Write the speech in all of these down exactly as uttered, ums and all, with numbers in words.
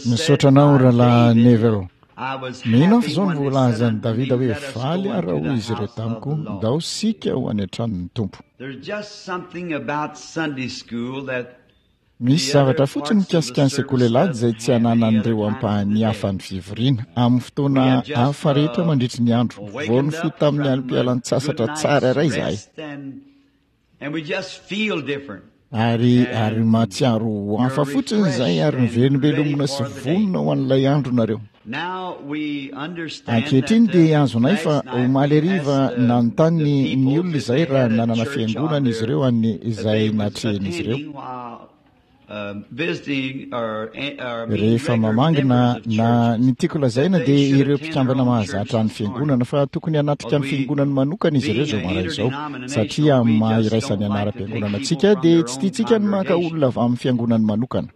Misaotra anao Rahalahy Neville. Mino aho fa izao no voalazan'i Davida hoe faly aho raha hoy izy ireo tamiko, ndao isika ho any an-tranon'ny Tompo. Misy zavatra fotsiny mikasika ny sekoly alahady izay tsy ananan'ireo ampahany hafa ny fivoriana, amin'ny fotoana hafa rehetra mandritry ny andro. Vao nifoha tamin'ny alim-pialan-tsasatra tsara iray izahay. Ary, ary mahatsiaro ho hafa fotsiny izay ary mivelombelomina sy vonona ho an'ilay andro nareo. Ankehitriny dia azonay fa omaly hariva nanontany ny olona izay raha nanana fiangonana izy ireo any izay natrehin'izy ireo. Rehefa mamangy na, na ny tiako lazaina dia ireo mpikambana mahazatra ny fiangonana fa tokony hanatrika ny fiangonany manokana izy ireo izao maraina izao satria amin'ny maha iraisan'ny anaram-piangonana antsika dia tsy tiantsika ny maka olona avy amin'ny fiangonany manokana.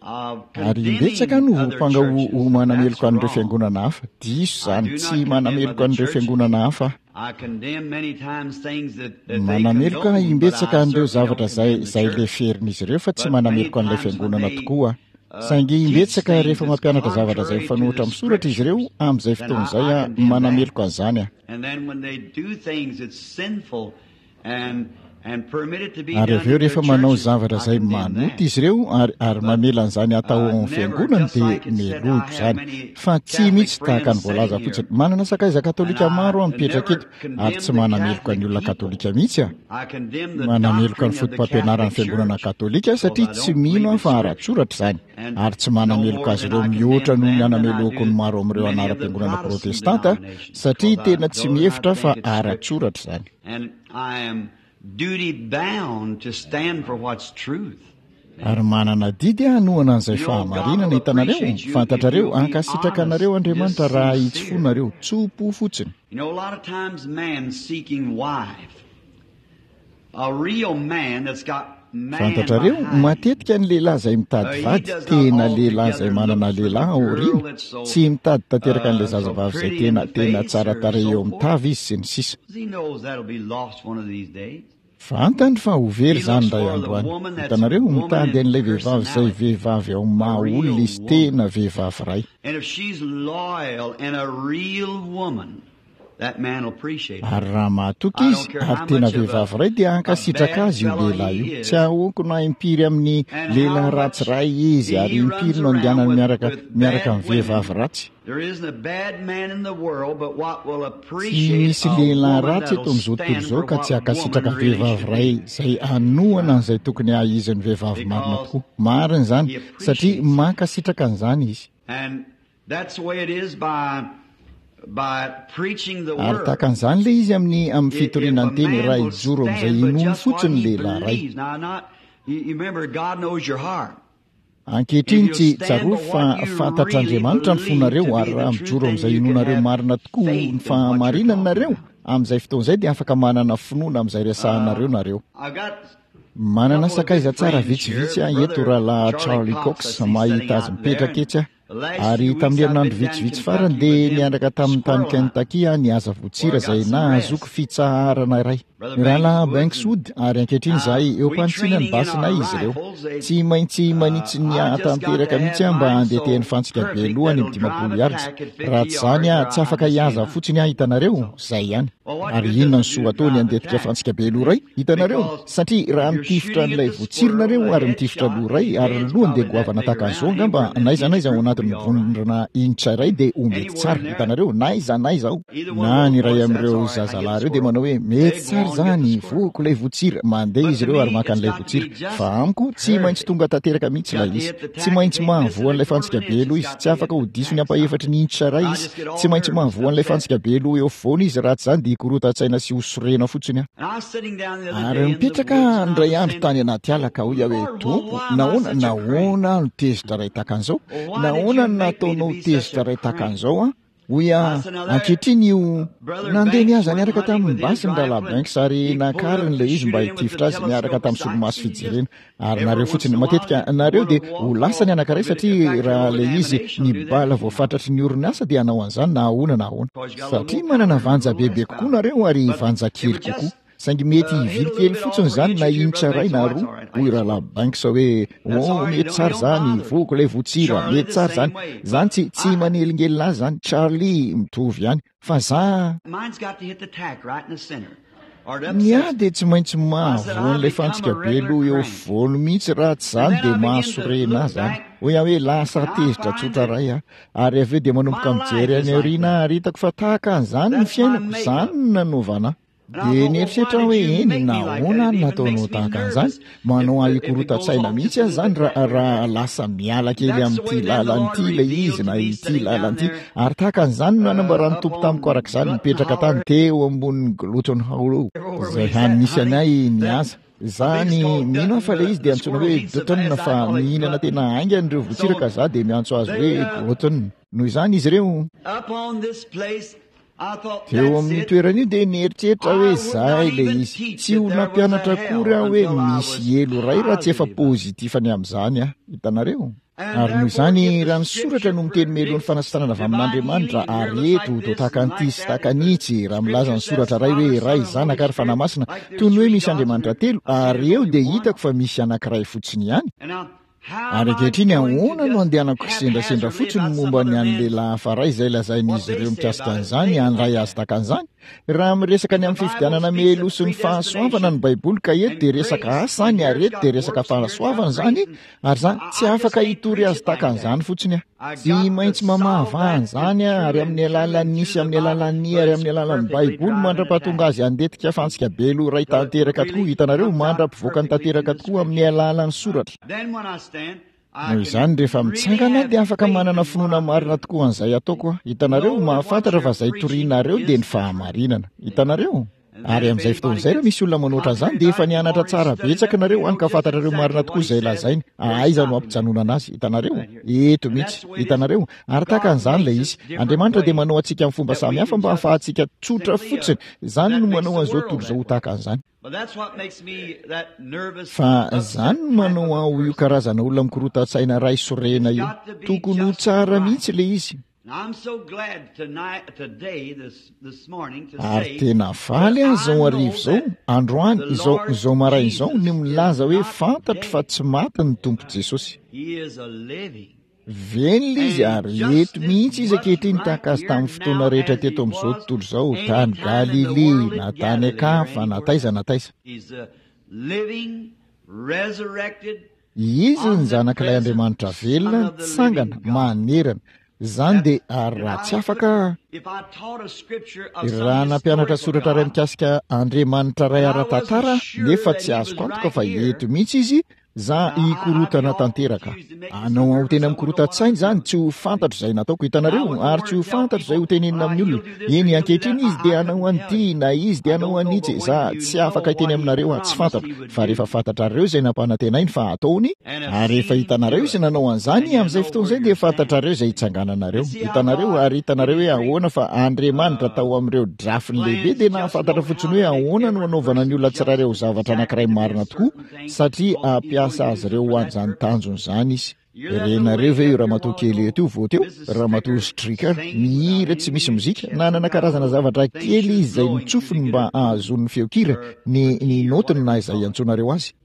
Ary imbetsaka no voampanga ho, ho manameloka an'ireo fiangonana hafa. Diso izany. Tsy manameloka an'ireo fiangonana hafa aho. Manameloka aho imbetsaka an'ireo zavatra izay, izay leferin'izy ireo, fa tsy manameloka an'ilay fiangonana tokoa aho. Saingy imbetsaka rehefa mampianatra zavatra izay mifanohitra amin'ny soratra izy ireo, amin'izay fotoana izay aho, manameloka an'izany aho. Ary avy eo rehefa manao zavatra izay manota izy ireo ary, ary mamela an'izany hatao ao amin'ny fiangonany dia melohiko izany. Fa tsy mihitsy tahaka ny voalaza fotsiny. Manana sakaiza katolika maro aho mipetraka eto ary tsy manameloka ny olona katolika mihitsy aho. Manameloka ny fotopampianaran'ny fiangonana katolika aho satria tsy mino aho fa ara-tsoratra izany. Ary tsy manameloka azy ireo mihoatra noho ny anamelohako ny maro amin'ireo anaram-piangonana protestanta aho satria tena tsy mihevitra aho fa ara-tsoratra izany. And I am duty bound to stand for what's truth. Ary manana adidy aho hanohana an'izay fahamarinana, hitanareo, fantatrareo, hankasitraka anareo Andriamanitra raha hahitsy fo nareo, tso-po fotsiny. You know, a lot of times man seeking wife, a real man that's got Fantatrareo, matetika ny lehilahy izay mitady vady, tena lehilahy izay manana lehilahy ao aoriana, tsy mitady tanteraka an'ilay zazavavy izay tena, tena tsara tarehy eo amin'ny tava izy sy ny sisa. Fantany fa ho very izany indray andro any. Hitanareo, mitady an'ilay vehivavy izay vehivavy ao amin'ny maha-olona izy, tena vehivavy iray. Ary raha mahatoky izy, ary tena vehivavy iray, dia hankasitraka azy io lehilahy io. Tsy ahoako na impiry amin'ny lehilahy ratsy iray izy, ary impiry no andehanany miaraka, miaraka amin'ny vehivavy ratsy. Tsy misy lehilahy ratsy eto amin'izao tontolo izao ka tsy hankasitraka vehivavy iray izay hanohana an'izay tokony haha-izy ny vehivavy marina tokoa. Marina izany, satria mankasitraka an'izany izy. Ary tahaka an'izany ilay izy amin'ny, amin'ny fitoriana ny teny, raha hijoro amin'izay inoany fotsiny ny lehilahy iray. Ankehitriny, tsy, tsarovy fa fantatr'Andriamanitra ny fonareo, ary raha mijoro amin'izay inoanareo marina tokoa ho ny fahamarinana nareo, amin'izay fotoana izay dia afaka manana finoana amin'izay resahanareo nareo. Manana sakaiza tsara vitsivitsy aho eto, Rahalahy Charlie Cox, mahita azy mipetraka etsy aho. Ary tamin'ny herinandro vitsivitsy farany dia niandraka tamin'ny tany Kentucky aho nihaza votsira izay nahazoako fitsaharana iray. Rahalahy Banks Wood, ary ankehitriny izahay eo am-panitsiana ny basinay izy ireo. Tsy maintsy manitsy ny hahatanteraka mihitsy aho mba handetehany fantsika be loha any amin'ny dimampolo yards. Raha tsy izany aho, tsy afaka hihaza fotsiny aho, hitanareo, izay ihany. Ary inona ny soa ataony handetika fantsika be loha iray? Hitanareo? Satria raha mitifitra an'ilay voatsiro nareo ary mitifitra loha iray ary ny lohany dia goavana tahaka an'izao angamba n'aiza n'aiza ao anatin'ny vondrona inch iray dia ho mety tsara. Hitanareo? N'aiza n'aiza ao. Na ny iray amin'ireo zazalahy ireo dia manao hoe, Mety tsara izany, voako ilay voatsira. Mandeha izy ireo ary maka an'ilay voatsira. Fa amiko, tsy maintsy tonga tanteraka mihitsy ilay izy. Tsy maintsy mahavoa an'ilay fantsika be loha izy. Tsy afaka ho diso ny ampahefatry ny inch iray izy. Tsy maintsy mahavoa an'ilay fantsika be loha eo afovoany izy, raha tsy izany dia hikorotan-tsaina sy ho sorena fotsiny aho. Ary nipetraka aho indray andro tany anaty ala ka hoy aho hoe, Tompo, nahoana, nahoana aho no tezitra iray tahaka an'izao? Nahoana no nataonao tezitra iray tahaka an'izao aho? Hoy aho, ankehitriny io, nandeha nihaza niaraka tamin'ny basy ny Rahalahy Banks ary nakariny ilay izy mba hitifitra azy miaraka tamin'ny solomaso fijerena. Ary nareo fotsiny, matetika nareo dia ho lasa ny anankiray satria raha ilay izy ny bala voafatratry ny orinasa dia hanao an'izany na ahoana na ahoana. Satria manana vanja bebe kokoa nareo ary vanja kely kokoa. Saingy mety hivily kely fotsiny izany na inch iray na roa. Hoy Rahalahy Banks hoe, oh, mety tsara izany, voako ilay votsira, mety tsara izany. Izany tsy, tsy manelingelina azy izany, Charlie mitovy ihany. Fa za, ny ahy dia tsy maintsy mahavoan'ilay fantsika be loha eo afovoany mihitsy, raha tsy izany dia mahasorena ahy izany. Hoy aho hoe, lasa tezitra tsotra iray aho. Ary avy eo dia manomboka mijery any aoriana ary hitako fa tahaka an'izany ny fiainako, izany no nanaovana ahy. Dia nieritreritra aho hoe, eny, nahoana no nataonao tahaka an'izany? Manao ahy hikorotan-tsaina mihitsy aho izany raha, raha lasa miala kely amin'ity lalana ity ilay izy na ity lalana ity. Ary tahaka an'izany no nanambaran'ny Tompo tamiko araka izany, nipetraka tany teo ambonin'ny Glutton Hollow, izay hany nisy anay nihaza. Izany, mino aho fa ilay izy dia antsoina hoe Dutton, fa mihinana tena haingana ireo votsiraka, izaho dia miantso azy hoe Glutton. Noho izany izy ireo, teo amin'ny toerana io dia nieritreritra hoe izay ilay izy. Tsy ho nampianatra akory aho hoe misy helo iray raha tsy efa pozitifany amin'izany aho. Hitanareo? Ary noho izany, raha ny soratra no miteny mialoha ny fanasitranana avy amin'Andriamanitra, ary eto toa tahaka an'ity sy tahaka an'itsy, raha milaza ny soratra iray hoe Ray, Zanaka ary Fanahy Masina, toy ny hoe misy Andriamanitra telo, ary eo dia hitako fa misy anankiray fotsiny ihany. Ary ankehitriny, ahoana no andehanako kisendrasendra fotsiny momba ny an'ny lehilahy hafa iray izay lazain'izy ireo mikasika an'izany, handray azy tahaka an'izany? Raha miresaka ny amin'ny fifidianana mialoha sy ny fahasoavana ny Baiboly, ka eto dia resaka asa izany, ary eto dia resaka fahasoavana izany, ary za tsy afaka hitory azy tahaka an'izany fotsiny aho. Tsy maintsy mamahavaha an'izany aho, ary amin'ny alalan'ny sy amin'ny alalan'ny ary amin'ny alalan'ny Baiboly mandra-pahatonga azy handetika fantsika be loha iray tanteraka tokoa, hitanareo, mandra-pivoakany tanteraka tokoa amin'ny alalan'ny soratra. Noho izany, rehefa mitsangana aho dia afaka manana finoana marina tokoa an'izay ataoko aho. Hitanareo, mahafantatra fa izay torianareo dia ny fahamarinana. Hitanareo? Ary amin'izay fotoana izay, raha misy olona manoatra an'izany, dia efa nianatra tsara betsaka nareo hany ka fantatrareo marina tokoa izay lazainy. Aiza no hampijanonana azy? Hitanareo? Eto mihitsy. Hitanareo? Ary tahaka an'izany ilay izy. Andriamanitra dia manao antsika amin'ny fomba samihafa mba hahafahantsika tsotra fotsiny. Izany no manao an'izao tontolo izao ho tahaka an'izany. Fa izany no manao ahy ho io karazana olona mikorotan-tsaina iray sorena io. Tokony ho tsara mihitsy ilay izy. Ary tena faly aho izao hariva izao, androany, izao, izao maraina izao, ny milaza hoe fantatro fa tsy maty ny Tompo Jesosy. Velona Izy ary eto mihitsy Izy ankehitriny tahaka Azy tamin'ny fotoana rehetra teto amin'izao tontolo izao, tany Galilia, na tany an-kafa, na taiza na taiza. Izy ny Zanak'ilay Andriamanitra velona nitsangana manerana. Izany dia, ary raha tsy afaka, raha nampianatra soratra iray mikasika Andriamanitra iray ara-tantara aho, nefa tsy azoko antoka fa eto mihitsy Izy, za hikorotana tanteraka. Hanao aho tena mikorotan-tsaina izany, tsy ho fantatro izay nataoko, hitanareo, ary tsy ho fantatro izay ho tenenina amin'ny olona. Eny, ankehitriny Izy dia hanao an'ity, na Izy dia hanao an'itsy, za tsy afaka hiteny aminareo aho, tsy fantatro. Fa rehefa fantatrareo izay nampanantenainy fa hataony, ary rehefa hitanareo Izy nanao an'izany, amin'izay fotoana izay dia fantatrareo izay hitsangananareo. Hitanareo? Ary hitanareo hoe ahoana fa Andriamanitra tao amin'ireo drafiny lehibe dia nahafantatra fotsiny hoe ahoana no hanaovana ny olona tsirairay ho zavatra anankiray marina tokoa, satria hampiasa azy ireo ho an'izany tanjony izany Izy. Renareo ve io ramatoa kely eto io vao teo? Ramatoa Stricker, mihira tsy misy mozika, nanana karazana zavatra kely izy izay notsofiny mba hahazoany ny feon-kira, ny, ny naotiny na izay iantsoanareo azy.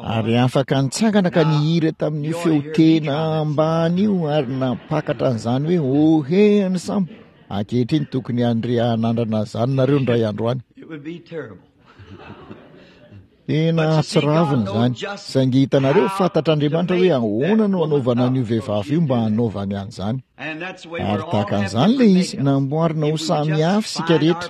Ary afaka nitsangana ka nihira tamin'io feo tena ambany io ary nampakatra an'izany hoe, Oh, he, ny sambo! Ankehitriny tokony handre hanandrana an'izany nareo indray andro any. Tena hatsiravina izany. Saingy hitanareo, fantatr'Andriamanitra hoe ahoana no hanaovana an'io vehivavy io mba hanaovany an'izany. Ary tahaka an'izany ilay izy, namboarina ho samy hafa isika rehetra.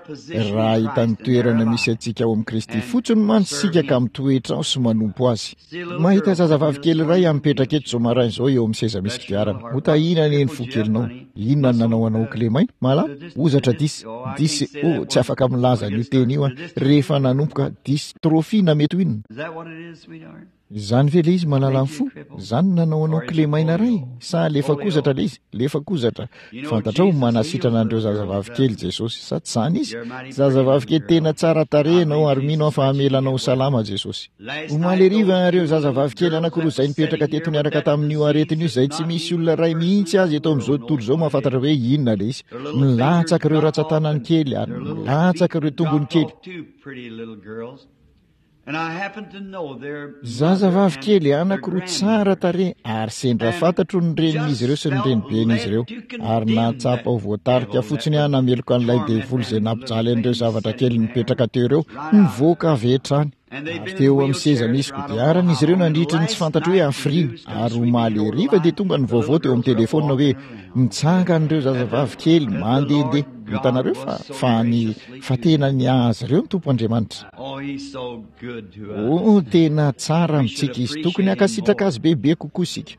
Raha hahita ny toerana misy antsika ao amin'i Kristy fotsiny mantsy isika ka mitoetra ao sy manompo Azy. Mahita zazavavy kely iray aho mipetraka eto izao maraina izao eo amin'ny seza misy kodiarana. Ho tahiana anie ny fo kelinao. Inona no nanao anao ho kilemaina? Malama? Hozatra dis, dis, oh, tsy afaka milaza an'io teny io aho. Rehefa nanomboka, dystrophie na mety ho inona. Izany ve ilay izy malala ny fo? Izany no nanao anao kilemaina iray? Sa lefakozatra ilay izy? Lefakozatra. Fantatrao, manasitrana an'ireo zazavavy kely Jesosy. Sa tsy izany izy? Zazavavy kely tena tsara tarehy ianao ary mino aho fa hamela anao ho salama Jesosy. Omaly hariva ireo zazavavy kely anankiroa izay nipetraka teto niaraka tamin'io aretina io izay tsy misy olona iray mihitsy azy eto amin'izao tontolo izao mahafantatra hoe inona ilay izy. Milatsaka ireo ratsan-tanany kely ary milatsaka ireo tongony kely. Zazavavy kely anankiroa tsara tarehy ary sendra fantatro ny renin'izy ireo sy ny reniben'izy ireo ary nahatsapa ho voatarika fotsiny aho nameloka an'ilay devoly izay nampijaly an'ireo zavatra kely nipetraka teo ireo nivoaka avy hatrany. Ary teo amin'ny seza misy kodiarana izy ireo nandritra ny tsy fantatro hoe hafiriana ary omaly hariva dia tonga ny vaovao teo amin'ny telefona hoe mitsangana ireo zazavavy kely mandehandeha. Hitanareo fa fa ny fa tena ny azy ireo ny Tompo Andriamanitra. Oh, tena tsara amintsika izy, tokony hankasitraka azy bebe kokoa isika.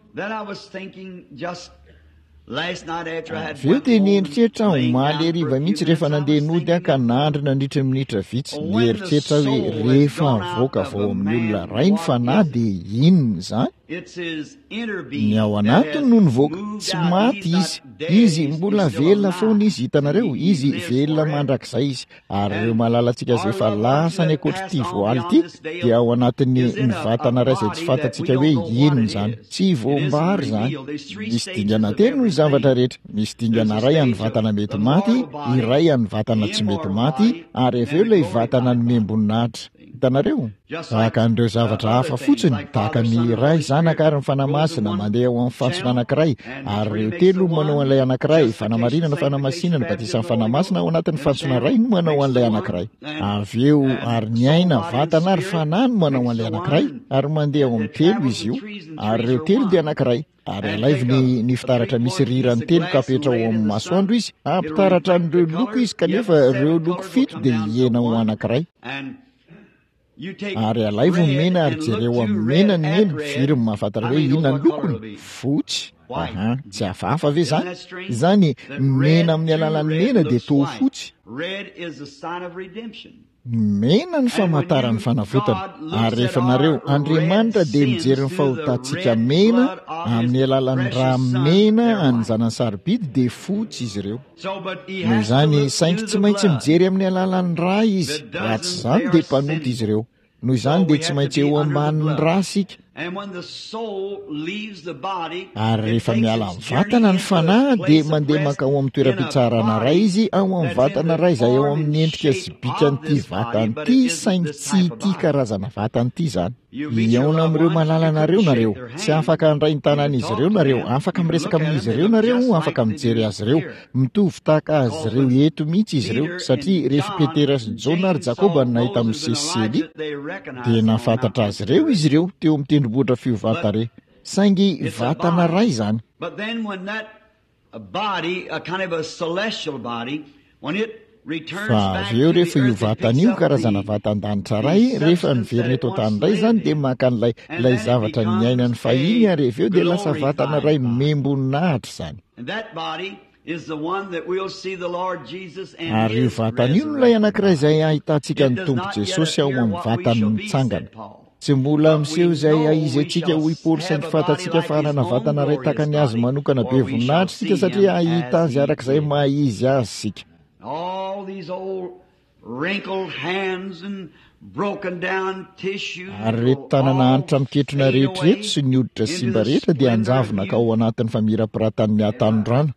Avy eo dia nieritreritra aho omaly hariva mihitsy rehefa nandeha nody aho ka nandry nandritra ny minitra vitsy. Nieritreritra aho hoe rehefa avoaka avy ao amin'ny olona iray ny fanahy dia inona izany? Ny ao anatiny no nivoaka, tsy maty izy. Izy mbola velona foana izy, hitanareo, izy velona mandrakizay izy. Ary ireo malalantsika izay efa lasa any ankoatr'ity voaly ity dia ao anatin'ny ny vatana iray izay tsy fantatsika hoe inona izany. Tsy voambary izany. Misy dingana telo ny zavatra rehetra. Misy dingana iray an'ny vatana mety maty, iray an'ny vatana tsy mety maty, ary avy eo ilay vatana nomem-boninahitra. Hitanareo? Tahaka an'ireo zavatra hafa fotsiny, tahaka ny Ray, Zanaka ary ny Fanahy Masina mandeha ao amin'ny fantsona anankiray, ary ireo telo no manao an'ilay anankiray, fanamarinana, fanamasinana, batisan'ny Fanahy Masina ao anatin'ny fantsona iray no manao an'ilay anankiray. Avy eo, ary ny aina, vatana ary fanahy no manao an'ilay anankiray, ary mandeha ao amin'ny telo izy io, ary ireo telo dia anankiray. Ary alaivo ny, ny fitaratra misy rirany telo ka apetraho ao amin'ny masoandro izy, hampitaratra an'ireo loko izy, kanefa ireo loko fito dia hihena ho anankiray. Ary alaivo ny mena ary jereo amin'ny mena ny mena, firy ny mahafantatra hoe inona ny lokony? Fotsy. Aha, tsy hafahafa ve izany? Izany, ny mena amin'ny alalan'ny mena dia toa fotsy. Mena ny famantaran'ny fanavotana, ary rehefa nareo, Andriamanitra dia mijery ny fahotantsika mena amin'ny alalan'ny rà mena an'ny zanany sarobidy dia fotsy izy ireo. Noho izany, saingy tsy maintsy mijery amin'ny alalan'ny rà izy, raha tsy izany dia mpanota izy ireo. Noho izany dia tsy maintsy eo ambanin'ny rà isika. Ary rehefa miala amin'ny vatana ny fanahy dia mandeha mankao amin'ny toeram-pitsarana iray izy ao amin'ny vatana iray izay ao amin'ny endrika sy bikan'ity vatana ity, saingy tsy ity karazana vatana ity izany. Hihaona amin'ireo malalanareo nareo. Tsy afaka handray ny tanan'izy ireo nareo, afaka miresaka amin'izy ireo nareo, afaka mijery azy ireo. Mitovy tahaka azy ireo eto mihitsy izy ireo, satria rehefa Petera sy Jaona ary Jakoba no nahita Mosesy sy Elia, dia nahafantatra azy ireo izy ireo teo amin'ny tendrombohitra fiovan-tarehy. Saingy vatana iray izany. Fa avy eo rehefa io vatana io, karazana vatan-danitra iray, rehefa niverina eto an-tany indray izany dia maka an'ilay ilay zavatra niainany fahiny ary avy eo dia lasa vatana iray nomem-boninahitra izany. Ary io vatana io no ilay anankiray izay ahitantsika ny Tompo Jesosy ao amin'ny vatany mitsangana. Tsy mbola miseho izay aizy antsika hoy Paoly saingy fantatsika fa hanana vatana iray tahaka ny azy manokana be voninahitra isika satria hahita azy araka izay maha izy azy isika. Ary ireto tanana hanitra miketrona rehetra ireto sy ny hoditra simba rehetra dia hanjavona ka ao anatin'ny famirapiratan'ny hatanorana.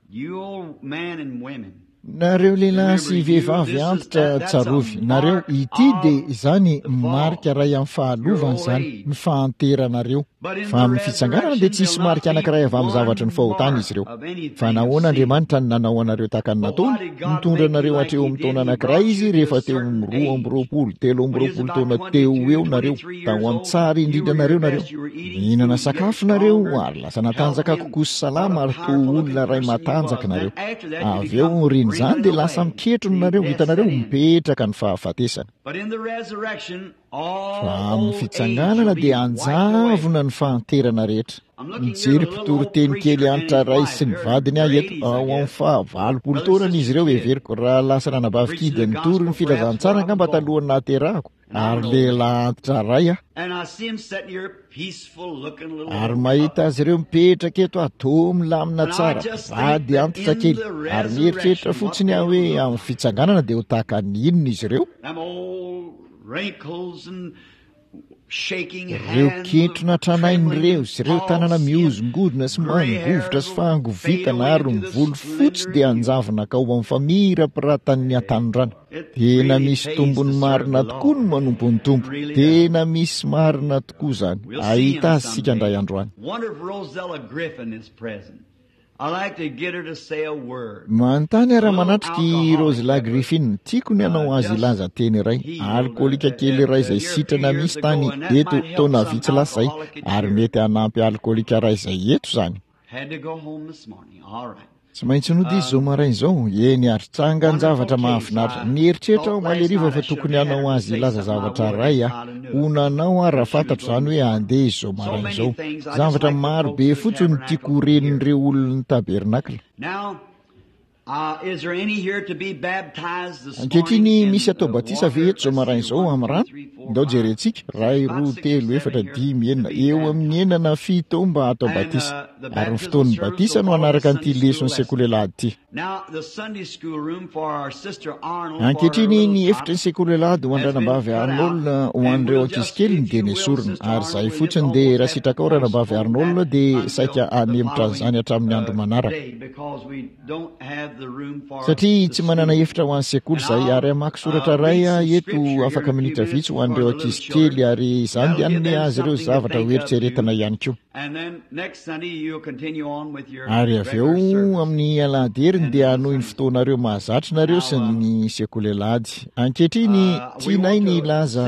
Nareo lehilahy sy vehivavy antitra, tsarovy, nareo, ity dia izany marika iray amin'ny fahalovana izany, ny fahanteranareo. Fa amin'ny fitsanganana dia tsy hisy marika anankiray avy amin'ny zavatry ny fahotana izy ireo. Fa nahoana Andriamanitra no nanao anareo tahaka ny nataony? Nitondra anareo hatreo amin'ny taona anankiray Izy rehefa teo amin'ny roa amby roapolo, telo amby roapolo taona teo ho eo nareo, tao amin'ny tsara indrindra nareo nareo. Nihinana sakafo nareo ary lasa natanjaka kokoa sy salama ary toa olona iray matanjaka nareo. Avy eo aorian'izany dia lasa miketrona nareo, hitanareo, mipetraka ny fahafatesana. Fa amin'ny fitsanganana dia anjavona ny fahanterana rehetra. Mijery mpitoriteny kely antitra ray sy ny vadiny aho eto, ao amin'ny fahavalopolo taonany izy ireo heveriko, raha lasa nanabavy kidy nitory ny filazantsara angamba talohan'ny nahaterahako, ary lehilahy antitra ray aho. Ary mahita azy ireo mipetraka eto aho, toa milamina tsara, vady antitra kely, ary mieritreritra fotsiny aho hoe amin'ny fitsanganana dia ho tahaka ny inona izy ireo. Ireo kentrona tranainy ireo sy ireo tanana mihozongozona sy mangovitra sy fahangovitana ary ny volo fotsy dia anjavona ka ho amin'ny famirapiratan'ny hatanorana. Tena misy tombony marina tokoa ny manompo ny Tompo. Tena misy marina tokoa izany. Ahita azy isika indray androany. Manontany ary manatrika i Rosella Griffin. Tiako ny hanao azy hilaza teny iray. Alkoholika kely iray izay sitrana misy tany eto taona vitsy lasa izay, ary mety hanampy alkoholika iray izay eto izany. Tsy maintsy nody izy izao maraina izao. Eny ary tsangan-javatra mahafinaritra. Nieritreritra aho omaly hariva fa tokony hanao azy hilaza zavatra iray aho. Ho nanao aho raha fantatro izany hoe handeha izy izao maraina izao. Zavatra maro be fotsiny no tiako ho ren'ireo olon'ny tabernakla. Ankehitriny misy atao batisa ve eto izao maraina izao amin'ny rano? Ndao jerentsika. Ray, roa, telo, efatra, dimy, enina. Eo amin'ny enina na fito eo mba atao batisa. Ary ny fotoan'ny batisa no hanaraka an'ity leson'ny sekoly alahady ity. Ankehitriny ny efitry ny sekoly alahady ho an-dranabavy Arnold ho an'ireo ankizy keliny dia nesorina. Ary izahay fotsiny dia raha sitrakao ranabavy Arnold dia saika hanemotra an'izany hatramin'ny andro manaraka. Satria tsy manana efitra ho an'ny sekoly izahay, ary hamaky soratra iray aho eto afaka minitra vitsy ho an'ireo ankizy kely, ary izany dia hanome azy ireo zavatra ho eritreretina ihany koa. Ary avy eo amin'ny alahady heriny dia hanohy ny fotoanareo mahazatra nareo sy ny sekoly alahady. Ankehitriny tianay ny hilaza,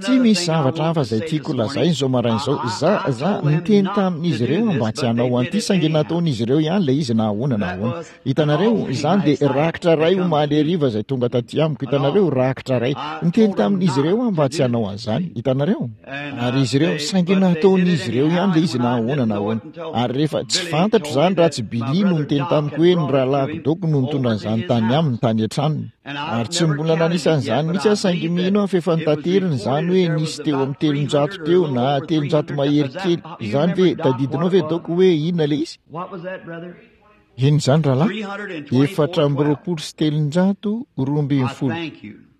tsy misy zavatra hafa izay tiako lazaina izao maraina izao. Za, za niteny tamin'izy ireo mba tsy hanao an'ity, saingy nataon'izy ireo ihany ilay izy na ahoana na ahoana. Hitanareo, izany dia rakitra iray omaly hariva izay tonga taty amiko. Hitanareo, rakitra iray. Niteny tamin'izy ireo aho mba tsy hanao an'izany. Hitanareo? Ary izy ireo, saingy nataon'izy ireo ihany ilay izy na ahoana na ahoana. Ary rehefa tsy fantatro izany raha tsy Billy no niteny tamiko hoe ny rahalahiko Doc no nitondra an'izany tany aminy, tany an-tranony. Ary tsy mbola nanisa an'izany mihitsy aho, saingy mino aho fa efa nitaterina izany hoe nisy teo amin'ny telonjato teo na telonjato mahery kely. Izany ve, tadidinao ve Doc hoe inona ilay izy? Inona izany rahalahy? Efatra amby roapolo sy telonjato roa ambin'ny folo.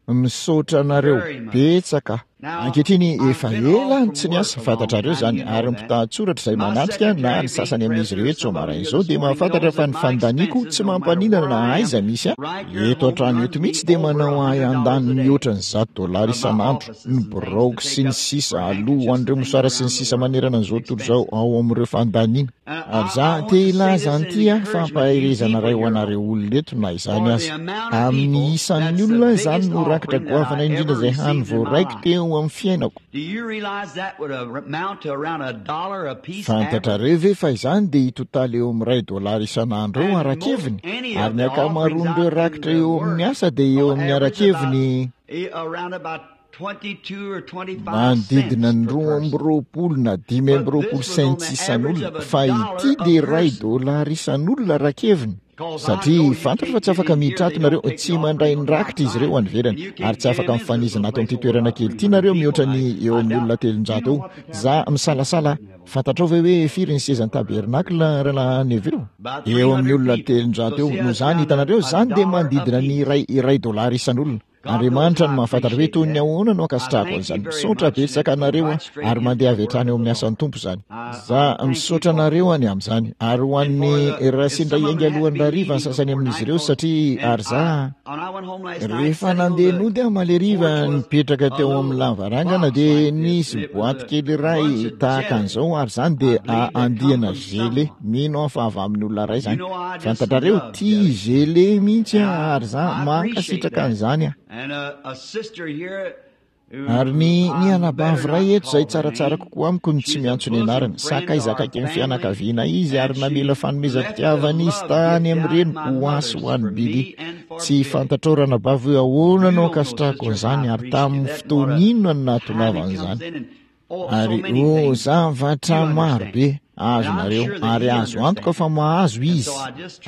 Misaotra anareo betsaka. Ankehitriny efa ela ny tsy niasa, fantatrareo izany, ary ny mpitahatsoratra izay manatrika na ny sasany amin'izy ireo eto izao maraina izao dia mahafantatra fa ny fandaniako tsy mampaninana na aiza misy ahy. Eto an-trano eto mihitsy dia manao ahy handany mihoatra ny zato dolara isan'andro, ny biraoko sy ny sisa aloha ho an'ireo mosara sy ny sisa manerana an'izao tontolo izao ao amin'ireo fandaniana. Ary za te hilaza an'ity aho fa ampaherezana iray ho anareo olona eto na izany aza. Amin'ny isan'ny olona izany no rakitra goavana indrindra izay hany voaraiko teo amin'ny fiainako. Fantatrareo ve fa izany dia hitotaly eo amin'ny iray dolara isan'andro eo ara-keviny? Ary ny ankamaroan'ireo rakitra eo amin'ny asa dia eo amin'ny ara-keviny manodidina ny roa amby roapolo na dimy amby roapolo cents isan'olona, fa ity dia iray dolara isan'olona ara-keviny. Satria fantatro fa tsy afaka miditra ato nareo, tsy mandray ny rakitra izy ireo any ivelany, ary tsy afaka mifanizina ato amin'ity toerana kely ity nareo mihoatra ny eo amin'ny olona telonjato eo. Za misalasala, fantatrao ve hoe firy ny sezan'ny tabernakla rahalahy Neville? Eo amin'ny olona telonjato eo. Noho izany, hitanareo, izany dia manodidina ny iray, iray dolara isan'olona. Andriamanitra no mahafantatra hoe toy ny ahoana no ankasitrahako an'izany. Misaotra betsaka anareo aho, ary mandeha avy hatrany eo amin'ny asan'ny Tompo izany. Za misaotra anareo any amin'izany. Ary ho an'ny raha sendra hiainga alohan'ny hariva ny sasany amin'izy ireo, satria ary za, rehefa nandeha nody aho omaly hariva, nipetraka teo amin'ny lavarangana, dia nisy boaty kely iray tahaka an'izao, ary izany dia andiana gelée. Mino aho fa avy amin'ny olona iray izany. Fantatrareo, tia gelée mihitsy aho, ary za mankasitraka an'izany aho. Ary ny ny anabavy iray eto izay tsaratsara kokoa amiko ny tsy miantso ny anarany. Sakaiza akaiky ny fianakaviana izy ary namela fanomezam-pitiavana izy tany amin'ny reniko ho ahy sy ho an'i Billy. Tsy fantatrao ranabavy hoe ahoana no ankasitrahako an'izany ary tamin'ny fotoana inona no nahatongavan'izany. Ary oh, zavatra maro be azonareo, ary azo antoka fa mahazo izy.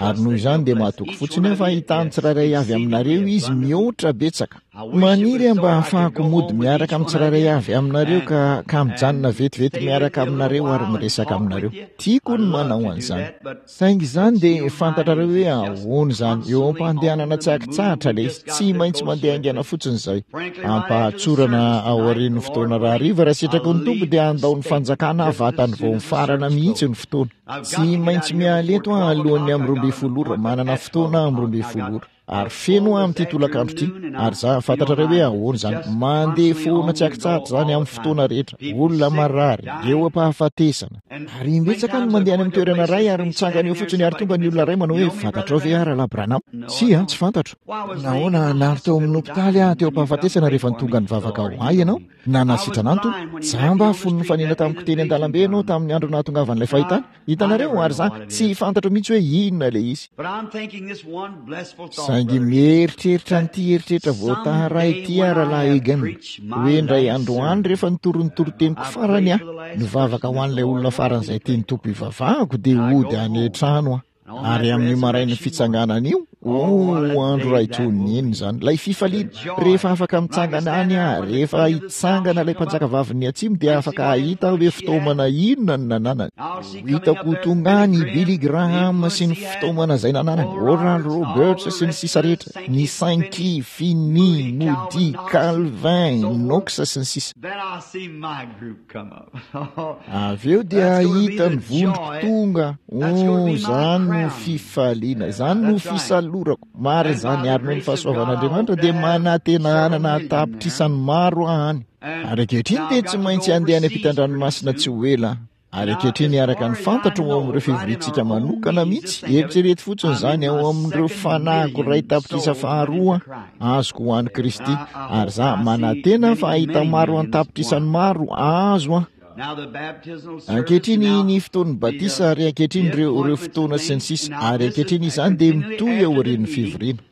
Ary noho izany dia mahatoky fotsiny aho fa hahitany tsirairay avy aminareo izy mihoatra betsaka. Maniry aho mba hahafahako mody miaraka amin'ny tsirairay avy aminareo ka, ka mijanona vetivety miaraka aminareo ary miresaka aminareo. Tiako ny manao an'izany. Saingy izany dia fantatrareo hoe ahoana izany, eo am-pandehanana tsy ankitsahatra ilay izy, tsy maintsy mandeha haingana fotsiny izay. Ampahatsorana aorian'ny fotoana rahariva, raha sitraky ny Tompo dia handao ny fanjakana vatany vao mifarana mihitsy ny fotoana. Tsy maintsy miala eto aho alohan'ny amin'ny roa ambin'ny folo ora, manana fotoana aho amin'ny roa ambin'ny folo ora. Ary feno aho amin'ity tolakandro ity, ary za fantatrareo hoe ahoana izany, mandeha foana tsy ankitsahatra izany amin'ny fotoana rehetra, olona marary, eo am-pahafatesana. Ary imbetsaka no mandeha any amin'ny toerana iray ary mitsangana eo fotsiny ary tonga ny olona iray manao hoe, fantatrao ve aho Rahalahy Branham? Tsia, tsy fantatro. Nahoana, nary teo amin'ny hopitaly aho teo am-pahafatesana rehefa tonga nivavaka ho ahy ianao? Nanasitrana ahy ny Tompo. Jamba aho fony nifanena tamiko teny an-dalambe ianao tamin'ny andro nahatongavan'ilay fahitana. Hitanareo? Ary za tsy fantatro mihitsy hoe inona ilay izy. Saingy mieritreritra an'ity eritreritra voataharay ity aho, Rahalahy Egan, hoe indray andro any rehefa nitory ny toriteniko farany aho, nivavaka ho an'ilay olona faran'izay tian'ny Tompo hivavahako, dia hody any an-trano aho. Ary amin'io marain'ny fitsanganana io, oh, andro iray toy ny inona izany, ilay fifaliana, rehefa afaka mitsangana any aho, rehefa hitsangana ilay mpanjakavavin'ny atsimo, dia afaka hahita aho hoe fitaomana inona no nananany. Ho hitako ho tonga any i Billy Graham sy ny fitaomana izay nananany, Oral Roberts sy ny sisa rehetra, ny Sankey, Finney, Moody, Calvin, Knox sy ny sisa. Avy eo dia hahita ny vondroko tonga. Oh, izany no fifaliana, izany no fisalorako. Marina izany, ary noho ny fahasoavan'Andriamanitra dia manantena hanana tapitrisany maro aho any. Ary ankehitriny dia tsy maintsy handeha any ampitan-dranomasina tsy ho ela aho. Ary ankehitriny araka ny fantatro ao amin'ireo fivoriantsika manokana mihitsy, eritrereto fotsiny izany, ao amin'ireo fanahiko iray tapitrisa faharoa azoko ho an'i Kristy, ary za manantena fa hahita maro an-tapitrisany maro azo aho. Ankehitriny ny fotoan'ny batisa, ary ankehitriny ireo, ireo fotoana sy ny sisa, ary ankehitriny izany dia mitohy aorian'ny fivoriana.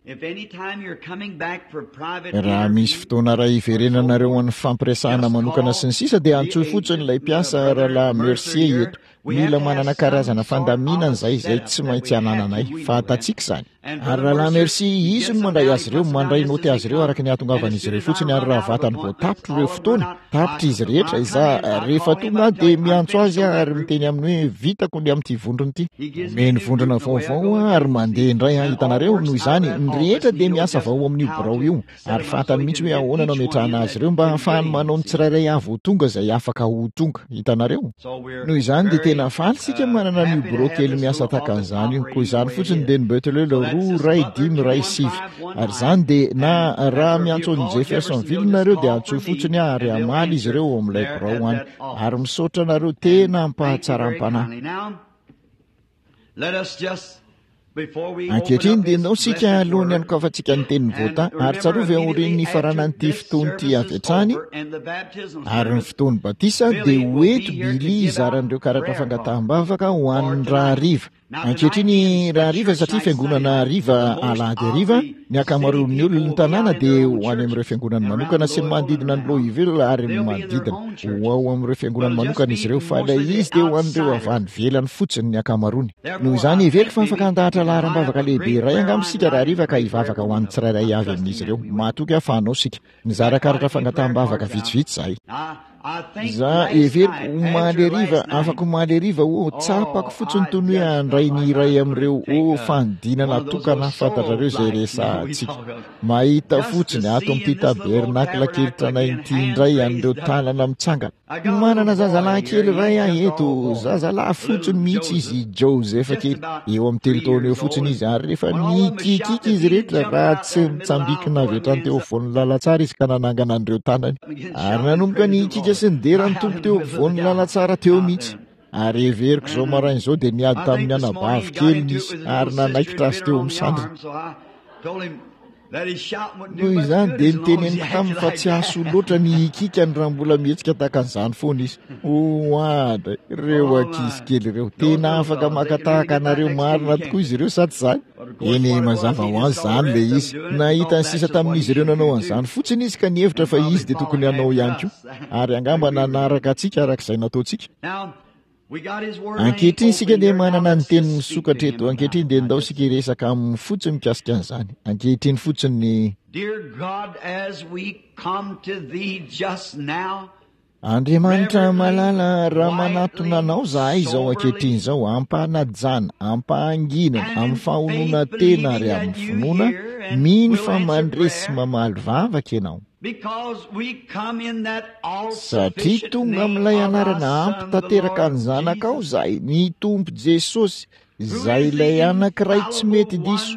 Raha misy fotoana iray hiverenanareo an'ny fampiresahana manokana sy ny sisa dia antsoy fotsiny ilay mpiasa Rahalahy Mercier eto. Mila manana karazana fandaminana izay izay tsy maintsy anananay. Fantatsika izany. Ary Rahalahy Mercier, izy no mandray azy ireo, mandray naoty azy ireo araka ny hahatongavan'izy ireo fotsiny, ary raha vatany vao tapitra ireo fotoana, tapitra izy rehetra, izaho rehefa tonga aho dia miantso azy aho ary miteny aminy hoe vitako ny amin'ity vondrona ity. Omeny vondrona vaovao aho ary mandeha indray aho, hitanareo, noho izany, ny rehetra dia miasa avy ao amin'io birao io, ary fantany mihitsy hoe ahoana no ametrahana azy ireo mba hahafahany manao ny tsirairay avy ho tonga izay afaka ho tonga, hitanareo. Noho izany dia tena faly isika manana an'io birao kely miasa tahaka an'izany io. Koa izany fotsiny dia ny Butler roa iray dimy iray sivy. Ary izany dia, na raha miantso an'i Jeffersonville nareo dia antsoy fotsiny aho ary hamaly izy ireo ao amin'ilay birao any. Ary misaotra anareo tena am-pahatsaram-panahy. Ankehitriny dia ndao isika alohan'ny hanokafantsika ny tenin'i Vota, ary tsarovy aorian'ny nifaranan'ity fotoana ity avy hatrany, ary ny fotoan'ny batisa, dia ho eto Billy hizara an'ireo karatra fangataham-bavaka ho an'ny rahariva. Ankehitriny rahariva, satria fiangonana hariva alahady hariva, ny ankamaroan'ny olon'ny tanàna dia ho any amin'ireo fiangonany manokana sy ny manodidina an'i Louisville ary ny manodidina. Ho ao amin'ireo fiangonany manokana izy ireo, fa ilay izy dia ho an'ireo avy any ivelany fotsiny ny ankamaroany. Noho izany, heveriko fa afaka handahatra laharam-bavaka lehibe iray angamba isika rahariva ka hivavaka ho an'ny tsirairay avy amin'izy ireo. Matoky aho fa hanao isika. Nizara karatra fangataham-bavaka vitsivitsy izahay. Za, heveriko, omaly hariva, afaka omaly hariva, oh, tsapako fotsiny toy ny hoe handray ny iray amin'ireo, oh, fanodinana tokana, fantatrareo izay resahantsika. Mahita fotsiny, ato amin'ity tabernakla kely tranainy ity indray, an'ireo tanana mitsangana. Manana zazalahy kely iray aho eto, zazalahy fotsiny mihitsy izy, Joseph kely. Eo amin'ny telo taona eo fotsiny izy, ary rehefa nikikiky izy rehetra, raha tsy nitsambikina avy hatrany teo afovoan'ny lalantsara izy ka nanangana an'ireo tanany. Ary nanomboka nikiaka sy nidera ny Tompo teo afovoan'ny lalantsara teo mihitsy. Ary heveriko izao maraina izao dia niady tamin'ny anabavy keliny izy, ary nanaikitra azy teo amin'ny sandriny. Noho izany dia niteneniko taminy fa tsy hahasoa loatra ny hikikany raha mbola mihetsika tahaka an'izany foana izy. Oadray, ireo ankizy kely ireo, tena afaka maka tahaka anareo marina tokoa izy ireo, sa tsy izany? Eny, mazava ho azy izany ilay izy. Nahita ny sisa tamin'izy ireo nanao an'izany fotsiny izy ka nihevitra fa izy dia tokony hanao ihany koa. Ary angamba nanaraka antsika araka izay nataontsika. Ankehitriny isika dia manana ny teny misokatra eto. Ankehitriny dia ndao isika hiresaka aminy fotsiny mikasika an'izany. Ankehitriny fotsiny ny Andriamanitra malala, raha manatona anao zahay izao ankehitriny izao, ampanajana, ampahanginana, amin'ny fahonona tena ary amin'ny finoana, mino fa mandre sy mamaly vavaka ianao. Satria tonga amin'ilay anarana ampy tanteraka ny zanakao izahay, ny Tompo Jesosy, izay ilay anankiray tsy mety diso,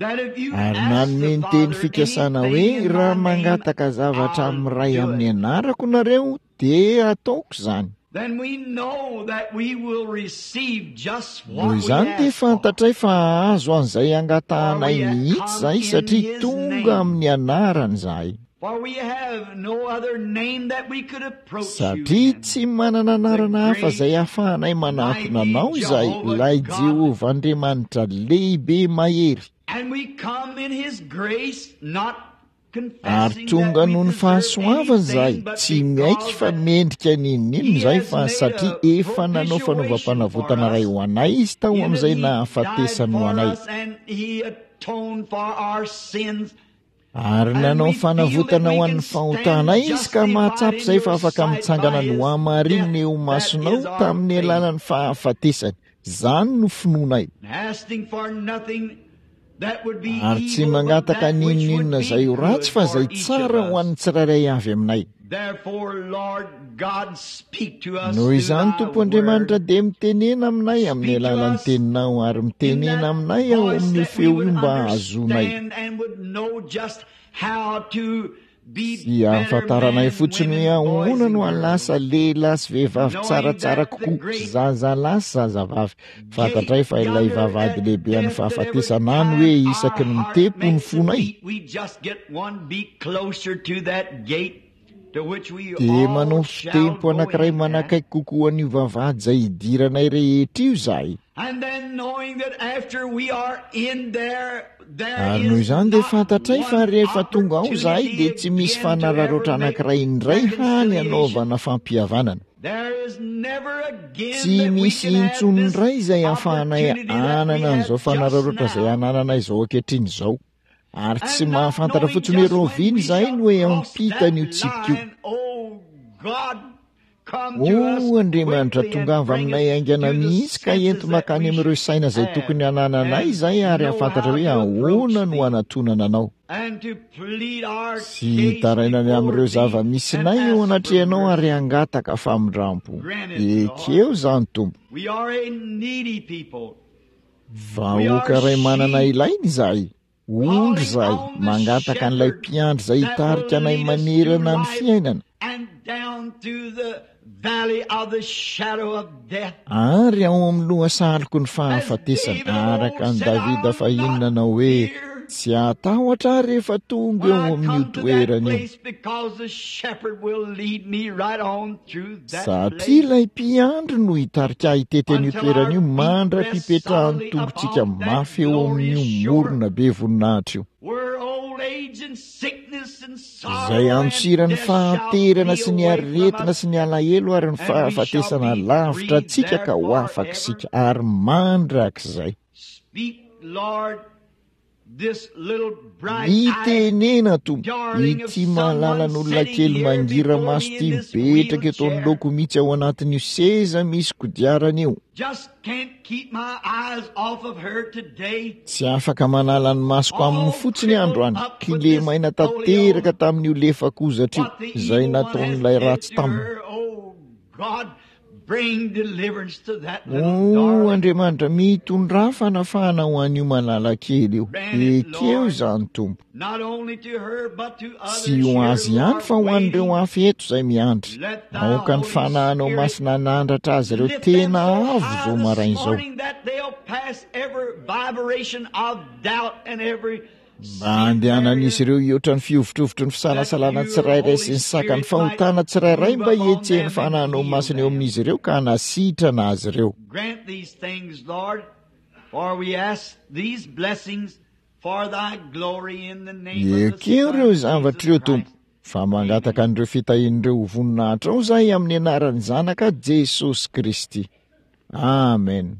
ary nanome ny teny fikasana hoe raha mangataka zavatra amin'ny Ray amin'ny anarako nareo dia ataoko izany. Noho izany dia fantatray fa hahazo an'izay angatahanay mihitsy izahay satria tonga amin'ny anarany izahay. Satria tsy manana anarana hafa izay ahafahanay manatona anao izahay, ilay Jehovah Andriamanitra lehibe mahery. Ary tonga noho ny fahasoavany izahay, tsy miaiky fa mendrika n'inon'inona izahay fa satria efa nanao fanaovam-panavotana iray ho anay izy tao amin'izay nahafatesany ho anay. Ary nanao fanavotana ho an'ny fahotanay izy ka mahatsapa izay fa afaka mitsangana nohamarinina eo imasonao tamin'ny alalan'ny fahafatesany. Izany no finoanay. Ary tsy mangataka n'inon'inona izay ho ratsy fa izay tsara ho an'ny tsirairay avy aminay. Noho izany, Tompo Andriamanitra, dia mitenena aminay amin'ny alalan'ny teninao ary mitenena aminay ao amin'io feo io mba hahazoanay sy hahafantaranay fotsiny hoe ahoana no hahalasa lehilahy sy vehivavy tsaratsara kokoa, zazalahy sy zazavavy. Fantatray fa ilay vavahady lehibe an'ny fahafatesana any hoe isaky ny mitepo ny fonay dia manao fitempo anankiray manakaiky kokoa an'io vavahady izay hidiranay rehetra io izahay. Ary noho izany dia fantatray fa rehefa tonga ao izahay dia tsy misy fanararaotra anankiray indray hany hanaovana fampihavanana. Tsy misy intsony indray izay ahafahanay hanana an'izao fanararaotra izay anananay izao ankehitriny izao. Ary tsy mahafantatra fotsiny hoe rahoviana izahay no hiampita an'io tsipika io. O Andriamanitra, tongava aminay haingana mihitsy ka ento mankany amin'ireo saina izay tokony hanananay izahay ary hahafantatra hoe ahoana no hanatonana anao. Sy hitaraina ny amin'ireo zava-misinay eo anatrehanao ary hangataka famindrampo. Ekeo izany, Tompo. Vahoaka iray manana ilaina izahay. Ondry izahay, mangataka an'ilay mpiandry izay hitarika anay manerana ny fiainana. Ary ao amin'ny lohasahaloky ny fahafatesana, araka an'i Davida fahiny nanao hoe, Tsy hatahotra aho rehefa tonga eo amin'io toerana io. Satria ilay mpiandry no hitarika ahy hitety an'io toerana io mandra-pipetrahan'ny tongotsika mafy eo amin'io morona be voninahitra io. Izay antsiran'ny fahanterana sy ny aretina sy ny alahelo ary ny fahafatesana lavitra antsika ka ho afaka isika ary mandrakizay. Mitenena Tompo, ity malalan'olona kely mangira-maso ity mipetraka eto anoloako mihitsy ao anatin'io seza misy kodiarana io. Tsy afaka manala ny masoko aminy fotsiny aho androany, kilemaina tanteraka tamin'io lefakozatra io, izay nataon'ilay ratsy taminy. O Andriamanitra, mitondrà fanafahana ho an'io malala kely io. Ekeo izany, Tompo. Tsy ho azy ihany fa ho an'ireo hafa eto izay miandry. Aoka ny Fanahinao Masina hanandratra azy ireo tena avo izao maraina izao. Mba handehanan'izy ireo hihoatra ny fihovitrovitry ny fisalasalana tsirairay sy ny sakan'ny fahotana tsirairay mba hihetsehan'ny Fanahinao Masina eo amin'izy ireo ka hanasitrana azy ireo. Ekeo ireo zavatra ireo, Tompo, fa mangataka an'ireo fitahian'ireo ho voninahitrao izahay amin'ny anaran'ny Zanaka Jesosy Kristy. Amen.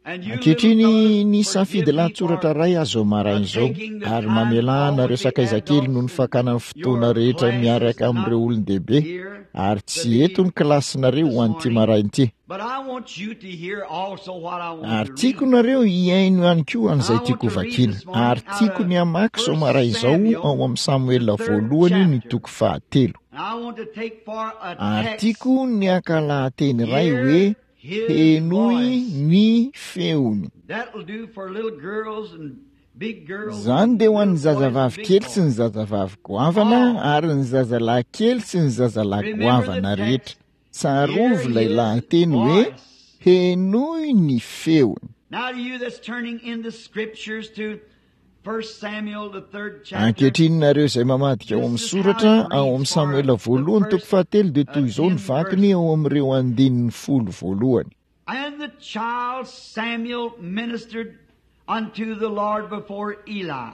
Ankehitriny ny safidy lahatsoratra iray azo maraina izao, ary mamelà anareo sakaiza kely noho ny fakana ny fotoana rehetra miaraka amin'ireo olon-dehibe, ary tsy eto ny kilasinareo ho an'ity maraina ity. Ary tiako nareo hihaino ihany koa an'izay tiako hovakiana, ary tiako ny hamaky izao maraina izao ao amin'ny Samoela voalohany ny toko fahatelo. Ary tiako ny haka lahateny iray hoe henoy ny feony. Izany dia ho an'ny zazavavy kely sy ny zazavavy goavana ary ny zazalahy kely sy ny zazalahy goavana rehetra. Tsarovy ilay lahateny hoe henoy ny feony. Ankehitriny nareo izay mamadika ao amin'ny soratra ao amin'ny Samoela voalohany toko fahatelo dia toy izao ny vakiny ao amin'ireo andininy folo voalohany. And the child Samuel ministered unto the Lord before Eli.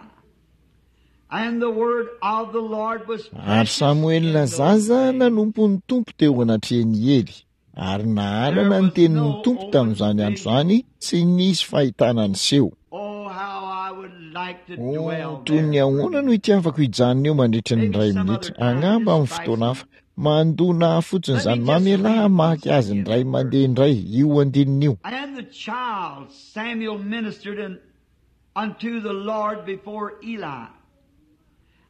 And the word of the Lord was Ary Samoela zaza nanompo ny Tompo teo anatrehan'i Ely. Ary nahalana ny tenin'ny Tompo tamin'izany andro izany, tsy nisy fahitana niseho. Oh, how I would like to Oh, dwell toy ny there. ahoana no itiavako hijanona eo mandritra ny iray minitra, angamba amin'ny fotoana hafa. Mandona ahy fotsiny izany, mamelà hamaky azy indray mandeha indray io andininy io. And the child Samuel ministered un- unto the Lord before Eli.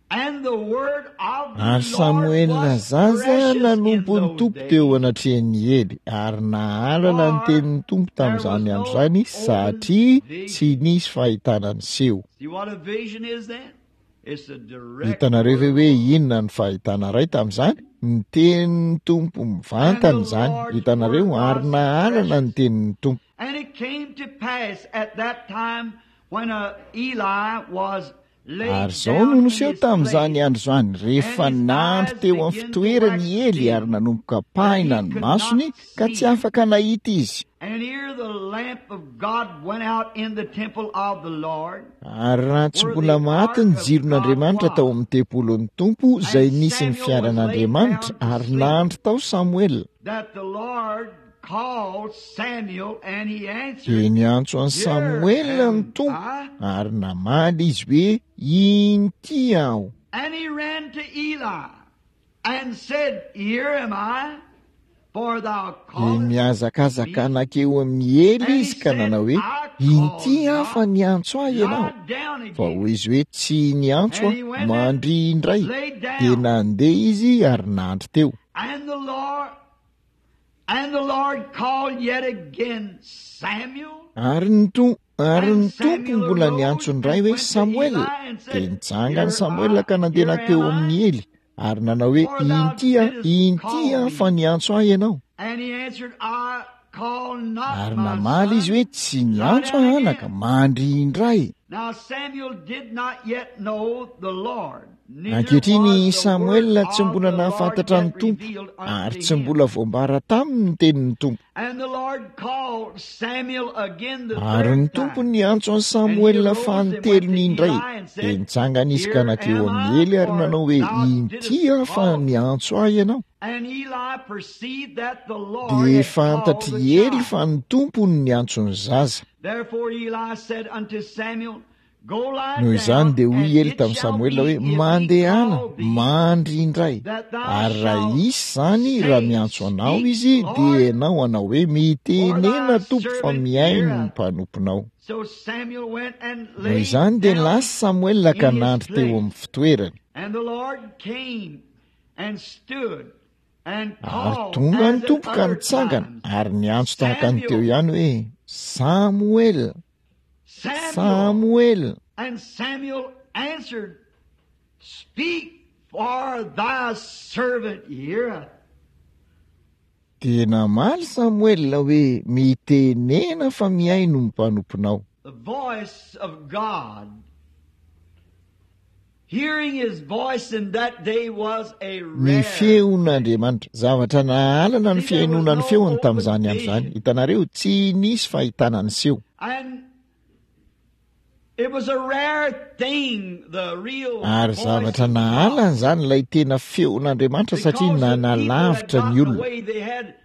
And the word of the Ary Lord Samoela was zaza precious in nanompo ny those Tompo teo days. anatrehan'i Ely, ary nahalana ny For tenin'ny Tompo there was tamin'izany andro no izany, open satria tsy vision. nisy fahitana niseho. See what a vision is then? It's a direct Hitanareo ve word. hoe inona ny fahitana iray tamin'izany? Ny tenin'ny Tompo And mivantana the izany, Lord's hitanareo, word ary was nahalana ny precious. tenin'ny Tompo. And it came to pass at that time when uh, Eli was laid Ary izao no down in niseho his tamin'izany place, andro izany, rehefa and his nandry eyes teo amin'ny began to fitoerany wax i Ely ary dim, nanomboka that he pahina ny could masony not ka tsy see. afaka nahita izy. And here the lamp of God went out in the temple of the Lord, Ary raha tsy where mbola the maty ark ny of God jiron'Andriamanitra tao was. amin'ny tempolin'ny Tompo izay And nisy ny Samuel was laid fiaran'Andriamanitra, down to ary sleep, nandry tao Samoela. that the Lord called Samuel, and he Dia answered, niantso an'i Here Samoela ny am Tompo, I. ary namaly izy hoe, Inty aho. And he ran to Eli and said, Here am I, for thou Dia callest nihazakazaka me. nankeo amin'i Ely And he izy ka said, nanao hoe, I Inty called aho fa not, niantso ahy ianao. lie down Fa again. hoy izy hoe, Tsy niantso And he aho, went and mandry indray. lay Dia down. nandeha izy ary nandry teo. And the Lord and the Lord called yet again Samuel. Ary ny Tompo ary And ny Tompo Samuel mbola arose niantso indray and hoe went to Samoela. Eli and Dia said, nitsangana Here Samoela I, ka nandeha here nankeo am amin'i I, Ely, ary nanao hoe, for thou Inty aho, didst inty call aho fa me. niantso ahy ianao. And he answered, I call not Ary my namaly izy son, hoe, Tsy lie niantso down aho anaka, again. mandry indray. Now Samuel did not yet know the Lord, neither Ankehitriny was the word Samoela tsy of mbola the Lord nahafantatra ny yet Tompo, revealed ary unto tsy him. mbola voambara taminy ny tenin'ny Tompo. And the Lord called Samuel again the Ary ny third Tompo time. niantso an'i And he Samoela arose and went to fanintelony indray. Eli and Dia said, nitsangana izy ka Here nankeo am amin'i I, Ely ary for nanao hoe, thou Inty didst aho fa call me. niantso ahy ianao. And Eli perceived that the Lord Dia had called fantatr'i the Ely child. fa ny Tompo no niantso ny zaza. Therefore Eli said unto Samuel, Go lie Noho izany down, dia hoy and Ely it tamin'i shall Samoela be hoe, if he Mandehana, call thee, mandry indray. that thou Ary raha shalt hisy izany, raha say, miantso anao Speak, izy, dia Lord, ianao hanao hoe, for Mitenena thy Tompo fa servant mihaino ny heareth. mpanomponao. So Samuel went and Noho laid izany dia down lasa Samoela ka in his nandry teo place. amin'ny fitoerany. And the Lord came Ary tonga ny Tompo ka nitsangana ary niantso tahaka ny teo ihany hoe, Samoela, Samoela. And Samuel answered, Speak, for thy servant heareth. Dia namaly Samoela hoe, mitenena fa mihaino ny mpanomponao. The voice of God. Hearing his voice in that day was a Ny rare. feon'Andriamanitra, zavatra nahalana ny fihainoana ny feony tamin'izany andro izany. Hitanareo, tsy nisy fahitana ny seho. And it was a rare thing, the real Ary voice zavatra of God. nahalana izany ilay tena feon'Andriamanitra satria Because the people had nanalavitra ny gotten olona. away, they had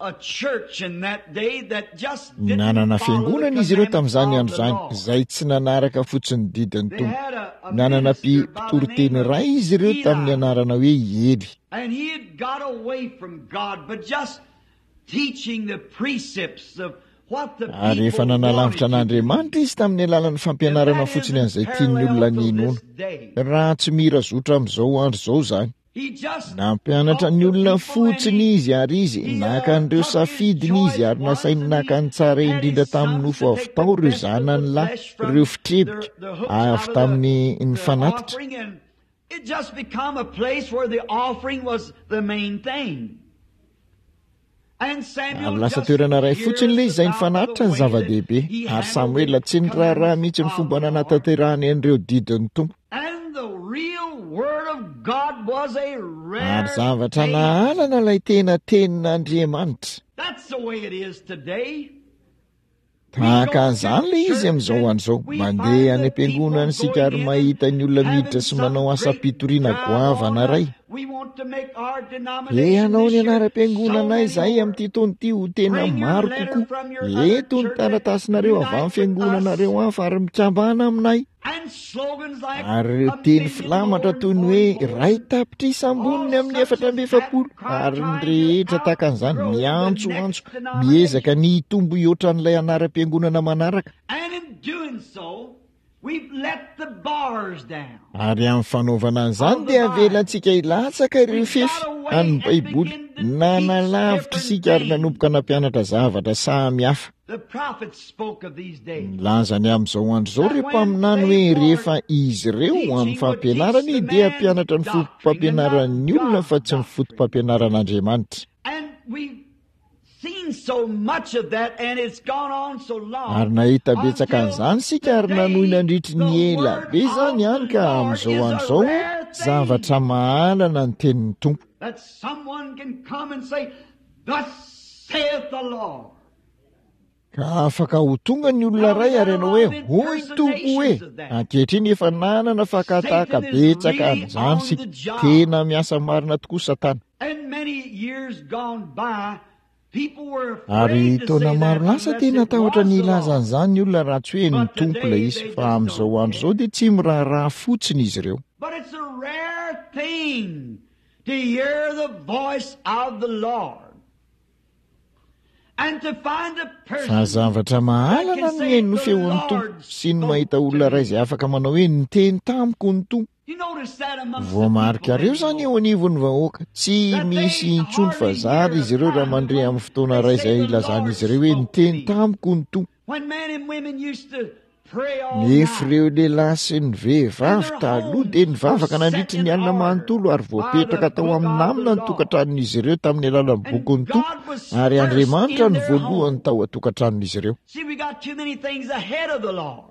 a church in that day that just didn't Nanana follow the fiangonana izy ireo commandments tamin'izany of andro the izany, Lord. izay tsy nanaraka fotsiny ny didin'ny They Tompo. had a, a Nanana minister by the mpitoriteny name of iray izy ireo tamin'ny Eli. anarana hoe Eli. And he had got away from God, but just teaching the precepts of what the Ary efa people nanalavitra wanted to do. an'Andriamanitra izy tamin'ny alalan'ny If fampianarana that fotsiny isn't an'izay tian'ny parallel olona to ninoana. this day, Raha tsy mira zotra amin'izao andro izao izany. he just Nampianatra taught ny the olona people and fotsiny he, izy ary izy he naka uh, an'ireo took his safidiny izy choice ary ones nasainy and naka he ny tsara had indrindra his tamin'ny sons nofo to avy take the tao ireo best of the zanany lahy, flesh from ireo the, fitrebika the hooks out avy of the, tamin'ny ny the fanatitra. offering, and it just become a place where the offering was the main thing. And Ary Samuel lasa just toerana iray fotsiny hears ilay izay ny about the fanatitra ny way that zava-dehibe. he Ary handled the Samoela tsy niraharaha commandments mihitsy ny of fomba the Lord. nanatanterahany an'ireo didin'ny Tompo. And the real word of God was a Ary rare zavatra thing. nahalana ilay tena tenin'Andriamanitra. That's the way it is today. We Tahaka go to an'izany ilay izy church amin'izao and andro izao. we Mandeha find any the am-piangonana people isika going ary in and mahita ny olona having miditra sy some manao great asam-pitoriana drive goavana on. iray. We want to make our Te denomination hanao ny this year so anaram-piangonana many izay more. amin'ity taona ity ho tena Bring your maro letter kokoa. from your other Eto ny church and taratasinareo avy unite amin'ny with us. fiangonanareo hafa ary mikambana aminay. And slogans like Ary ireo a teny million filamatra more toy and ny more hoe and more. iray tapitrisa All amboniny amin'ny such efatra as amby that, efapolo cry, ary ny trying to rehetra tahaka an'izany outgrow the miantsoantso next denomination. miezaka ny hitombo hihoatra an'ilay anaram-piangonana manaraka. And in doing so, we've let the bars down Ary amin'ny fanaovana an'izany of the dia Bible. avelantsika hilatsaka ireo We've fefy got away an'ny and Baiboly. begin to teach Nanalavitra different isika ary things. nanomboka nampianatra zavatra samy hafa. The prophets spoke of these days. Nilaza ny amin'izao andro izao That ireo when mpaminany they hoe were rehefa izy ireo amin'ny teaching would teach fampianarany the dia man's hampianatra ny doctrine and not fotopampianaran'ny olona God's fa tsy ny doctrine. fotopampianaran'Andriamanitra. And we've seen so much of that, and it's gone on so Ary long nahita betsaka until an'izany isika ary nanohy today nandritry the ny ela word be izany of ihany the ka Lord amin'izao is andro a izao rare thing. zavatra mahalana ny tenin'ny Tompo. That someone can come and say, Thus saith the Lord. Ka afaka ho tonga ny olona Now we iray got ary a hanao lot hoe of hoy ny Tompo hoe impersonations of that. ankehitriny efa nanana fakatahaka Satan is betsaka really an'izany on isika. the job. Tena miasa marina tokoa Satana. And many years gone by, people were Ary afraid to taona say that maro lasa unless tena it tahotra was ny the hilaza Lord. an'izany ny olona raha tsy hoe ny But Tompo ilay today izy they fa just amin'izao don't andro izao care. dia tsy miraharaha fotsiny izy ireo. But it's a rare thing to hear the voice of the Lord. And to find a Fa person zavatra that mahalana can ny say, mihaino ny The feon'ny Tompo Lord sy ny spoke mahita to olona iray me. izay afaka manao hoe niteny tamiko ny Tompo. You notice that amongst the people Voamarikareo izany eo anymore. anivon'ny vahoaka. Tsy That misy they intsony fa hardly zary hear a izy ireo raha time mandre among amin'ny fotoana they iray say izay the ilazana Lord izy ireo hoe spoke to niteny me. tamiko ny Tompo. When men and women used to pray all Nefa night ireo lehilahy sy ny and vehivavy their taloha homes dia were nivavaka set nandritry in ny alina order manontolo ary by the voapetraka tao book amin'ny of the namina ny Lord. tokantranon'izy ireo tamin'ny alalan'ny And bokin'ny Tompo God was ary first Andriamanitra in no their voalohany home. tao an-tokantranon'izy ireo. See, we got too many things ahead of the Lord.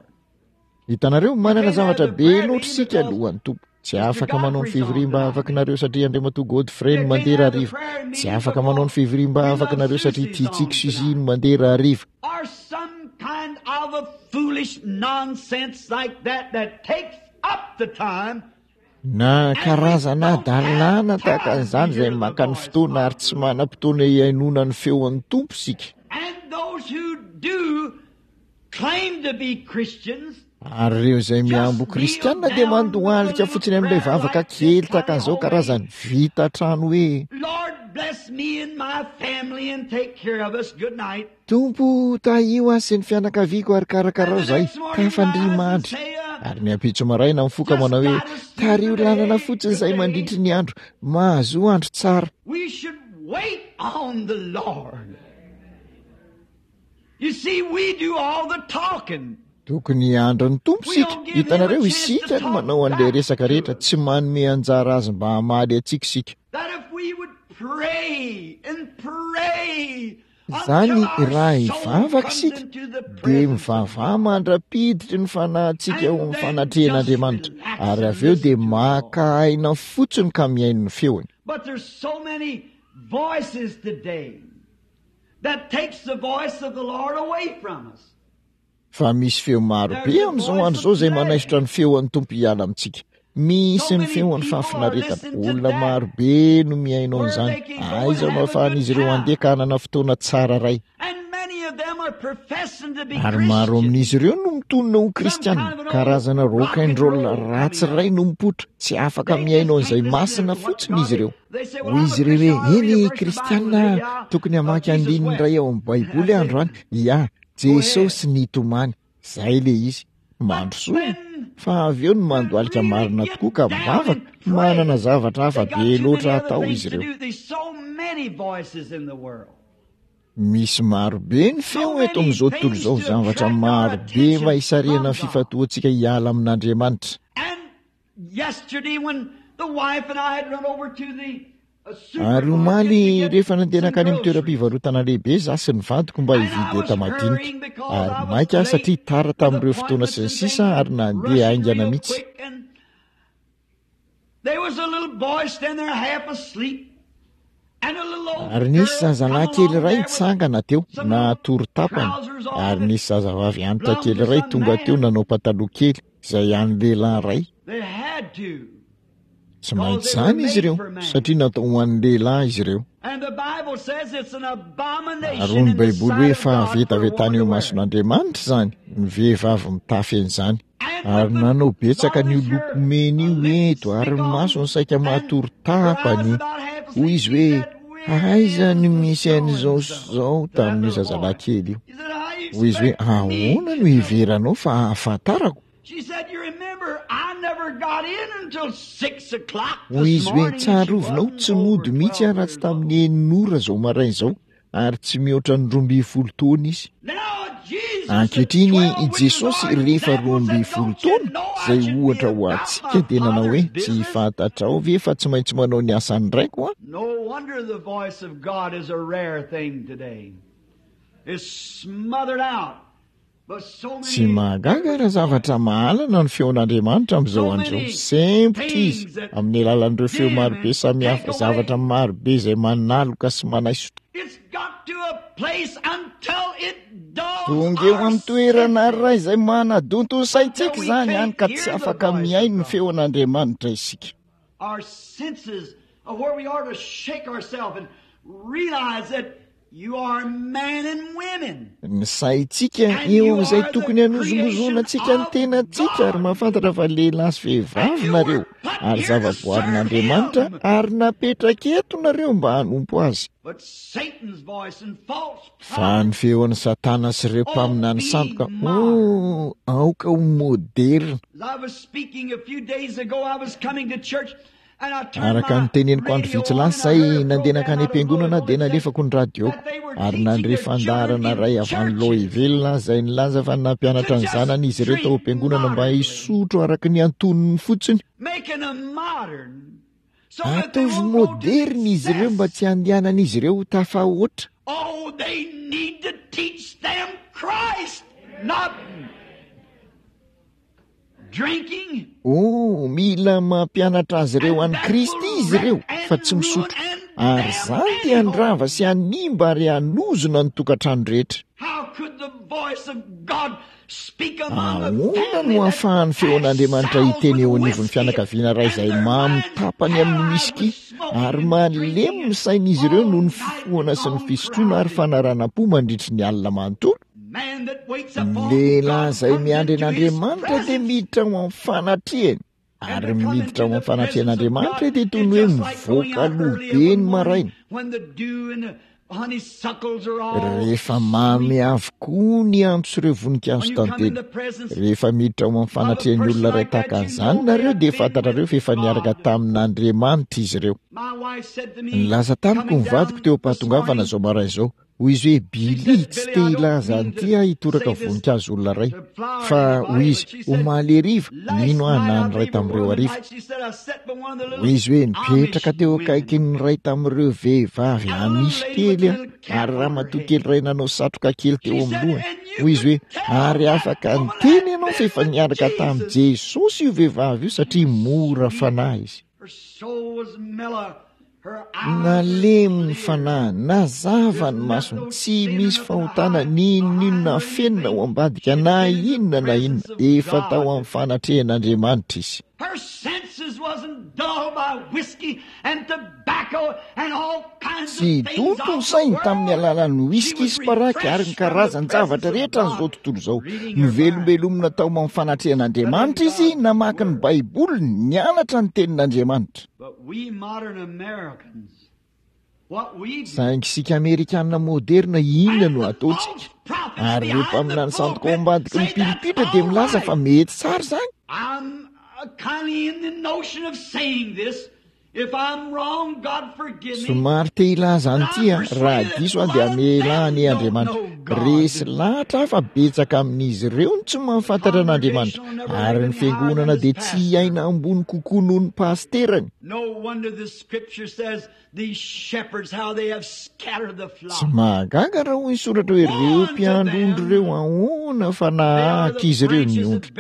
Hitanareo You manana can't have zavatra the be prayer loatra meeting isika because alohan'ny Tompo. Tsy Mister afaka manao ny Godfrey's on fivoriam tonight. bavakinareo satria Andriamatoa Godfrey no You can't mandeha have the rahariva. prayer Tsy meeting afaka manao because ny fivoriam we love bavakinareo satria Susie's tiantsika on Suzy tonight. no mandeha rahariva. Or some kind of a foolish nonsense like that that takes up the time Na and we karazana don't have hadalana tahaka time to an'izany izay hear the maka ny voice fotoana ary of tsy the Lord. manam-potoana hihainoana ny feon'ny Tompo isika. And those who do claim to be Christians Ary ireo izay just miambo kneel kristianina dia down with a mandohalika little fotsiny amin'ilay prayer vavaka like this kely tahaka tiny an'izao homemade. karazany vita trano hoe Lord, bless me and my family and take care of us. Good night. Tompo tahio ahy sy ny fianakaviako ary And karakarao the izahay next morning tafandria rise and mandry. say, uh, Ary ny ampitso maraina mifoka manao hoe tariho lalana fotsiny izay mandritry ny andro, mahazo andro tsara. We should wait on the Lord. You see, we do all the talking. Tokony hiandry ny Tompo isika. Hitanareo, isika no manao an'ilay resaka rehetra, tsy manome anjara azy mba hamaly antsika isika. That if we would pray and pray Izany raha hivavaka isika dia mivavaha mandra-piditry ny fanahintsika ao amin'ny fanatrehan'Andriamanitra, ary avy eo dia maka aina fotsiny ka mihaino ny feony. But there's so many voices today that takes the voice of the Lord away from us. Fa misy feo maro be amin'izao andro izao izay manaisotra ny feon'ny Tompo hiala amintsika. Misy ny feon'ny fahafinaretana. Olona maro be no mihaino an'izany. Aiza no ahafahan'izy ireo handeha ka hanana fotoana tsara ray. And many of them are professing to be Ary maro Christians. amin'izy ireo no mitonona ho kristianina. Karazana rock and roll ratsy ray no mipoitra. Tsy afaka mihaino an'izay masina fotsiny izy ireo. Hoy izy ireo hoe, eny kristianina, tokony hamaky andininy iray ao amin'ny Baiboly androany. Ia, Jesosy nitomany. Zay le izy. Mandrosoa. Fa avy eo no mandohalika marina tokoa ka mivavaka, manana zavatra hafa be loatra atao izy ireo. There's so many voices in the world. Misy maro be ny feo eto amin'izao tontolo izao, zavatra maro be mba hisarihana ny fifantohantsika hiala amin'Andriamanitra. And yesterday when the wife and I had run over to the uh, Ary supermarket omaly to get rehefa nandeha some nankany amin'ny groceries. toeram-pivarotana lehibe izaho sy ny vadiko mba hividy enta-madinika. Ary maika aho satria tara tamin'ireo fotoana sy ny sisa ary nandeha haingana mihitsy. There was a little boy standing there half asleep. And a little old Ary nisy girl zazalahy come kely along iray there with nitsangana teo, natory tapany. Ary nisy zazavavy antitra kely iray tonga teo nanao pataloha kely, izay an'ny lehilahy iray. They had to. Tsy maintsy izany izy ireo, satria natao ho an'ny lehilahy izy ireo. And the Bible says it's an abomination Ary hoy ny in the Baiboly hoe sight of God for fahavetavetana one eo to wear. mason'Andriamanitra izany, ny vehivavy mitafy an'izany. And Ary with the nanao betsaka an'io garniture, loko mena io eto, ary ny masony saika matory tapany. Hoy izy hoe, aiza no misy an'izao sy izao tamin'io zazalahy kely io. He said, "How you Hoy izy hoe, expect me ahoana to no know?" hiheveranao fa ahafantarako? She said, "You remember, I never got in until six o'clock Hoy this izy hoe, morning." And she tsarovinao wasn't tsy over nody mihitsy aho twelve raha tsy years old. tamin'ny enina ora izao maraina izao, ary tsy mihoatra ny roa ambin'ny folo taona izy. Now Jesus at Ankehitriny twelve, i which is Jesosy our rehefa roa example, ambin'ny said, folo "Don't you taona, know I izay should be ohatra ho about antsika my dia nanao hoe, Father's tsy business?" fantatrao ve fa tsy maintsy manao ny asan'ny raiko aho? No wonder the voice of God is a rare thing today. It's smothered out by so Tsy many mahagaga raha zavatra mahalana ny feon'Andriamanitra amin'izao so andro izao. many Sempotra izy things that amin'ny alalan'ireo feo dim marobe and samihafa, take zavatra away. marobe izay manaloka sy manaisotra. It's got to a place until it dulls Tonga eo our amin'ny toerana senses, iray izay manadonto ny until saintsika we izany hany can't ka tsy hear the afaka voice of mihaino ny God. feon'Andriamanitra isika. Our senses of where we are to shake ourselves and realize that you are men and women. Ny saintsika And eo you amin'izay are the tokony hanozongozona creation antsika ny of tenantsika ary God. mahafantatra fa lehilahy sy And vehivavy you nareo were put ary here to serve zavaboarin'Andriamanitra Him. ary napetraka eto nareo mba hanompo azy. But Satan's voice and false Fa ny prophets, feon'ny Satana sy ireo oh, mpaminany be sandoka, modern. oh, aoka ho moderina. As I was speaking a few days ago, I was coming to church and I turned Araka ny my teneniko andro radio vitsy on lasa and I izay heard a nandeha program nankany out of am-piangonana Louisville dia that said nalefako ny radioko that they were ary teaching nandre their children fandaharana in iray avy any churches Louisville izay nilaza fa to nampianatra ny just zanany izy ireo tao drink am-piangonana mba moderately, hisotro araka ny antonony fotsiny. making them modern so that they Ataovy won't go to moderina izy ireo mba excess. tsy handehanan'izy ireo ho tafahoatra. Oh, they need to teach them Christ, not drinking. Oh, mila mampianatra azy ireo And an'i that Kristy will izy ireo wreck fa and tsy ruin misotro. and Ary damn izany dia any handrava home. sy hanimba ary hanozona ny tokantrano rehetra. How could the voice of God speak among a Ahoana family no that ahafahan'ny has feon'Andriamanitra sows hiteny with eo anivon'ny whiskey fianakaviana iray and izay their mamy minds tapany amin'ny paralyzed whisky with smoking ary and malemy drinking ny and sain'izy ireo all noho ny night fifohana sy ny long fisotroana ary carousing? fanaranam-po mandritry ny alina manontolo? Man that waits Ny upon lehilahy God izay comes miandry into his an'Andriamanitra dia presence. miditra ao amin'ny fanatrehany. And Ary to come miditra into ao the amin'ny presence of fanatrehan'Andriamanitra God dia toy is ny hoe just like going mivoaka out aloha early be of a ny morning maraina. when the dew and the Rehefa mamy avokoa ny antso ireo voninkazo tantely. Rehefa miditra ao amin'ny fanatrehan'ny olona iray tahaka an'izany nareo dia fantatrareo fa efa niaraka tamin'Andriamanitra izy ireo. Nilaza tamiko ny vadiko teo am-pahatongavana izao maraina izao. Hoy izy hoe, Billy, tsy te hilaza an'ity aho hitoraka voninkazo olona iray. Fa hoy izy, omaly hariva, nino aho na ny iray tamin'ireo hariva. Hoy izy hoe, nipetraka teo akaikin'ny iray tamin'ireo vehivavy amisy kely aho, ary ramatoa kely iray nanao satroka kely teo amin'ny lohany. Hoy izy hoe, ary afaka niteny ianao fa efa niaraka tamin'i Jesosy io vehivavy io satria mora fanahy izy. Nalemy ny fanahy, nazava ny masony, tsy misy fahotana n'inon'inona afenina ao ambadika na inona na inona, efa tao amin'ny fanatrehan'Andriamanitra izy. Tsy donto ny sainy tamin'ny alalan'ny whisky sy paraky ary ny karazan-javatra rehetra an'izao tontolo izao. Novelombelomina tao amin'ny fanatrehan'Andriamanitra izy, namaky ny Baiboliny, nianatra ny tenin'Andriamanitra. Saingy isika Amerikana moderna, inona no ataontsika? Ary ireo mpaminany sandoka ao ambadiky ny pilipitra dia milaza fa mety tsara izany. Somary te hilaza an'ity aho, raha diso aho dia hamela anie Andriamanitra. Resy lahatra aho fa betsaka amin'izy ireo no tsy mahafantatra an'Andriamanitra, ary ny fiangonana dia tsy hiaina ambony kokoa noho ny pasterany. Tsy mahagaga raha hoy ny soratra hoe ireo mpiandry ondry ireo ahoana fa nahahaka izy ireo ny ondry.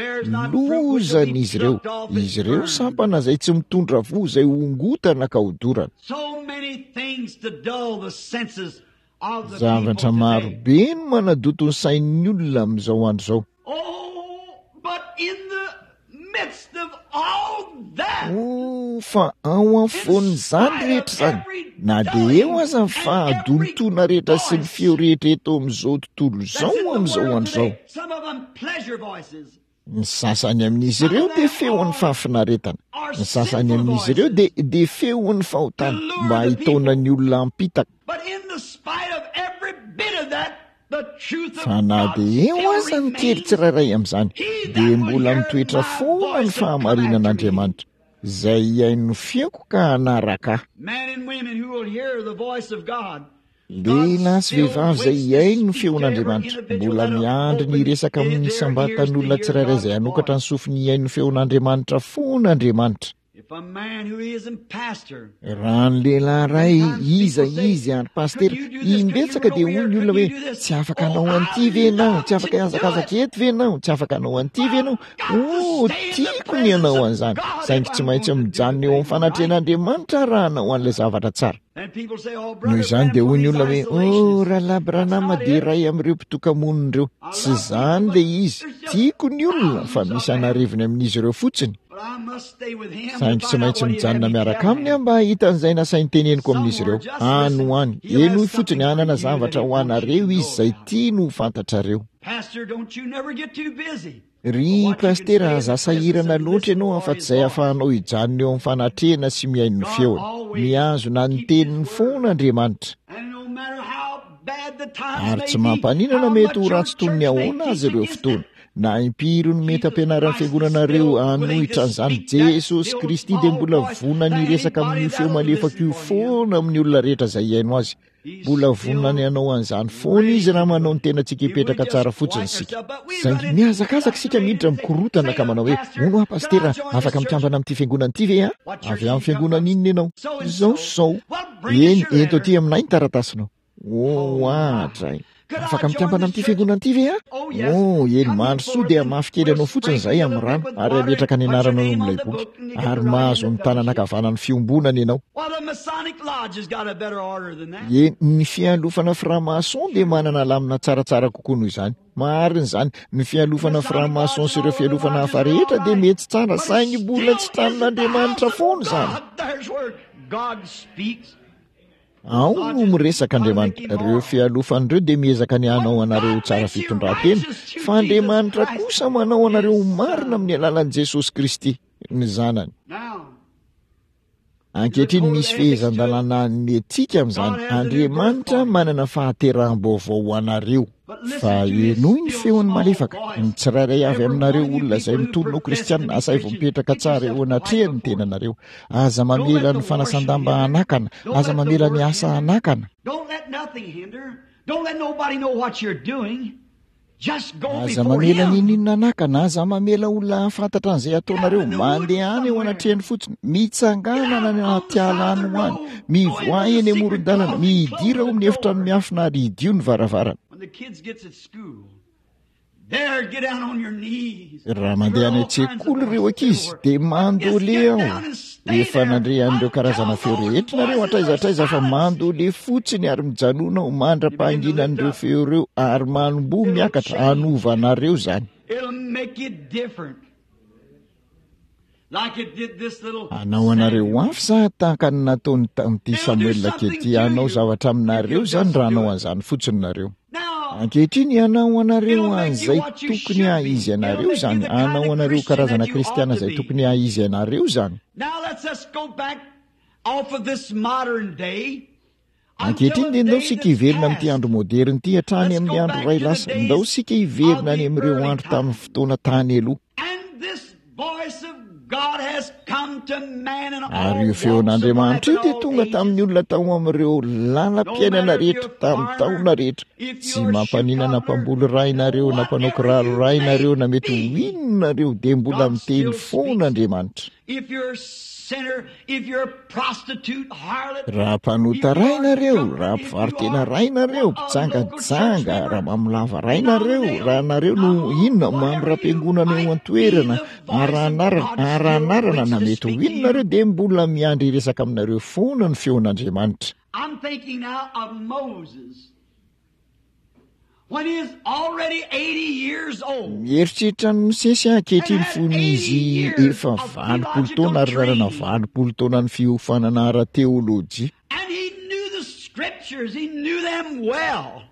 Lozana izy ireo. Izy ireo sampana izay tsy mitondra voa izay hongotana ka hodorana. Zavatra maro be no manadoto ny sain'ny olona amin'izao andro izao. Oh, fa ao afovoan'izany rehetra izany, na dia eo aza ny fahadontoana rehetra sy ny feo rehetra eto amin'izao tontolo izao amin'izao andro izao. Ny sasany amin'izy ireo dia feon'ny fahafinaretana, ny sasany amin'izy ireo dia dia feon'ny fahotana mba hitaona ny olona hampitaka. Fa na dia eo aza ny kely tsirairay amin'izany, dia mbola mitoetra foana ny fahamarinan'Andriamanitra, izay hihaino ny feoko ka hanaraka ahy. Lehilahy sy vehivavy izay hihaino ny feon'Andriamanitra, mbola miandry ny hiresaka amin'ny isam-batan'olona tsirairay izay hanokatra ny sofiny hihaino ny feon'Andriamanitra foana Andriamanitra. Raha ny lehilahy iray, iza izy ary pasitera, imbetsaka dia hoy ny olona hoe, tsy afaka hanao an'ity ve ianao? Tsy afaka hihazakazaka eto ve ianao? Tsy afaka hanao an'ity ve ianao? Oh, tiako ny hanao an'izany, saingy tsy maintsy mijanona eo amin'ny fanatrehan'Andriamanitra raha hanao an'ilay zavatra tsara. Noho izany dia hoy ny olona hoe, oh, Rahalahy Branham dia iray amin'ireo mpitoka-monina ireo. Tsy izany ilay izy. Tiako ny olona, fa misy an'arivony amin'izy ireo fotsiny. Saingy tsy maintsy mijanona miaraka aminy aho mba hahita an'izay nasainy teneniko amin'izy ireo. Any ho any. Henoy fotsiny, hanana zavatra ho anareo izy izay tiany ho fantatrareo. Ry pasitera, aza sahirana loatra ianao afa-tsy izay ahafahanao hijanona eo amin'ny fanatrehana sy mihaino ny feony. Mihazona ny teniny foana Andriamanitra. Ary tsy mampaninona mety ho ratsy toy ny ahoana aza ireo fotoana, na impiry no mety hampianaran'ny fiangonanareo hanohitra an'izany, Jesosy Kristy dia mbola vonona ny hiresaka amin'io feo malefaka io foana amin'ny olona rehetra izay hihaino azy. Mbola vonona ny hanao an'izany foana izy raha manao ny tenantsika hipetraka tsara fotsiny isika. Saingy mihazakazaka isika miditra mikorotana ka manao hoe, Hono aho pasitera, afaka mikambana amin'ity fiangonana ity ve aho? Avy amin'ny fiangonana inona ianao? Izao sy izao. Eny, ento aty aminay ny taratasinao. Oh, oadray. Afaka mikambana amin'ity fiangonana ity ve aho? Oh, eny, mandrosoa dia mafy kely anao fotsiny izahay amin'ny rano ary hametraka ny anaranao eo amin'ilay boky. Ary mahazo ny tanana ankavanan'ny fiombonana ianao. Eny, ny fialofana franc-maçon dia manana lamina tsaratsara kokoa noho izany. Marina izany, ny fialofana franc-maçon sy ireo fialofana hafa rehetra dia mety tsara, saingy mbola tsy tranon'Andriamanitra foana izany. Ao no miresaka Andriamanitra. Ireo fialofana ireo dia miezaka ny hanao anareo ho tsara fitondran-tena, fa Andriamanitra kosa manao anareo ho marina amin'ny alalan'i Jesosy Kristy, ny Zanany. Ankehitriny misy fehezan-dalàna ny etika amin'izany. Andriamanitra manana fahateraham-baovao ho anareo. Fa henoy ny feony malefaka. Ny tsirairay avy aminareo olona izay mitonona ho kristianina, asaivo mipetraka tsara eo anatrehany ny tenanareo. Aza mamela ny fanasan-damba hanakana, aza mamela ny asa hanakana. Aza mamela n'inon'inona hanakana, aza mamela olona hahafantatra an'izay ataonareo. Mandehana eo anatrehany fotsiny, mitsangana any anaty ala any ho any, mivoaha eny amoron-dalana, midira ao amin'ny efitrano miafina ary hidio ny varavarana. Raha mandeha any an-tsekoly ireo ankizy dia mandole aho. Efa nandre an'ireo karazana feo rehetra nareo hatraiza hatraiza fa mandole fotsiny ary mijanona ho mandra-pahanginan'ireo feo ireo ary manomboha miakatra hanova anareo izany. Hanao anareo hafa za tahaka ny nataony tamin'ity Samoela kely ity. Hanao zavatra aminareo izany raha hanao an'izany fotsiny nareo. Ankehitriny hanao anareo an'izay tokony haha-izy anareo izany. Hanao anareo karazana kristiana izay tokony haha-izy anareo izany. Ankehitriny dia ndao isika hiverina amin'ity andro moderina ity hatrany amin'ny andro iray lasa. Ndao isika hiverina any amin'ireo andro tamin'ny fotoana tany aloha. Ary io feon'Andriamanitra io dia tonga tamin'ny olona tao amin'ireo lalam-piainana rehetra, tamin'ny taona rehetra. Tsy mampaninona na mpamboly ray nareo, na mpanao kiraro ray nareo, na mety ho inona nareo, dia mbola miteny foana Andriamanitra. Raha mpanota ray nareo, raha mpivaro-tena ray nareo, mpijangajanga, raha mamolava ray nareo, raha nareo no inona, mambram-piangonana eo an-toerana, ara-anarana, ara-anarana, na mety ho inona nareo, dia mbola miandry hiresaka aminareo foana ny feon'Andriamanitra. I'm thinking now of Moses. When he is already eighty years old. Mieritreritra an'i Mosesy aho ankehitriny fony izy efa valopolo taona ary nanana valopolo taona ny fiofanana ara-teolojia. And he knew the scriptures, he knew them well.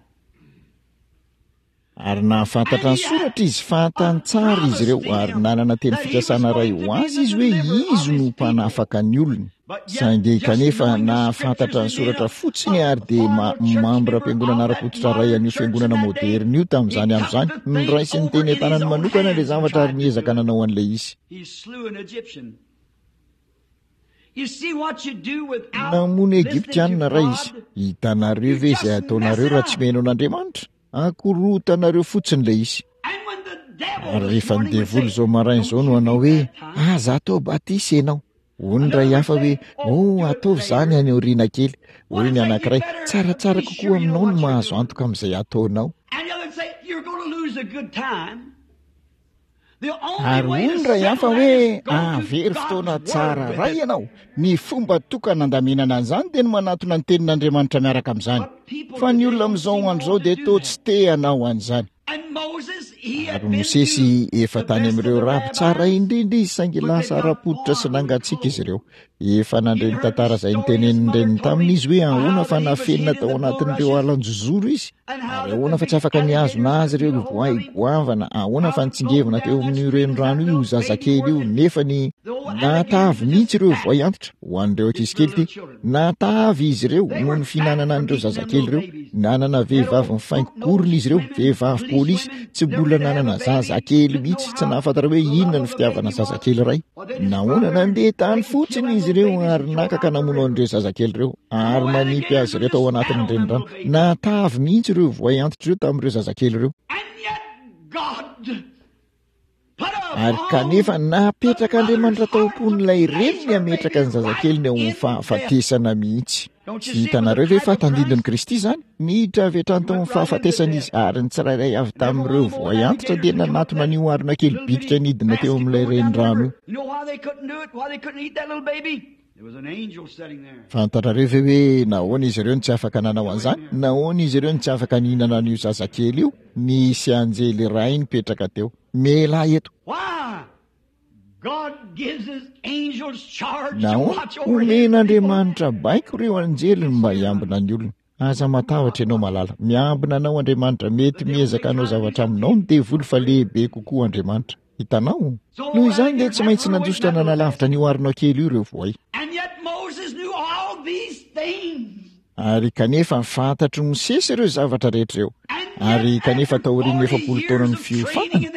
Ary nahafantatra ny soratra izy, fantany tsara izy ireo, ary nanana teny fikasana iray ho azy izy hoe izy no mpanafaka ny olony. Saingy kanefa nahafantatra ny soratra fotsiny ary dia ma-, mambram-piangonana ara-pototra iray an'io fiangonana moderina io tamin'izany andro izany, noraisiny teny an-tanany manokana ilay zavatra ary niezaka nanao an'ilay izy. Namono Egyptiana iray izy. Hitanareo ve izay ataonareo raha tsy mihaino an'Andriamanitra? Akorotanareo fotsiny ilay izy. Ary rehefa ny devoly izao maraina izao no hanao hoe, aza atao batisa ianao. Hoy ny iray hafa hoe, oh, ataovy izany any aoriana kely. Hoy ny anankiray, tsaratsara kokoa aminao ny mahazo antoka amin'izay ataonao. Ary hoy ny iray hafa hoe, hahavery fotoana tsara iray ianao. Ny fomba tokana handaminana an'izany dia ny manatona ny tenin'Andriamanitra miaraka amin'izany. Fa ny olona amin'izao andro izao dia toa tsy te hanao an'izany. Ary Mosesy efa tany amin'ireo raby tsara indrindra izy, saingy lasa ara-pototra sy nangatsiaka izy ireo. Efa nandre ny tantara izay notenenin'ny reniny taminy izy hoe ahoana fa nafenina tao anatin'ireo alan-jozoro izy, ary ahoana fa tsy afaka nihazona azy ireo voay goavana, ahoana fa nitsingevina teo amin'io renirano io zazakely io, nefa ny nahatavy mihitsy ireo voay antitra. Ho an'ireo ankizy kely ity, nahatavy izy ireo noho ny fihinanana an'ireo zazakely ireo. Nanana vehivavy mifaingo-korona izy ireo, vehivavy polisy, tsy mbola nanana zazakely mihitsy, tsy nahafantatra hoe inona ny fitiavana zazakely iray. Nahoana, nandeha tany fotsiny izy ireo ary naka ka namono an'ireo zazakely ireo ary manipy azy ireo tao anatin'ny renirano. Nahatavy mihitsy ireo voay antitra ireo tamin'ireo zazakely ireo. Ary kanefa napetraka Andriamanitra tao am-pon'ilay reniny hametraka ny zazakeliny ao amin'ny fahafatesana mihitsy. Tsy hitanareo ve fa tandindon'i Kristy izany? Niditra avy hatrany tao amin'ny fahafatesana izy, ary ny tsirairay avy tamin'ireo voay antitra dia nanatona an'io harona kely bitika nidina teo amin'ilay renirano io. Fantatrareo ve hoe nahoana izy ireo no tsy afaka nanao an'izany? Nahoana izy ireo no tsy afaka nihinana an'io zazakely io? Nisy anjely iray nipetraka teo. Mialà eto! Nahoana? Omen'Andriamanitra baiko ireo anjeliny mba hiambina ny olony. Aza matahotra ianao malala. Miambina anao Andriamanitra. Mety miezaka hanao zavatra aminao ny devoly fa lehibe kokoa Andriamanitra. Hitanao? Noho izany dia tsy maintsy nandositra nanalavitra an'io harona kely io ireo voay. Ary kanefa fantatry Mosesy ireo zavatra rehetra ireo. Ary kanefa taorian'ny efapolo taonan'ny fiofanana,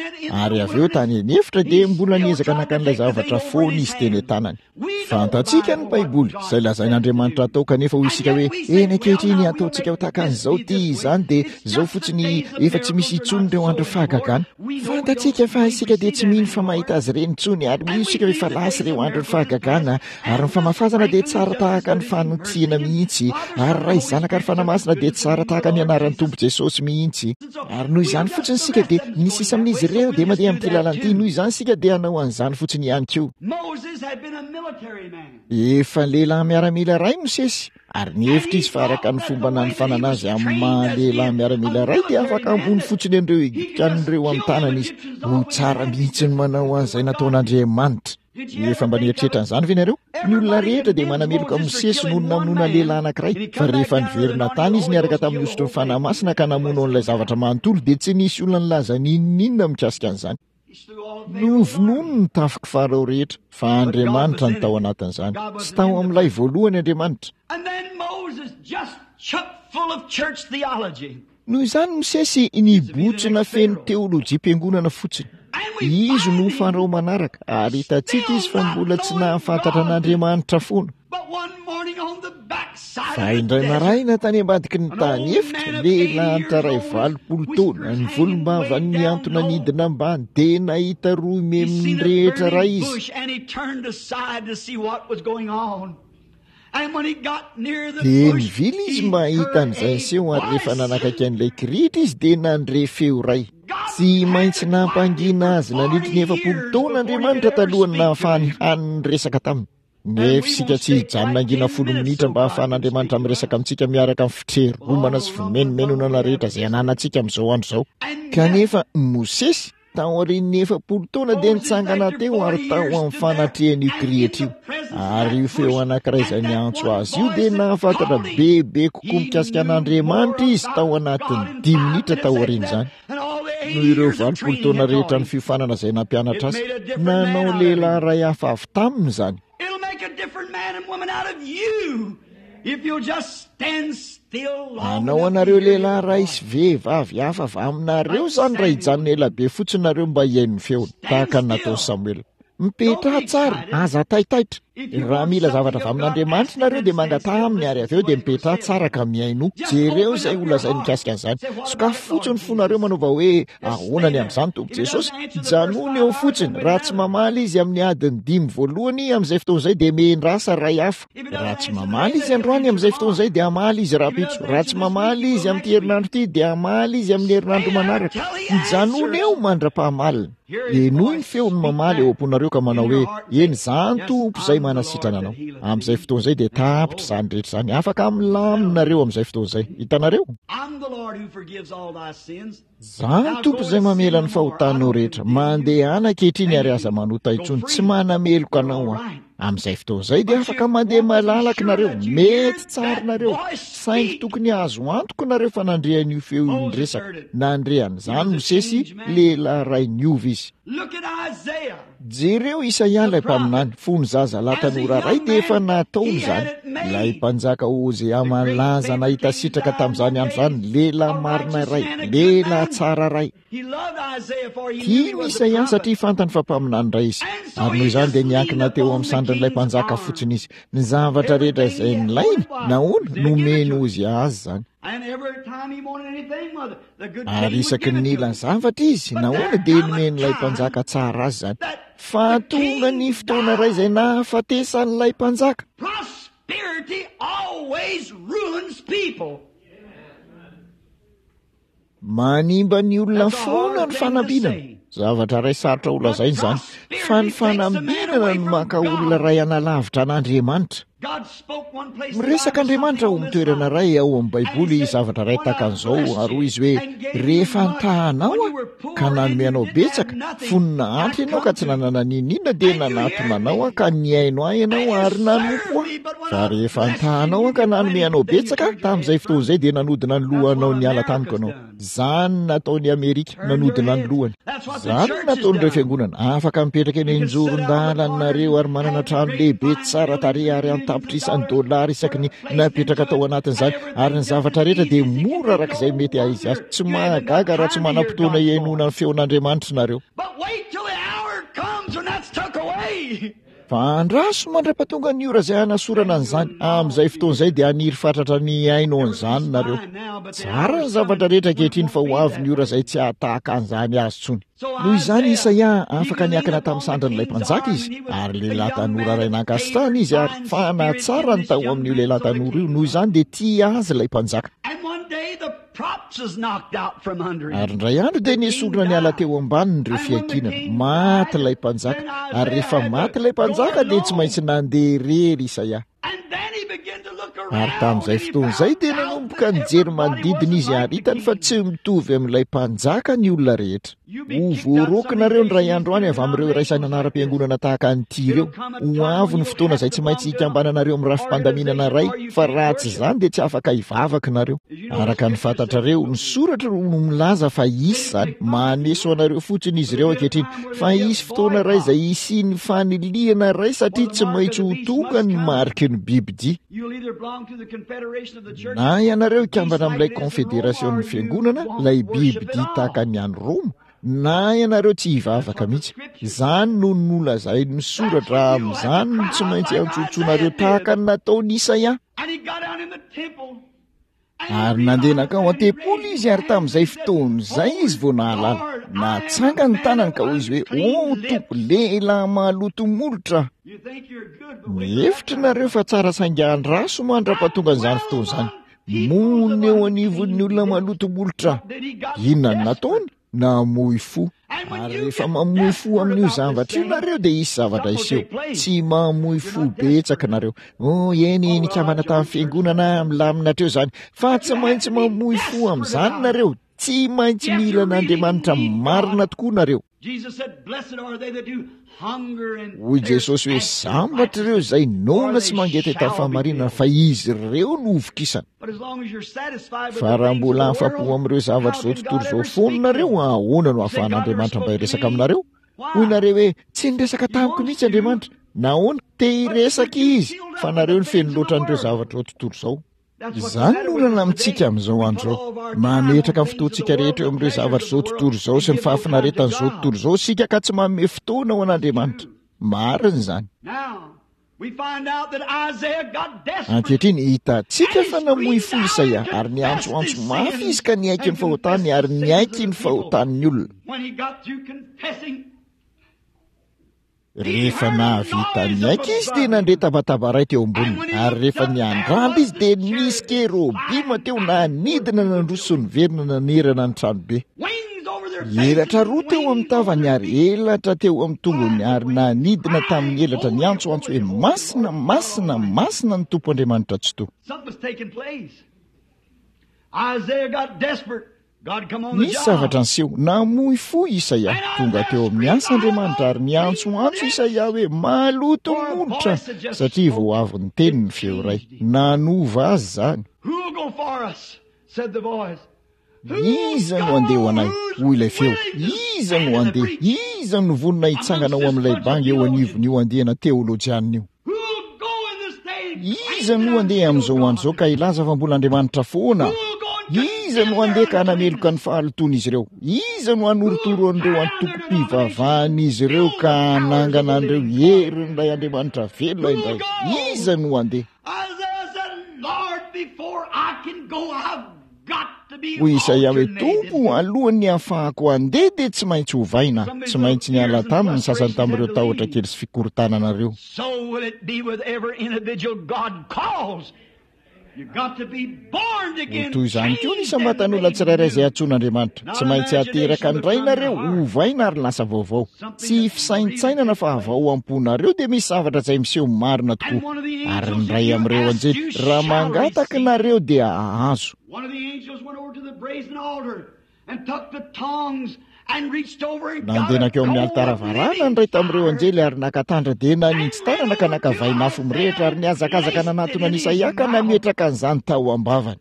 ary avy eo tany an'efitra dia mbola niezaka naka an'ilay zavatra foana izy teny an-tanany. Fantatsika ny Baiboly, izay lazain'Andriamanitra atao, kanefa hoy isika hoe eny ankehitriny ataontsika ho tahaka an'izao ity izany, dia izao fotsiny efa tsy misy intsony ireo andro fahagagana. Fantatsika fa isika dia tsy mino fa mahita azy ireny intsony, ary mino isika hoe efa lasa ireo andro fahagagana, ary ny famafazana dia tsara tahaka ny fanotsiana mihitsy, ary Ray, Zanaka ary Fanahy Masina dia tsara tahaka ny anaran'ny Tompo Jesosy mihitsy. Ary noho izany fotsiny isika dia ny sisa amin'izy ireo dia mandeha amin'ity lalana ity, noho izany isika dia hanao an'izany fotsiny ihany koa. Efa lehilahy miaramila iray Mosesy, ary nihevitra izy fa araka ny fomba nanofanana azy amin'ny maha lehilahy miaramila iray dia afaka hamono fotsiny an'ireo Egyptianina ireo amin'ny tanany izy. Ho tsara mihitsy ny manao an'izay nataon'Andriamanitra. Efa mba nieritreritra an'izany ve nareo? Ny olona rehetra dia manameloka Mosesy noho ny namonoana lehilahy anankiray, fa rehefa niverina tany izy niaraka tamin'ny hosotry ny Fanahy Masina ka namono an'ilay zavatra manontolo, dia tsy nisy olona nilaza n'inon'inona mikasika an'izany. Novonoiny ny tafik'i Farao rehetra, fa Andriamanitra no tao anatin'izany. Tsy tao amin'ilay voalohany Andriamanitra. Noho izany Mosesy nibotsina feno teolojiam-piangonana fotsiny. Izy no Farao manaraka, ary hitantsika izy fa mbola tsy nahafantatra an'Andriamanitra foana. Fa indray maraina tany ambadiky ny tany efitra, lehilahy antaray valopolo taona, ny volombavany nihantona nidina ambany, dia nahita rohy meminy rehetra iray izy. Dia nivily izy mba hahita an'izay niseho, ary rehefa nanakaiky an'ilay kirihitra izy dia nandre feo iray. Tsy maintsy nampangina azy nandritry ny efapolo taona Andriamanitra talohan'ny nahafahany hany niresaka taminy. Nefa isika tsy hijanona hangina folo minitra mba hahafahan'Andriamanitra miresaka amintsika miaraka amin'ny fitreromana sy fimenomenonana rehetra izay ananantsika amin'izao andro izao. Kanefa Mosesy, taorian'ny efapolo taona, dia nitsangana teo ary tao amin'ny fanatrehan'io kirihitra io. Ary io feo anankiray izay niantso azy io dia nahafantatra bebe kokoa mikasika an'Andriamanitra izy tao anatin'ny dimy minitra taorian'izany. Noho ireo valopolo taona rehetra ny fiofanana izay nampianatra azy, nanao lehilahy iray hafa avy taminy izany. Hanao anareo lehilahy iray sy vehivavy hafa avy aminareo izany raha hijanona ela be fotsiny nareo mba hihaino ny feony, tahaka ny nataon'i Samoela. Mipetraha tsara, aza taitaitra. Raha mila zavatra avy amin'Andriamanitra nareo dia mangataha aminy, ary avy eo dia mipetraha tsara ka mihainoa. Jereo izay ho lazainy mikasika an'izany. Sokafy fotsiny ny fonareo manaova hoe, Ahoana ny amin'izany, Tompo Jesosy? Janony eo fotsiny. Raha tsy mamaly Izy amin'ny adiny dimy voalohany, amin'izay fotoana izay dia miandrasa iray hafa. Raha tsy mamaly Izy androany, amin'izay fotoana izay dia hamaly Izy rahampitso. Raha tsy mamaly Izy amin'ity herinandro ity, dia hamaly Izy amin'ny herinandro manaraka. Mijanona eo mandra-pahamaliny. Henoy ny feony mamaly eo am-ponareo ka manao hoe, Eny, izaho ny Tompo izay manasitrana anao. Amin'izay fotoana izay dia tapitra izany rehetra izany. Afaka milamina nareo amin'izay fotoana izay. Hitanareo? Izaho ny Tompo izay mamela ny fahotanao rehetra. Mandehana ankehitriny ary aza manota intsony. Tsy manameloka anao aho. Amin'izay fotoana izay dia afaka mandeha malalaka nareo, mety tsara nareo, saingy tokony azo antoka nareo fa nandre an'io feo io niresaka. Nandre an'izany Mosesy, lehilahy iray niova izy. Jereo Isaia ilay mpaminany, fony zazalahy tanora iray dia efa nataony izany. Ilay mpanjaka Hosea malaza nahita sitraka tamin'izany andro izany, lehilahy marina iray, lehilahy tsara iray. Tiany Isaia satria fantany fa mpaminany iray izy, ary noho izany dia niankina teo amin'ny sandrin'ilay mpanjaka fotsiny izy. Ny zavatra rehetra izay nilainy, nahoana, nomeny Hosea azy izany. Ary isaky ny nila zavatra izy, nahoana, dia nomen'ilay mpanjaka tsara azy izany. Fa tonga ny fotoana iray izay nahafatesan'ilay mpanjaka. Manimba ny olona foana ny fanambinana. Zavatra iray sarotra ho lazaina izany, fa ny fanambinana no maka olona iray hanalavitra an'Andriamanitra. Miresaka Andriamanitra ao amin'ny toerana iray ao amin'ny Baiboly zavatra iray tahaka an'izao, ary hoy Izy hoe, Rehefa nitaha anao Aho, ka nanome anao betsaka, fony nahantra ianao ka tsy nanana n'inon'inona, dia nanatona anao Aho ka nihaino Ahy ianao ary nanompo Ahy. Fa rehefa nitahanao aho ka nanome anao betsaka, tamin'izay fotoana izay dia nanodina ny lohanao niala tamiko ianao. Izany nataon'i Amerika, nanodina ny lohany. Izany nataon'ireo fiangonana. Afaka mipetraka eny an-joron-dalanareo ary manana trano lehibe tsara tarehy ary an-tapitrisany dolara isaky ny napetraka tao anatin'izany, ary ny zavatra rehetra dia mora arak'izay mety ahizy azy. Tsy mahagaga raha tsy manam-potoana hihainoana ny feon'Andriamanitra nareo. Fa andraso mandra-pahatonga ny ora izay hanasorana an'izany. Amin'izay fotoana izay dia haniry fatratra ny hihaino an'izany nareo. Tsara ny zavatra rehetra ankehitriny, fa ho avy ny ora izay tsy hahatahaka an'izany azy intsony. Noho izany Isaia afaka niankina tamin'ny sandrin'ilay mpanjaka izy, ary lehilahy tanora iray nankasitrahana izy, ary fanatsara ny tao amin'io lehilahy tanora io. Noho izany dia tia azy ilay mpanjaka. Ary indray andro dia nesorina niala teo ambaniny ireo fiankinana. Maty ilay mpanjaka, ary rehefa maty ilay mpanjaka dia tsy maintsy nandeha irery Isaia. Ary tamin'izay fotoana izay dia nanomboka nijery manodidina izy, ary hitany fa tsy mitovy amin'ilay mpanjaka ny olona rehetra. Ho voaroaka nareo indray andro any avy amin'ireo iraisana anaram-piangonana tahaka an'ity ireo. Ho avy ny fotoana izay tsy maintsy hikambananareo amin'ny rafi-pandaminana iray, fa raha tsy izany dia tsy afaka hivavaka nareo. Araka ny fantatrareo, ny soratra no milaza fa hisy izany. Maneso anareo fotsiny izy ireo ankehitriny, fa hisy fotoana iray izay hisian'ny fanilihana iray, satria tsy maintsy ho tonga ny mariky ny bibidia. Na ianareo hikambana amin'ilay konfederasion'ny fiangonana, ilay bibidia tahaka ny any Roma, na ianareo tsy hivavaka mihitsy. Izany no nolazain'ny soratra. Amin'izany no tsy maintsy antsotsonareo tahaka ny nataon'i Isaia. Ary nandeha nankao an-tempoly izy, ary tamin'izay fotoana izay izy vao nahalala. Natsanga ny tanany ka hoy izy hoe: "O Tompo, lehilahy maloto molotra. Mihevitra nareo fa tsara saingy andraso mandra-pahatonga an'izany fotoana izany. Monina eo anivon'ny olona maloto molotra." Inona no nataony? Namoy fo. Ary rehefa mamoy fo amin'io zavatra io nareo dia hisy zavatra hiseho. Tsy mamoy fo betsaka nareo. Oh, eny, nikambana tamin'ny fiangonana, milamina hatreo izany. Fa tsy maintsy mamoy fo amin'izany nareo. Tsy maintsy mila an'Andriamanitra marina tokoa nareo. Hoy Jesosy hoe: "Sambatra ireo izay noana sy mangetaheta ny fahamarinana, fa izy ireo no hovokisana." Fa raha mbola afa-po amin'ireo zavatra izao tontolo izao foana nareo, ahoana no ahafahan'Andriamanitra mba hiresaka aminareo? Hoy nareo hoe: "Tsy niresaka tamiko mihitsy Andriamanitra." Nahoana? Te hiresaka Izy, fa nareo no feno loatra an'ireo zavatra izao tontolo izao. Izany no olana amintsika amin'izao andro izao. Mametraka ny fotoantsika rehetra eo amin'ireo zavatra izao tontolo izao sy ny fahafinaretan'izao tontolo izao isika, ka tsy manome fotoana ho an'Andriamanitra. Marina izany. Ankehitriny, hitantsika fa namoy fo Isaia, ary niantsoantso mafy izy ka niaiky ny fahotany, ary niaiky ny fahotan'ny olona. Rehefa nahavita niaiky izy dia nandre tabataba iray teo amboniny, ary rehefa niandrandra izy dia nisy kerobima teo nanidina nandroso sy niverina nanerana ny tranobe. Elatra roa teo amin'ny tavany ary elatra teo amin'ny tongony, ary nanidina tamin'ny elatra niantsoantso hoe: "Masina, masina, masina ny Tompo Andriamanitra Tsitoha." Nisy zavatra niseho. Namoy fo Isaia. Tonga teo amin'ny asa Andriamanitra ary niantsoantso Isaia hoe: "Maloto molotra", satria vao avy niteny ny feo iray. Nanova azy izany. Iza no handeha ho anay? Hoy ilay feo. Iza no handeha? Iza no vonona hitsangana ao amin'ilay banga eo anivon'io andiana teolojianina io? Iza no handeha amin'izao andro izao ka hilaza fa mbola Andriamanitra foana? Iza no handeha ka hanameloka ny fahalotoan'izy ireo? Iza no hanorotoro an'ireo antokom-pivavahan'izy ireo ka hanangana an'ireo herin'ilay Andriamanitra velona indray? Iza no handeha? Hoy Isaia hoe: "Tompo, alohan'ny hahafahako handeha dia tsy maintsy hovaina." Tsy maintsy niala taminy ny sasany tamin'ireo tahotra kely sy fikorontanana ireo. Ho toy izany koa ny isam-batan'olona tsirairay izay antsoin'Andriamanitra. Tsy maintsy ateraka indray nareo, hovaina ary lasa vaovao. Tsy fisaintsainana fa avy ao am-ponareo dia misy zavatra izay miseho marina tokoa. Ary ny iray amin'ireo anjely, raha mangataka nareo dia hahazo. Nandeha nankeo amin'ny alitara varahana ny iray tamin'ireo anjely ary naka tandra-dena ninji-tanana ka naka vainafo mirehitra ary nihazakazaka nanatona an'i Isaia ka nametraka an'izany tao am-bavany.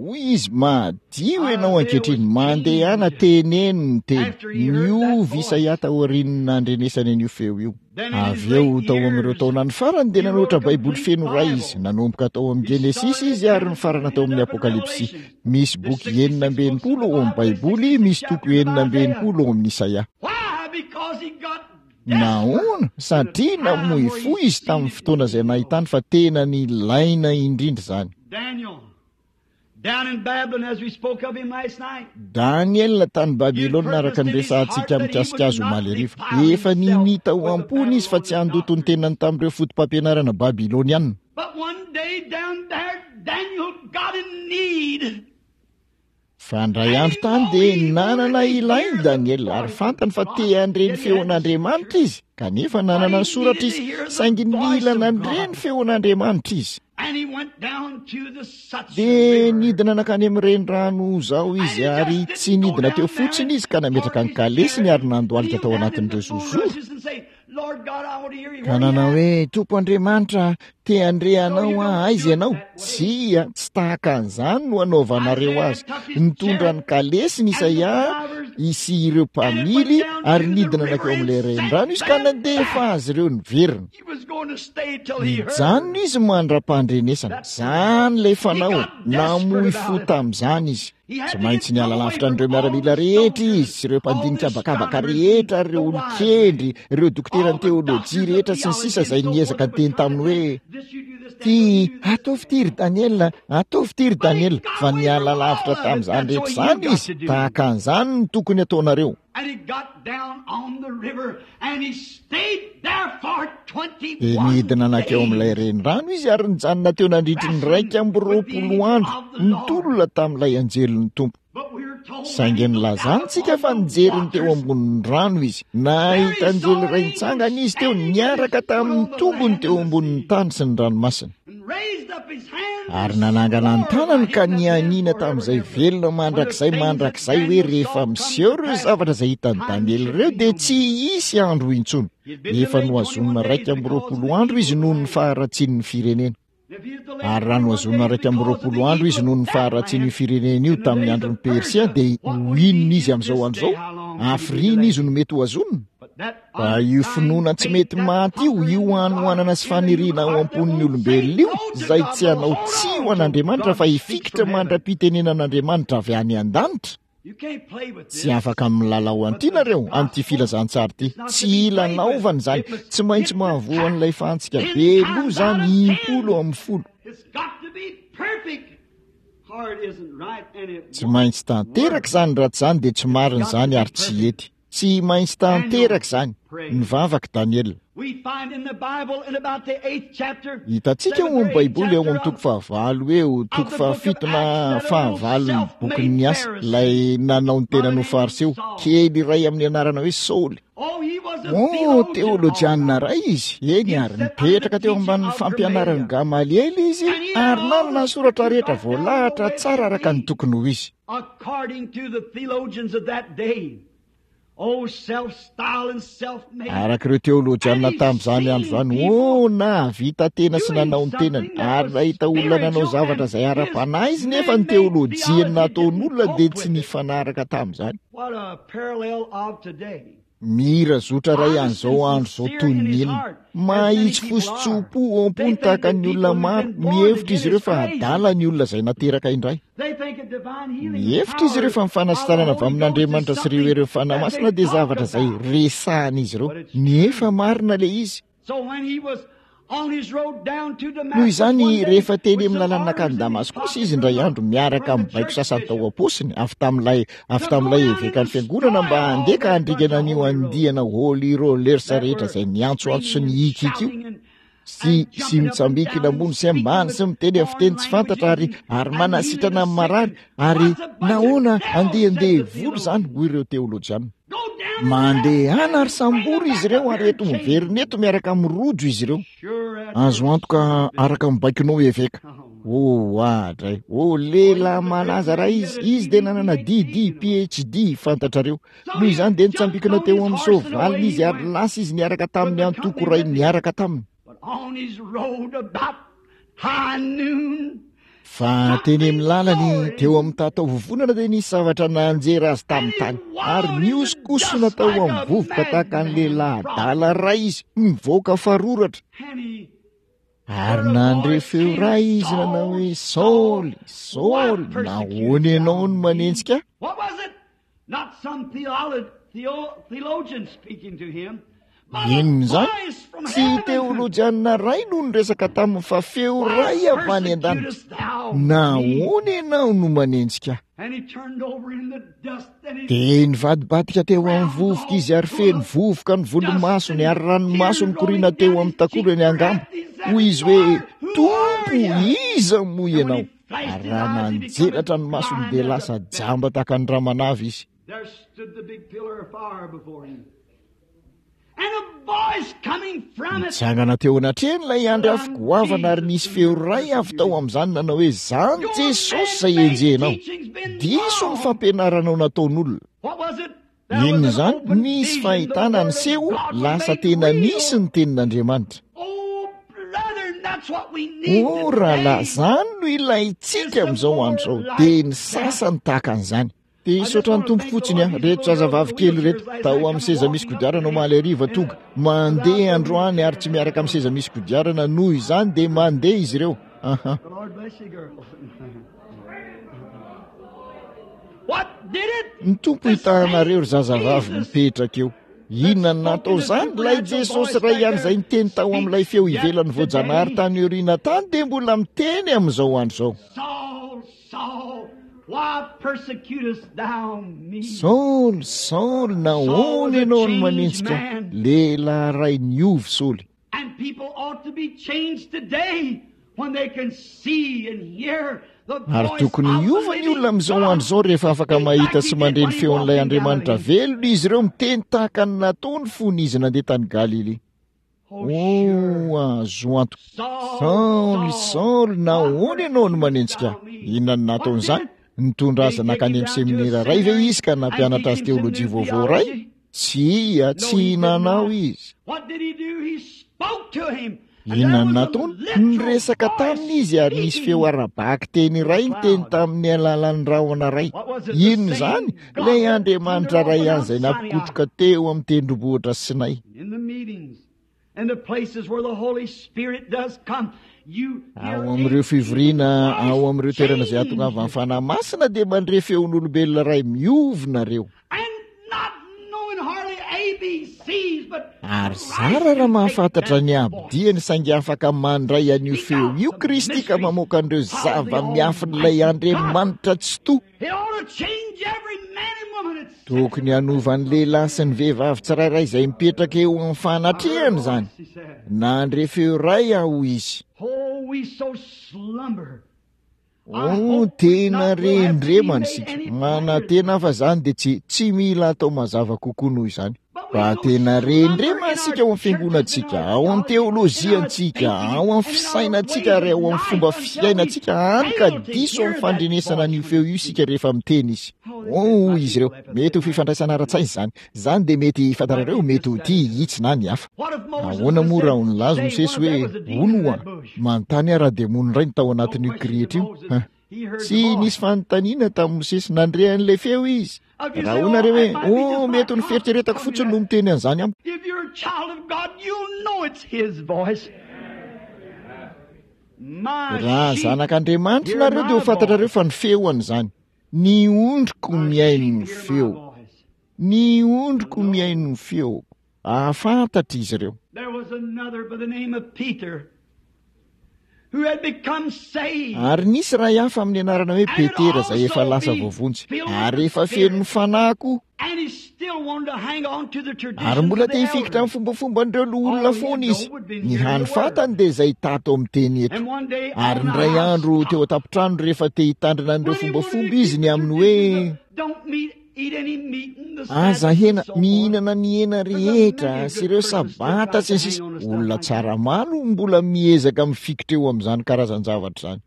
Hoy izy, madio ianao ankehitriny, mandehana teneno ny teny. Niova Isaia taorian'ny nandrenesany an'io feo io. Avy eo tao amin'ireo taonany farany dia nanoratra Baiboly feno iray izy. Nanomboka tao amin'ny Genesisy izy ary nifarana tao amin'ny Apokalypsy. Misy boky enina amby enimpolo ao amin'ny Baiboly, misy toko enina amby enimpolo ao amin'ny Isaia. Nahoana? Satria namoy fo izy tamin'ny fotoana izay nahitany fa tena nilaina indrindra izany. Daniel tany Babylona araka ny resahantsika mikasika azy omaly hariva. Efa ninia tao am-pony izy fa tsy handoto ny tenany tamin'ireo foto-pampianarana babylonianina. Fa indray andro tany dia nanana ilainy Daniel ary fantany fa te handre ny feon'Andriamanitra izy, kanefa nanana ny soratra izy, saingy nila nandre ny feon'Andriamanitra izy. Dia nidina nankany amin'ny renirano izao izy ary tsy nidina teo fotsiny izy ka nametraka ny kalesiny ary nandohalika tao anatin'ireo zozoro. Ka nanao hoe, Tompo Andriamanitra, te handre anao aho, aiza ianao? Tsia, tsy tahaka an'izany no anaovanareo azy. Nitondra ny kalesiny Isaia sy ireo mpamily ary nidina nankeo amin'ilay renirano izy ka nandefa azy ireo niverina. Nijanona izy mandra-pandrenesana. Izany ilay fanao, namoy fo tamin'izany izy. Tsy maintsy niala lavitra an'ireo miaramila rehetra izy sy ireo mpandinika habakabaka rehetra, ireo olon-kendry, ireo dokoteran'ny teolojia rehetra sy ny sisa izay niezaka niteny taminy hoe, Ty, ataovy ity ry Daniel, ataovy ity ry Daniel, fa niala lavitra tamin'izany rehetra izany izy. Tahaka an'izany no tokony ataonareo. Dia nidina nankeo amin'ilay renirano izy ary nijanona teo nandritry ny iraika amby roapolo andro, nitolona tamin'ilay anjelin'ny Tompo. Saingy nilazantsika fa nijery ny teo ambonin'ny rano izy. Nahita anjely iray nitsangana izy teo, niaraka tamin'ny tongony teo ambonin'ny tany sy ny ranomasina. Ary nanangana ny tanany ka nianiana tamin'izay velona mandrakizay mandrakizay hoe rehefa miseho ireo zavatra izay hitan'i Daniela ireo dia tsy hisy andro intsony. Efa nohazonina iraika amby roapolo andro izy noho ny faharatsian'ny firenena. Ary raha nohazonina iraika amby roapolo andro izy noho ny faharatsian'io firenena io tamin'ny andron'ny Persia dia ho inona izy amin'izao andro izao? Hafiriana izy no mety hohazonina? Fa io finoana tsy mety maty io, io hanoanana sy faniriana ao am-pon'ny olombelona io, izay tsy hanao tsia ho an'Andriamanitra fa hifikitra mandra-pitenenan'Andriamanitra avy any an-danitra. Tsy afaka milalao an'ity nareo, amin'ity filazantsara ity. Tsy ilanaovana izany. Tsy maintsy mahavoa an'ilay fantsika be loha izany impolo amin'ny folo. Tsy maintsy tanteraka izany, raha tsy izany dia tsy marina izany ary tsy hety. Tsy maintsy tanteraka izany. Nivavaka Daniela. Hitantsika ao amin'ny Baiboly ao amin'ny toko fahavalo eo, toko fahafito na fahavalon'ny bokin'ny Asa, ilay nanao ny tenany ho Fariseo, kely iray amin'ny anarana hoe Saoly. Oh, teolojianina iray izy. Eny ary, nipetraka teo ambanin'ny fampianaran'i Gamaliela izy ary nanana ny soratra rehetra voalahatra tsara araka ny tokony ho izy. According to the theologians of that day, oh, self-styled and self-made. Araka ireo teolojianina tamin'izany andro izany, oh, nahavita tena sy nanao ny tenany, ary nahita olona nanao zavatra izay ara-panahy izy, nefa ny teolojiany nataon'olona dia tsy nifanaraka tamin'izany. What a parallel of today. Mihira zotra iray an'izao andro izao toy ny inona. Mahitsy fo sy tso-po ao am-pony tahaka ny olona maro. Mihevitra izy ireo fa adala ny olona izay nateraka indray. Mihevitra izy ireo fa ny fanasitranana avy amin'Andriamanitra sy ireo herin'ny Fanahy Masina dia zavatra izay resahan'izy ireo. Nefa marina ilay izy. Noho izany, rehefa teny amin'ny lalana nankany Damaskosy izy indray andro miaraka amin'ny baiko sasany tao am-paosiny avy tamin'ilay avy tamin'ilay evekan'ny fiangonana mba handeha ka handringana an'io andiana Holy Rollers rehetra izay niantsoantso sy nihikiky io sy sy mitsambikina ambony sy ambany sy miteny amin'ny fiteny tsy fantatra ary ary manasitrana amin'ny marary ary nahoana andian-devoly izany hoy ireo teolojiana. Mandehana ary sambory izy ireo ary eto miverina eto miaraka amin'ny rojo izy ireo. Azo antoka araka ny baikonao eveka. Oh, adray! Oh, lehilahy malaza raha izy. Izy dia nanana D D, P H D, fantatrareo. Noho izany dia nitsambikina teo amin'ny soavaliny izy ary lasa izy niaraka tamin'ny antoko iray niaraka taminy. Fa teny amin'ny lalany teo amin'ny tatao vovonana dia nisy zavatra nanjera azy tamin'ny tany ary nihosonkosona tao amin'ny vovoka tahaka ny lehilahy adala iray izy, mivoaka faroratra. Ary nandre feo iray izy nanao hoe: Saoly, Saoly, nahoana ianao no manenjika ahy? Inona izany? Tsy teolojianina iray no niresaka taminy fa feo iray avy any an-danitra. Nahoana ianao no manenjika ahy? Dia nivadibadika teo amin'ny vovoka izy ary feno vovoka ny volomasony ary ranomaso nikoriana teo amin'ny takolany angamba. Hoy izy hoe: Tompo, iza moa ianao? Ary raha nanjelatra ny masony dia lasa jamba tahaka ny ramanavy izy. Nitsangana teo anatrehany ilay andry afo goavana ary nisy feo iray avy tao amin'izany nanao hoe: Zany Jesosy izay enjehinao. Diso ny fampianaranao nataon'olona. Inona izany? Nisy fahitana niseho, lasa tena nisy ny tenin'Andriamanitra. O rahalahy, izany no ilaintsika amin'izao andro izao, dia ny sasany tahaka an'izany. Dia hisaotra ny Tompo fotsiny aho, reto zazavavy kely ireto, tao amin'ny seza misy kodiarana omaly hariva tonga, mandeha androany ary tsy miaraka amin'ny seza misy kodiarana, noho izany dia mandeha izy ireo. Aha. Ny Tompo hitahanareo ry zazavavy mipetraka eo. Inona no natao izany? Ilay Jesosy iray ihany izay niteny tao amin'ilay feo ivelan'ny voajanahary tany aoriana tany dia mbola miteny amin'izao andro izao. Saoly, Saoly, nahoana ianao no manenjika ahy? Lehilahy iray niovy Saoly. Ary tokony hiova ny olona amin'izao andro izao rehefa afaka mahita sy mandre ny feon'ilay Andriamanitra velona izy ireo miteny tahaka ny nataony fony izy nandeha tany Galilia. Oh, azo antoka. Saoly, Saoly, nahoana ianao no manenjika ahy? Inona no nataon'izany? Nitondra azy nankany amin'ny seminera iray ve izy ka nampianatra azy teolojia vaovao iray? Tsia, tsy nanao izy. Inona no nataony? Niresaka taminy izy ary nisy feo ara-bakiteny iray niteny tamin'ny alalan'ny rahona iray. Inona izany? Ilay Andriamanitra iray ihany izay nampikotroka teo amin'ny tendrombohitra Sinay. Ao amin'ireo fivoriana, ao amin'ireo toerana izay hahatongavan'ny Fanahy Masina dia mandre feon'olombelona iray miovy nareo. Ary zara raha mahafantatra ny abidiany saingy afaka mandray an'io feo io Kristy ka mamoaka an'ireo zava-miafin'ilay Andriamanitra Tsitoha. Tokony hanova ny lehilahy sy ny vehivavy tsirairay izay mipetraka eo amin'ny fanatrehany izany. Nandre feo iray aho, hoy izy. Oh, tena rendremana isika. Manantena fa izany dia tsy, tsy mila atao mazava kokoa noho izany. Fa tena rendremana isika ao amin'ny fiangonantsika, ao amin'ny teolojiantsika, ao amin'ny fisainantsika ary ao amin'ny fomba fiainantsika, hany ka diso amin'ny fandrenesana an'io feo io isika rehefa miteny izy. Oh, hoy izy ireo, mety ho fifandraisana ara-tsaina izany. Izany dia mety fantatrareo, mety ho ity, itsy na ny hafa. Ahoana moa raha ho nilaza Mosesy hoe, Hono hoa, manontany aho raha demony indray no tao anatin'io kirihitra io? Huh. Tsy nisy fanontaniana tamin'i Mosesy, nandre an'ilay feo izy. Raha hoy nareo hoe, Oh, mety ho ny fieritreretako fotsiny no miteny an'izany amiko. Raha zanak'Andriamanitra nareo dia ho fantatrareo fa ny feoany izany. Ny ondriko mihaino ny feoko. Ny ondriko mihaino ny feoko. Hahafantatra izy ireo. Ary nisy iray hafa amin'ny anarana hoe Petera izay efa lasa voavonjy, ary efa feno ny Fanahy koa. Ary mbola te hifikitra amin'ny fombafomban'ireo loholona foana izy. Ny hany fantany dia izay tato amin'ny teny eto. Ary indray andro teo an-tampon-trano rehefa te hitandrina an'ireo fombafomba izy ny amin'ny hoe aza hena, mihinana ny hena rehetra sy ireo sabata sy ny sisa. Olona tsara maro mbola miezaka mifikitra eo amin'izany karazan-javatra izany.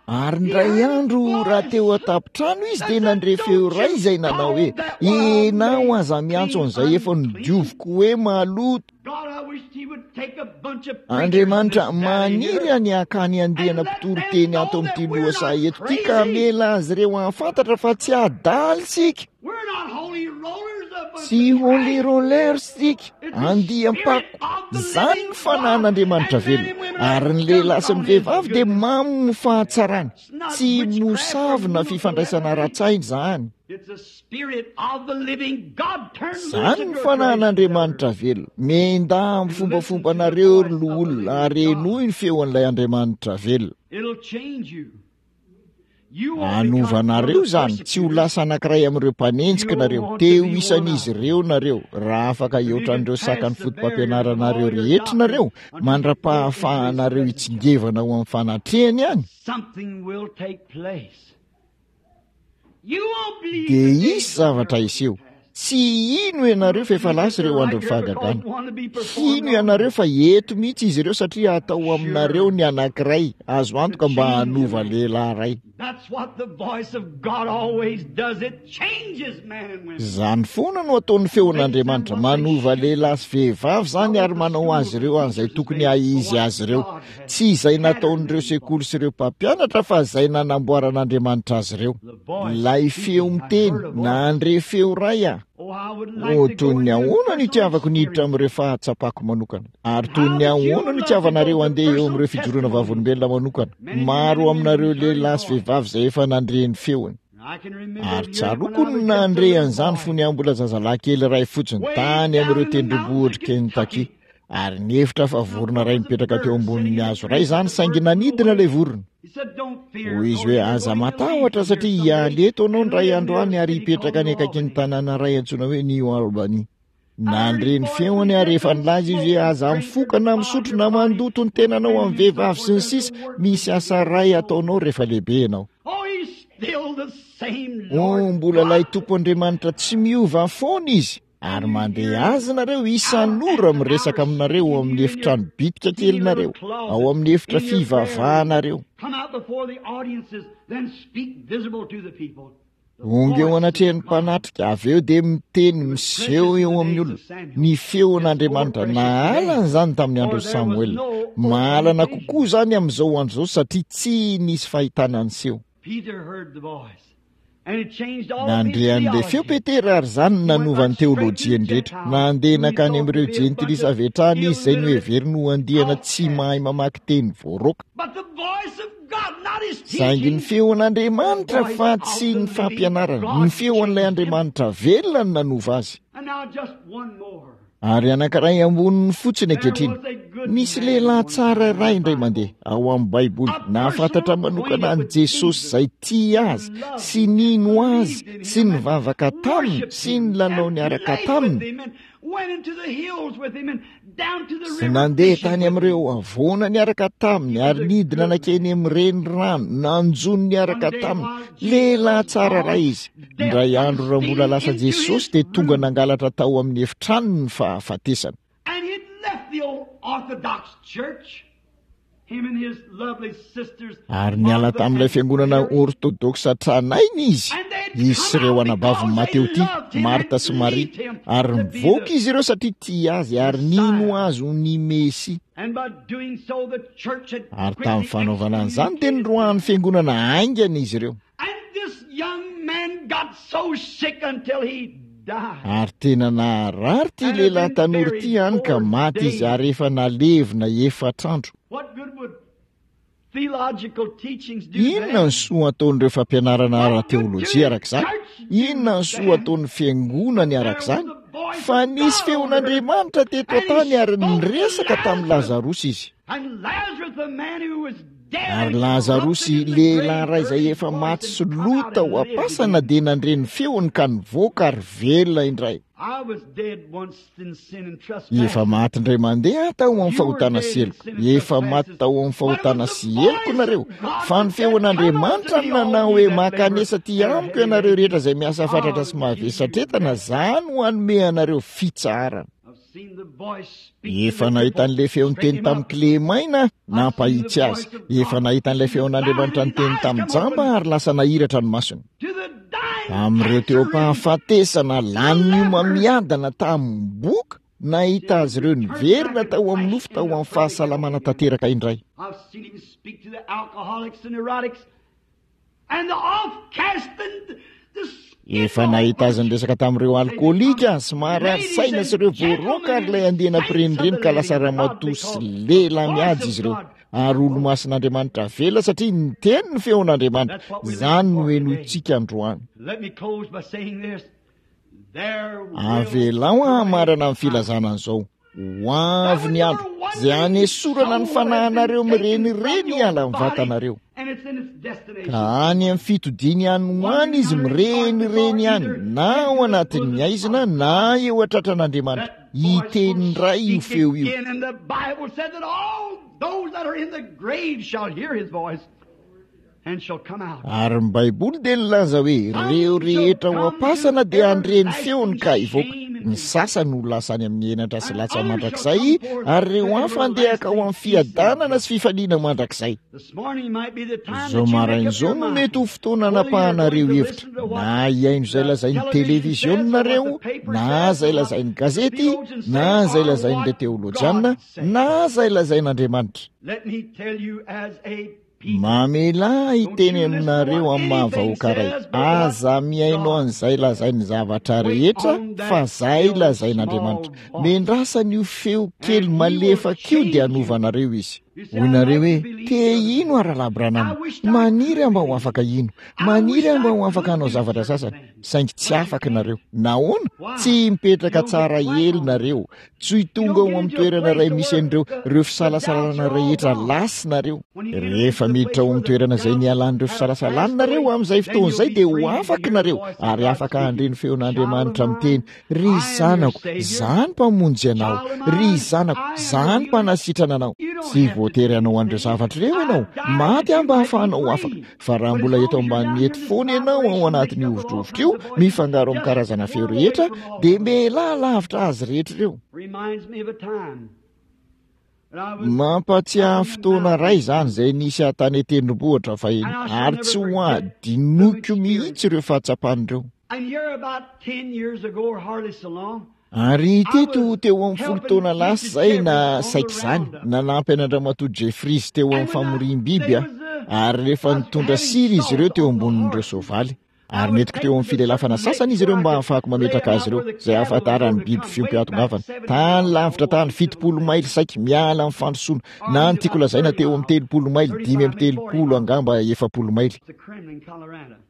Ary indray andro raha teo an-tampon-trano izy dia nandre feo iray izay nanao hoe: "Ianao aza miantso an'izay efa nodioviko hoe maloto." Andriamanitra, maniry any hakany andiana mpitory teny ato amin'ity lohasaha eto ity ka hamela azy ireo hahafantatra fa tsy adaly isika. Tsy holy rollers isika, andiam-pako. Izany ny fanahin'Andriamanitra velona. Ary ny lehilahy sy ny vehivavy dia mamo ny fahatsarany. Tsy mosavina fifandraisana ara-tsaina izany. Izany ny fanahin'Andriamanitra velona. Miendà amin'ny fombafombanareo ry loholona ary henoy ny feon'ilay Andriamanitra velona. Hanova anareo izany, tsy ho lasa anankiray amin'ireo mpanenjika nareo, teo isan'izy ireo nareo, raha afaka hihoatra an'ireo sakan'ny foto-pampianaranareo rehetra nareo, mandra-pahafahanareo hitsingevana ho amin'ny fanatrehany ihany. Dia hisy zavatra hiseho. Tsy hino ianareo fa efa lasa ireo andron'ny fahagagana. Hino ianareo fa eto mihitsy izy ireo satria hatao aminareo ny anankiray azo antoka mba hanova lehilahy iray. Izany foana no ataon'ny feon'Andriamanitra, manova lehilahy sy vehivavy izany ary manao azy ireo an'izay tokony hahizy azy ireo. Tsy izay nataon'ireo sekoly sy ireo mpampianatra fa izay nanamboaran'Andriamanitra azy ireo. Ilay feo miteny, nandre feo iray aho. Oh, toy ny ahoana no itiavako niditra amin'ireo fahatsapako manokana. Ary toy ny ahoana no itiavanareo handeha eo amin'ireo fijoroana vavolombelona manokana. Maro aminareo lehilahy sy vehivavy izay efa nandre ny feony. Ary tsaroako ny nandre an'izany fony aho mbola zazalahy kely iray fotsiny tany amin'ireo tendrombohitr'i Kentucky. Ary nihevitra fa vorona iray nipetraka teo ambonin'ny hazo iray izany, saingy nanidina ilay vorona. Hoy izy hoe: "Aza matahotra satria hialy eto anao indray andro any ary hipetraka any akaikin'ny tanàna iray antsoina hoe New Albany." Nandre ny feony ary efa nilaza izy hoe: "Aza mifoka na misotro na mandoto ny tenanao amin'ny vehivavy sy ny sisa, misy asa iray ataonao rehefa lehibe ianao." Oh, mbola ilay Tompo Andriamanitra tsy miova foana izy. Ary mandeha azy nareo isan'ora miresaka aminareo ao amin'ny efitrano bitika kelinareo, ao amin'ny efitra fivavahanareo. Onga eo anatrehan'ny mpanatrika, avy eo dia miteny miseho eo amin'ny olona. Ny feon'Andriamanitra, nahalana izany tamin'ny andron'i Samoela. Mahalana kokoa izany amin'izao andro izao satria tsy nisy fahitana niseho. Nandre an'ilay feo Petera ary izany no nanova ny teolojiany rehetra. Nandeha nankany amin'ireo jentilisa avy hatrany izy izay noheveriny ho andiana tsy mahay mamaky teny voaroaka. Saingy ny feon'Andriamanitra fa tsy ny fampianarana, ny feon'ilay Andriamanitra velona no nanova azy. Ary anankiray amboniny fotsiny ankehitriny. Nisy lehilahy tsara iray indray mandeha ao amin'ny Baiboly, nahafantatra manokana an'i Jesosy izay tia azy sy nino azy sy nivavaka taminy sy nilalao niaraka taminy. Sy nandeha tany amin'ireo havoana niaraka taminy ary nidina nankeny amin'ny renirano, nanjono niaraka taminy. Lehilahy tsara iray izy. Indray andro raha mbola lasa Jesosy dia tonga nangalatra tao amin'ny efitranony ny fahafatesana. Ary niala tamin'ilay fiangonana ortodoksa tranainy izy, izy sy ireo anabaviny Mateo ity, Marta sy Maria, ary nivoaka izy ireo satria tia azy ary nino azy ho ny Mesia. Ary tamin'ny fanaovana an'izany dia niroahan'ny fiangonana haingana izy ireo. Ary tena naharary ity lehilahy tanora ity hany ka maty izy ary efa nalevina efatra andro. Inona ny soa ataon'ireo fampianarana ara-teolojia araka izany? Inona ny soa ataon'ny fiangonany araka izany? Fa nisy feon'Andriamanitra teto an-tany ary niresaka tamin'i Lazarosy izy. Ary Lazarosy, lehilahy iray izay efa maty sy lo tao am-pasana, dia nandre ny feony ka nivoaka ary velona indray. Efa maty indray mandeha aho tao amin'ny fahotana sy heloka. Efa maty tao amin'ny fahotana sy heloka nareo. Fa ny feon'Andriamanitra no nanao hoe: mankanesa aty amiko ianareo rehetra izay miasa fatratra sy mavesatretana, za no hanome anareo fitsaharana. Efa nahita an'ilay feo niteny tamin'ny kilemaina, nampahitsy azy. Efa nahita an'ilay feon'Andriamanitra niteny tamin'ny jamba ary lasa nahiratra ny masony. Tamin'ireo teo am-pahafatesana, lany homamiadana tamin'ny boka, nahita azy ireo niverina tao amin'ny nofo tao amin'ny fahasalamana tanteraka indray. Efa nahita azy niresaka tamin'ireo alkoolika sy marary saina sy ireo voaroaka ary ilay andiana mpirenireny ka lasa ramatoa sy lehilahy mihaja izy ireo. Ary olo-masin'Andriamanitra vela satria niteny ny feon'Andriamanitra. Izany no henointsika androany. Avelao hamarana ny filazana an'izao. Ho avy ny andro izay hanesorana ny fanahinareo mirenireny hiala amin'ny vatanareo. Ka any amin'ny fitodiany any ho any izy mirenireny ihany, na ao anatin'ny haizina na eo an-tratran'Andriamanitra. Hiteny indray io feo io. Ary ny Baiboly dia nilaza hoe ireo rehetra ao am-pasana dia handre ny feony ka hivoaka. Ny sasany ho lasa any amin'ny henatra sy latsa mandrakizay, ary ireo hafa handeha hankao amin'ny fiadanana sy fifaliana mandrakizay. Izao maraina izao no mety ho fotoana anapahanareo hevitra, na hihaino izay lazain'ny televiziona nareo, na izay lazain'ny gazety, na izay lazain'ireo teolojiana, na izay lazain'Andriamanitra. Mamelà hiteny aminareo amin'ny maha-vahoaka iray, aza mihaino an'izay lazain'ny zavatra rehetra fa izay lazain'Andriamanitra. Mendrasana io feo kely malefaka io dia hanovanareo izy. Hoy nareo hoe, te hino aho Rahalahy Branham, maniry aho mba ho afaka hino, maniry aho mba ho afaka hanao zavatra sasany, saingy tsy afaka nareo. Nahoana? Tsy mipetraka tsara ely nareo, tsy tonga ao amin'ny toerana iray misy an'ireo ireo fisalasalana rehetra lasa nareo. Rehefa miditra ao amin'ny toerana izay nialan'ireo fisalasalana nareo, amin'izay fotoana izay dia ho afaka nareo ary afaka handre ny feon'Andriamanitra miteny, ry zanako, izaho no mpamonjy anao, ry zanako, izaho no mpanasitrana anao. Tsy voatery hanao an'ireo zavatra ireo ianao, maty aho mba hahafahanao ho afaka. Fa raha mbola eto ambanin'ny hety foana ianao ao anatin'io hovitrovitra io, mifangaro amin'ny karazana feo rehetra, dia mialà lavitra azy rehetra ireo. Mampatsiahy fotoana iray izany izay nisy ahy tany an-tendrombohitra fahiny, ary tsy ho adinoiko mihitsy ireo fahatsapana ireo. Ary teto teo amin'ny folo taona lasa izay na saiky izany, nanampy an'Andriamatoa Jeffries teo amin'ny famoriam-biby aho, ary rehefa nitondra sira izy ireo teo ambonin'ireo soavaly, ary nentiko teo amin'ny filelafana sasany izy ireo mba hahafahako mametraka azy ireo, izay ahafantaran'ny biby fiompy hahatongavana. Tany lavitra tany, fitopolo maily saiky, miala amin'ny fandrosoana, na ny tiako lazaina teo amin'ny telopolo maily, dimy amby telopolo angamba efapolo maily.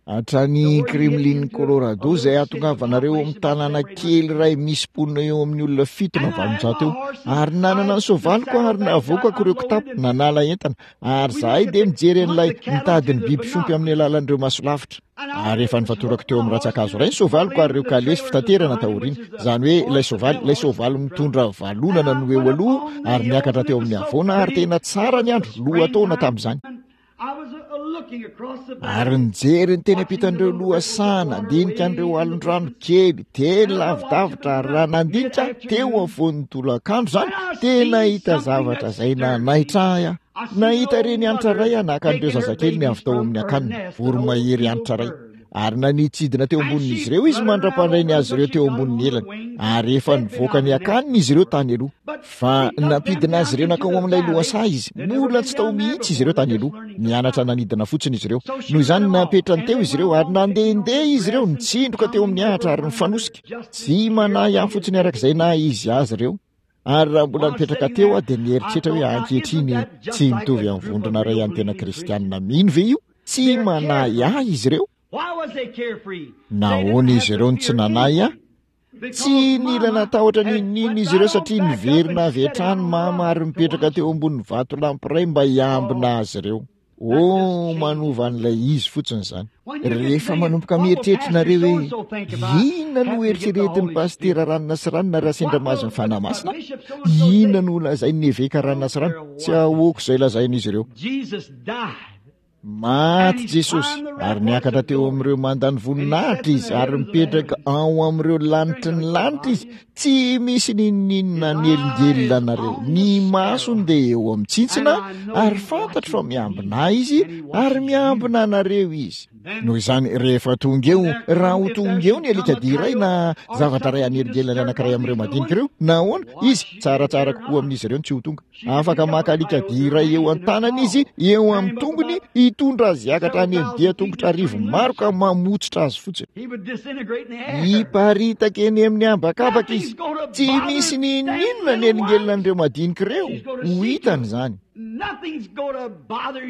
Hatrany Kremlin Colorado izay hahatongavanareo amin'ny tanàna kely iray misy mponina eo amin'ny olona fito na valonjato eo. Ary nanana ny soavaliko aho ary navoakako ireo kitapo, nanala entana, ary izahay dia nijery an'ilay nitady ny biby fiompy amin'ny alalan'ireo masolavitra. Ary efa nifatorako teo amin'ny rantsan-kazo iray ny soavaliko ary ireo kalesy fitaterana taoriana. Izany hoe ilay soavaly, ilay soavaly mitondra valonana no eo aloha ary niakatra teo amin'ny havoana ary tena tsara ny andro, lohataona tamin'izany. Ary nijery ny teny ampitan'ireo lohasaha, nandinika an'ireo alon-drano kely, teny lavidavitra, ary raha nandinika teo afovoan'ny tolakandro izany, dia nahita zavatra izay nanaitra ahy aho. Nahita reny hanitra iray aho naka an'ireo zazakeliny avy tao amin'ny akaniny, voromahery hanitra iray. Ary nanitsidina teo ambonin'izy ireo izy mandra-pandray ny azy ireo teo ambonin'ny elany, ary efa nivoaka ny akaniny izy ireo tany aloha. Fa nampidina azy ireo nankao amin'ilay lohasaha izy. Mbola tsy tao mihitsy izy ireo tany aloha. Nianatra nanidina fotsiny izy ireo. Noho izany napetrany teo izy ireo, ary nandehandeha izy ireo, nitsindroka teo amin'ny ahitra ary nifanosika. Tsy manahy ahy fotsiny araka izay naha izy azy ireo. Ary raha mbola nipetraka teo aho dia nieritreritra hoe ankehitriny tsy mitovy amin'ny vondrona iray an'ny tena kristianina mino ve io? Tsy manahy ahy izy ireo. Nahoana izy ireo no tsy nanahy ahy? Tsy nila natahotra n'inon'inona izy ireo satria niverina avy hatrany mama ary nipetraka teo ambonin'ny vatolampy iray mba hiambina azy ireo. Oh, manova an'ilay izy fotsiny izany. Rehefa manomboka mieritreritra nareo hoe inona no eritreretin'ny pasitera ranona sy ranona raha sendra mahazo ny Fanahy Masina? Inona no lazain'ny eveka ranona sy ranona? Tsy ahoako izay lazain'izy ireo. Maty Jesosy ary niakatra teo amin'ireo mandan'ny voninahitra izy ary mipetraka ao amin'ireo lanitry ny lanitra izy. Tsy misy n'inon'inona hanelingelina anareo. Ny masony dia eo amin'ny tsintsina ary fantatro fa miambina ahy izy ary miambina anareo izy. Noho izany, rehefa tonga eo, raha ho tonga eo ny alikadia iray na zavatra iray hanelingelina ny anankiray amin'ireo madinika ireo, nahoana izy tsaratsara kokoa amin'izy ireo no tsy ho tonga. Afaka maka alikadia iray eo an-tanany izy, eo amin'ny tongony, hitondra azy hiakatra any amin'ny dia tongotra arivo maro ka mamotsitra azy fotsiny. Hiparitaka eny amin'ny habakabaka izy. Tsy misy n'inon'inona hanelingelina an'ireo madinika ireo. Ho hitany izany.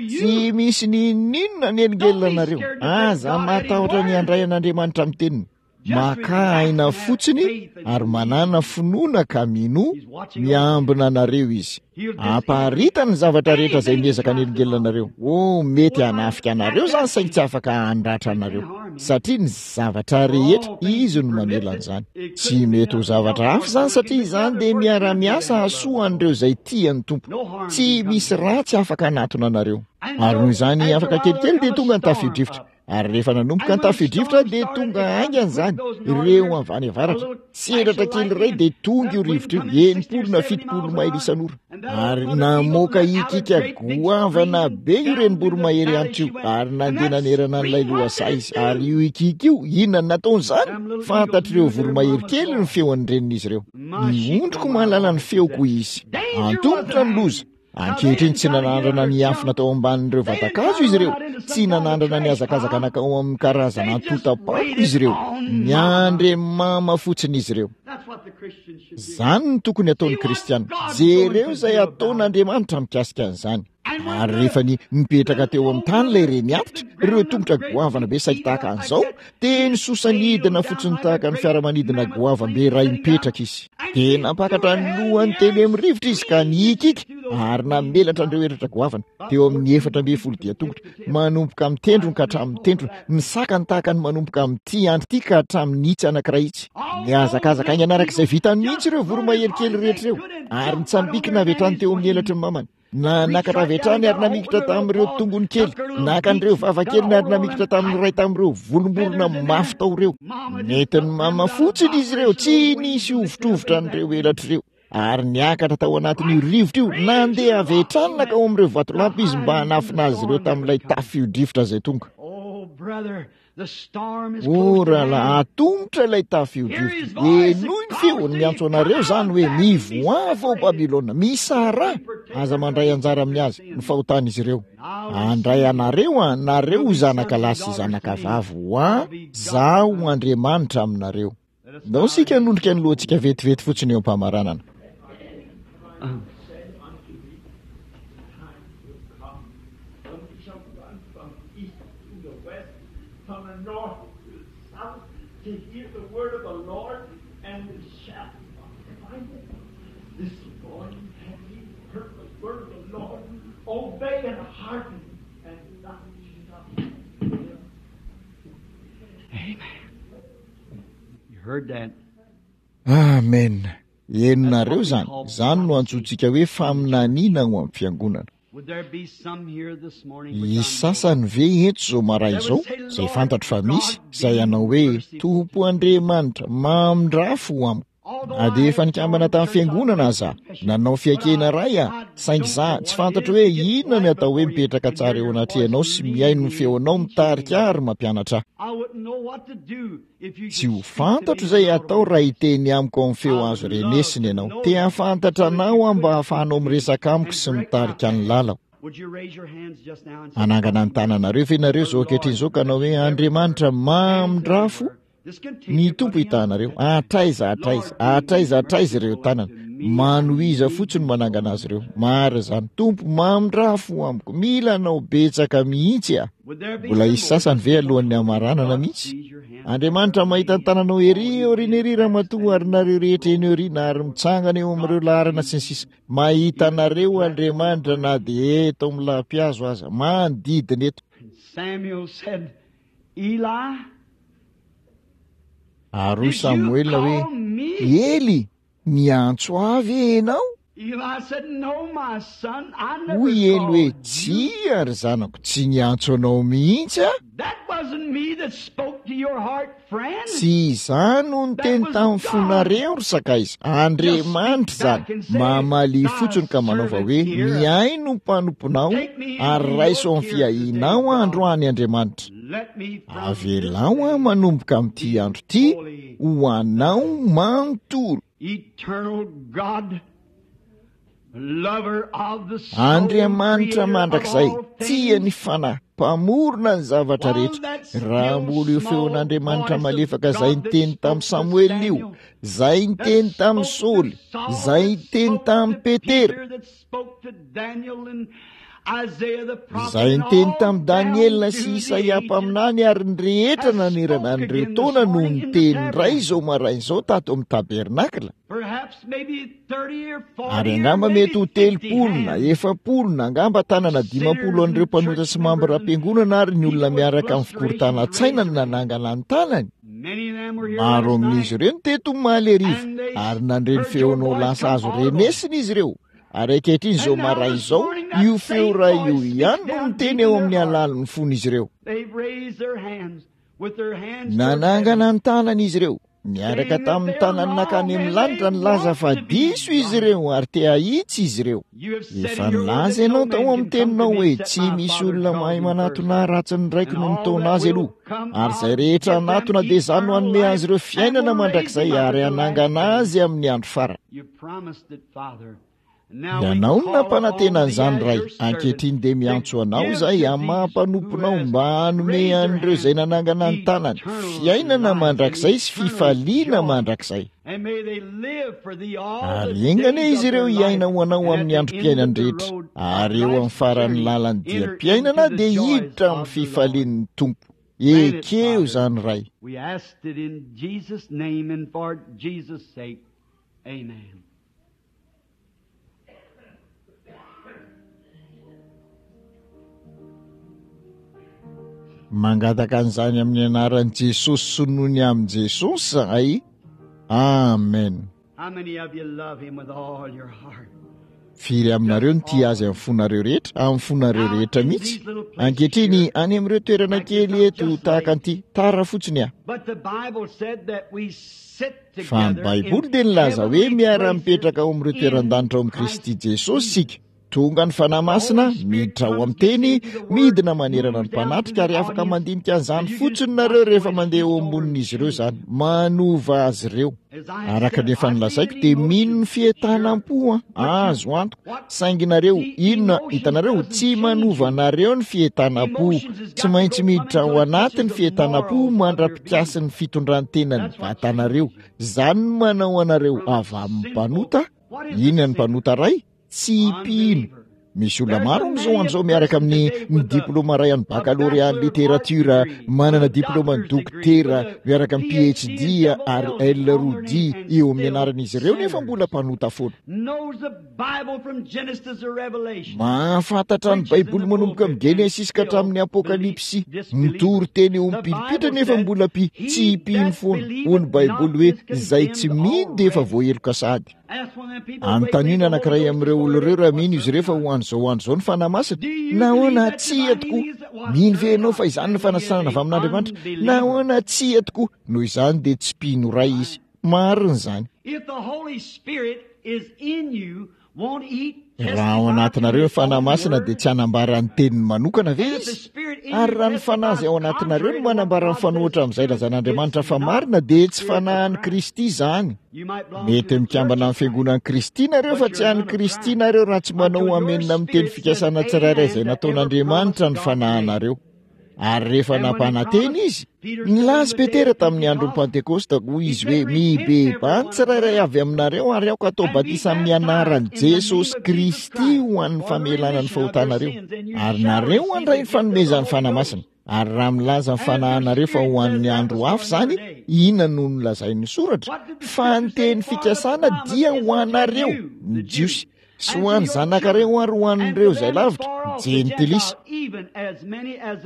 Tsy misy n'inon'inona hanelingelina anareo. Aza matahotra ny handray an'Andriamanitra amin'ny teniny. Maka aina fotsiny ary manana finoana ka minoa, miambina anareo izy. Amparitany ny zavatra rehetra izay miezaka hanelingelina anareo. Oh, mety hanafika anareo izany saingy tsy afaka handratra anareo, satria ny zavatra rehetra izy no mamela an'izany. Tsy mety ho zavatra hafa izany satria izany dia miara-miasa hahasoa an'ireo izay tia ny Tompo. Tsy misy ratsy afaka hanatona anareo. Ary noho izany afaka kelikely dia tonga ny tafio-drivotra. Ary rehefa nanomboka ny tafio-drivotra dia tonga haingana izany, ireo avy any avaratra. Tselatra kely iray dia tonga io rivotra io, enimpolo na fitopolo maily isan'ora. Ary namoaka hikiaka goavana be io renim-boromahery antitra io, ary nandeha nanerana an'ilay lohasaha izy. Ary io hikiaka io, inona no nataon'izany? Fantatr'ireo voromahery kely ny feon'ny renin'izy ireo. Ny ondriko mahalala ny feoko, hoy izy. Antomotra ny loza. Ankehitriny tsy nanandrana niafina tao ambanin'ireo vatan-kazo izy ireo, tsy nanandrana nihazakazaka nankao amin'ny karazana antontam-pako izy ireo, niandry mama fotsiny izy ireo. Izany no tokony hataon'ny kristiana. Jereo izay ataon'Andriamanitra mikasika an'izany. Ary rehefa ny mipetraka teo amin'ny tany ilay reny antitra, ireo tongotra goavana be saiky tahaka an'izao, dia nisosa nidina fotsiny tahaka ny fiaramanidina goavambe iray mipetraka izy. Dia nampakatra ny lohany teny amin'ny rivotra izy ka nihikiky ary namelatra an'ireo elatra goavana teo amin'ny efatra ambin'ny folo dian-tongotra, manomboka amin'ny tendrony ka hatramin'ny tendrony, ny sakany tahaka ny manomboka amin'ity andro ity ka hatramin'ny itsy anankiray itsy. Nihazakazaka haingana araka izay vitany mihitsy ireo voromahery kely rehetra ireo, ary nitsambikina avy hatrany teo amin'ny elatry ny mamany. Nanakatra avy hatrany ary namikitra tamin'ireo tongony kely, naka an'ireo vava keliny ary namikitra tamin'ny iray tamin'ireo volomborona mafy tao ireo. Nentin'ny mama fotsiny izy ireo, tsy nisy hovitrovitra an'ireo elatra ireo. Ary niakatra tao anatin'io rivotra io, nandeha avy hatrany nankao amin'ireo vatolampy izy mba hanafina azy ireo tamin'ilay tafio-drivotra izay tonga. O rahalahy, atomotra ilay tafio-drivotra. Henoy ny feony miantso anareo izany hoe, mivoaha avy ao Babylona, misaraha, aza mandray anjara amin'ny azy, ny fahotan'izy ireo. Handray anareo aho, nareo ho zanaka lahy sy zanaka vavy ho ahy, Izaho ho Andriamanitra aminareo. Ndao isika hanondrika ny lohantsika vetivety fotsiny eo am-pamaranana. Amen. Henonareo izany. Izany no antsointsika hoe faminaniana ao amin'ny fiangonana. Hisy sasany ve eto izao maraina izao, izay fantatro fa misy, izay hanao hoe, Tompo Andriamanitra, mamindrà fo amiko. Na dia efa nikambana tamin'ny fiangonana aza, nanao fiaikena iray aho, saingy izaho, tsy fantatro hoe inona ny atao hoe mipetraka tsara eo anatrehanao sy mihaino ny feonao mitarika ahy ary mampianatra ahy. Tsy ho fantatro izay hatao raha hiteny amiko amin'ny feo azo renesina ianao. Te hahafantatra anao aho mba hahafahanao miresaka amiko sy mitarika ny lalako. Hanangana ny tananareo ve nareo izao ankehitriny izao ka hanao hoe, Andriamanitra, mamindrà fo? Ny Tompo hitahanareo. Hatraiza hatraiza, hatraiza hatraiza ireo tanana. Manohiza fotsiny manangana azy ireo. Marina izany. Tompo, mamindrà fo amiko. Mila anao betsaka mihitsy aho. Mbola hisy sasany ve alohan'ny hamaranana mihitsy? Andriamanitra mahita ny tananao ery aoriana ery ramatoa ary nareo rehetra eny aoriana ary mitsangana eo amin'ireo laharana sy ny sisa. Mahita anareo Andriamanitra na dia eto amin'ny lampihazo aza, manodidina eto. Samuel said, Eli, Ary hoy did you Samoela hoe, call me? Ely, niantso ahy ve ianao? Hoy Ely hoe, tsia ry zanako, tsy niantso anao mihitsy aho. Tsy izaho no niteny tamin'ny fonareo ry sakaiza, Andriamanitra izany. Mamalia fotsiny ka manaova hoe, mihaino ny mpanomponao ary raiso amin'ny fiahianao androany Andriamanitra. Avelao aho manomboka amin'ity andro ity ho anao manontolo. Andriamanitra mandrakizay, tia ny fanahy, mpamorona ny zavatra rehetra. Raha mbola io feon'Andriamanitra malefaka izay niteny tamin'i Samoela io, izay niteny tamin'i Saoly, izay niteny tamin'i Petera, izay niteny tamin'i Daniela sy Isaia mpaminany ary ny rehetra nanerana an'ireo taona no niteny indray izao maraina izao tato amin'ny tabernakla. Ary angamba mety ho telopolo na efapolo na angamba tanana dimampolo an'ireo mpanota sy mambram-piangonana ary ny olona miaraka amin'ny fikorontanan-tsaina no nanangana ny tanany. Maro amin'izy ireo no teto omaly hariva ary nandre ny feonao lasa azo renesina izy ireo. Ary ankehitriny izao maraina izao, io feo iray io ihany no miteny eo amin'ny alalan'ny fon'izy ireo. Nanangana ny tanany izy ireo, miaraka tamin'ny tanany nankany amin'ny lanitra nilaza fa diso izy ireo ary te hahitsy izy ireo. Efa nilaza ianao tao amin'ny teninao hoe tsy misy olona mahay manatona ratsy ny raiko no nitaona azy aloha. Ary izay rehetra hanatona dia izany no hanome azy ireo fiainana mandrakizay ary hanangana azy amin'ny andro farany. Ianao no nampanantena an'izany Ray. Ankehitriny dia miantso anao izahay amin'ny maha mpanomponao mba hanome an'ireo izay nanangana ny tanany fiainana mandrakizay sy fifaliana mandrakizay. Ary enga anie izy ireo hiaina ho anao amin'ny androm-piainany rehetra, ary eo amin'ny faran'ny lalan'ny diam-piainana dia hiditra amin'ny fifalian'ny Tompo. Ekeo izany Ray. We asked it in Jesus' name and for Jesus' sake. Amen. Mangataka an'izany amin'ny anaran'i Jesosy sy noho ny amin'i Jesosy zahay. Amen. How many of you love him with all your heart? Firy aminareo no tia azy amin'ny fonareo rehetra, amin'ny fonareo rehetra mihitsy? Ankehitriny, any amin'ireo toerana kely eto tahaka an'ity, tara fotsiny aho. But the Bible said that we sit Fa ny together Baiboly in dia nilaza hoe heavenly miara-mipetraka ao amin'ireo places toeran-danitra ao in amin'i Kristy Christ Jesosy Jesus. isika. Tonga ny Fanahy Masina, miditra ao amin'ny teny, midina manerana ny mpanatrika ary afaka mandinika an'izany fotsiny nareo rehefa mandeha eo ambonin'izy ireo izany. Manova azy ireo. Araka ny efa nilazaiko dia mino ny fientanam-po azo antoka. Saingy nareo, inona, hitanareo, tsy manova anareo ny fientanam-po. Tsy maintsy miditra ao anaty ny fientanam-po mandra-pikasin'ny fitondran-tenan'ny vatanareo. Izany no manao anareo avy amin'ny mpanota. Inona ny mpanota ray? Tsy mpino. Misy olona maro amin'izao andro izao miaraka amin'ny ny diplôma ray an'ny baccalauréat ny littérature, manana diplôma ny dokotera, miaraka amin'ny P H D ary L roa D eo amin'ny anaran'izy ireo nefa mbola mpanota foana. Knows the Bible from Genesis to Revelation. Mahafantatra ny Baiboly manomboka amin'ny Genesis ka hatramin'ny Apokalypsy, mitory teny eo amin'ny pilipitra nefa mbola mpi tsy mpino foana. Hoy ny Baiboly hoe izay tsy mino dia efa voaheloka sahady. Anontaniana anankiray amin'ireo olona ireo raha mino izy ireo fa ho an'izao andro izao ny Fanahy Masina. Nahoana? Tsia tokoa. Mino ve ianao fa izany no fanasana avy amin'Andriamanitra? Nahoana? Tsia tokoa. Noho izany dia tsy mpino iray izy. Marina izany. If the Holy Spirit is in you, won't he Raha ao anatinareo ny Fanahy Masina dia tsy hanambara ny teniny manokana ve izy? Ary raha ny Fanahy izay ao anatinareo no manambara ny fanohitra amin'izay lazan'Andriamanitra fa marina dia tsy Fanahin'i Kristy izany. Mety mikambana amin'ny fiangonan'i Kristy nareo fa tsy an'i Kristy nareo raha tsy manao amenina amin'ny teny fikasana tsirairay izay nataon'Andriamanitra ny fanahinareo. Ary rehefa nampanantena izy, nilaza Petera tamin'ny andron'ny Pantekosta, hoy izy hoe, mibebaha ny tsirairay avy aminareo ary aoka atao batisa amin'ny anaran'i Jesosy Kristy ho an'ny famelana ny fahotanareo, ary nareo handray ny fanomezan'ny Fanahy Masina. Ary raha milaza ny fanahinareo fa ho an'ny andro hafa izany, inona no nolazain'ny soratra? Fa ny teny fikasana dia ho anareo, ny Jiosy, sy ho an'ny zanakareo ary ho an'ireo izay lavitra, jentilisa.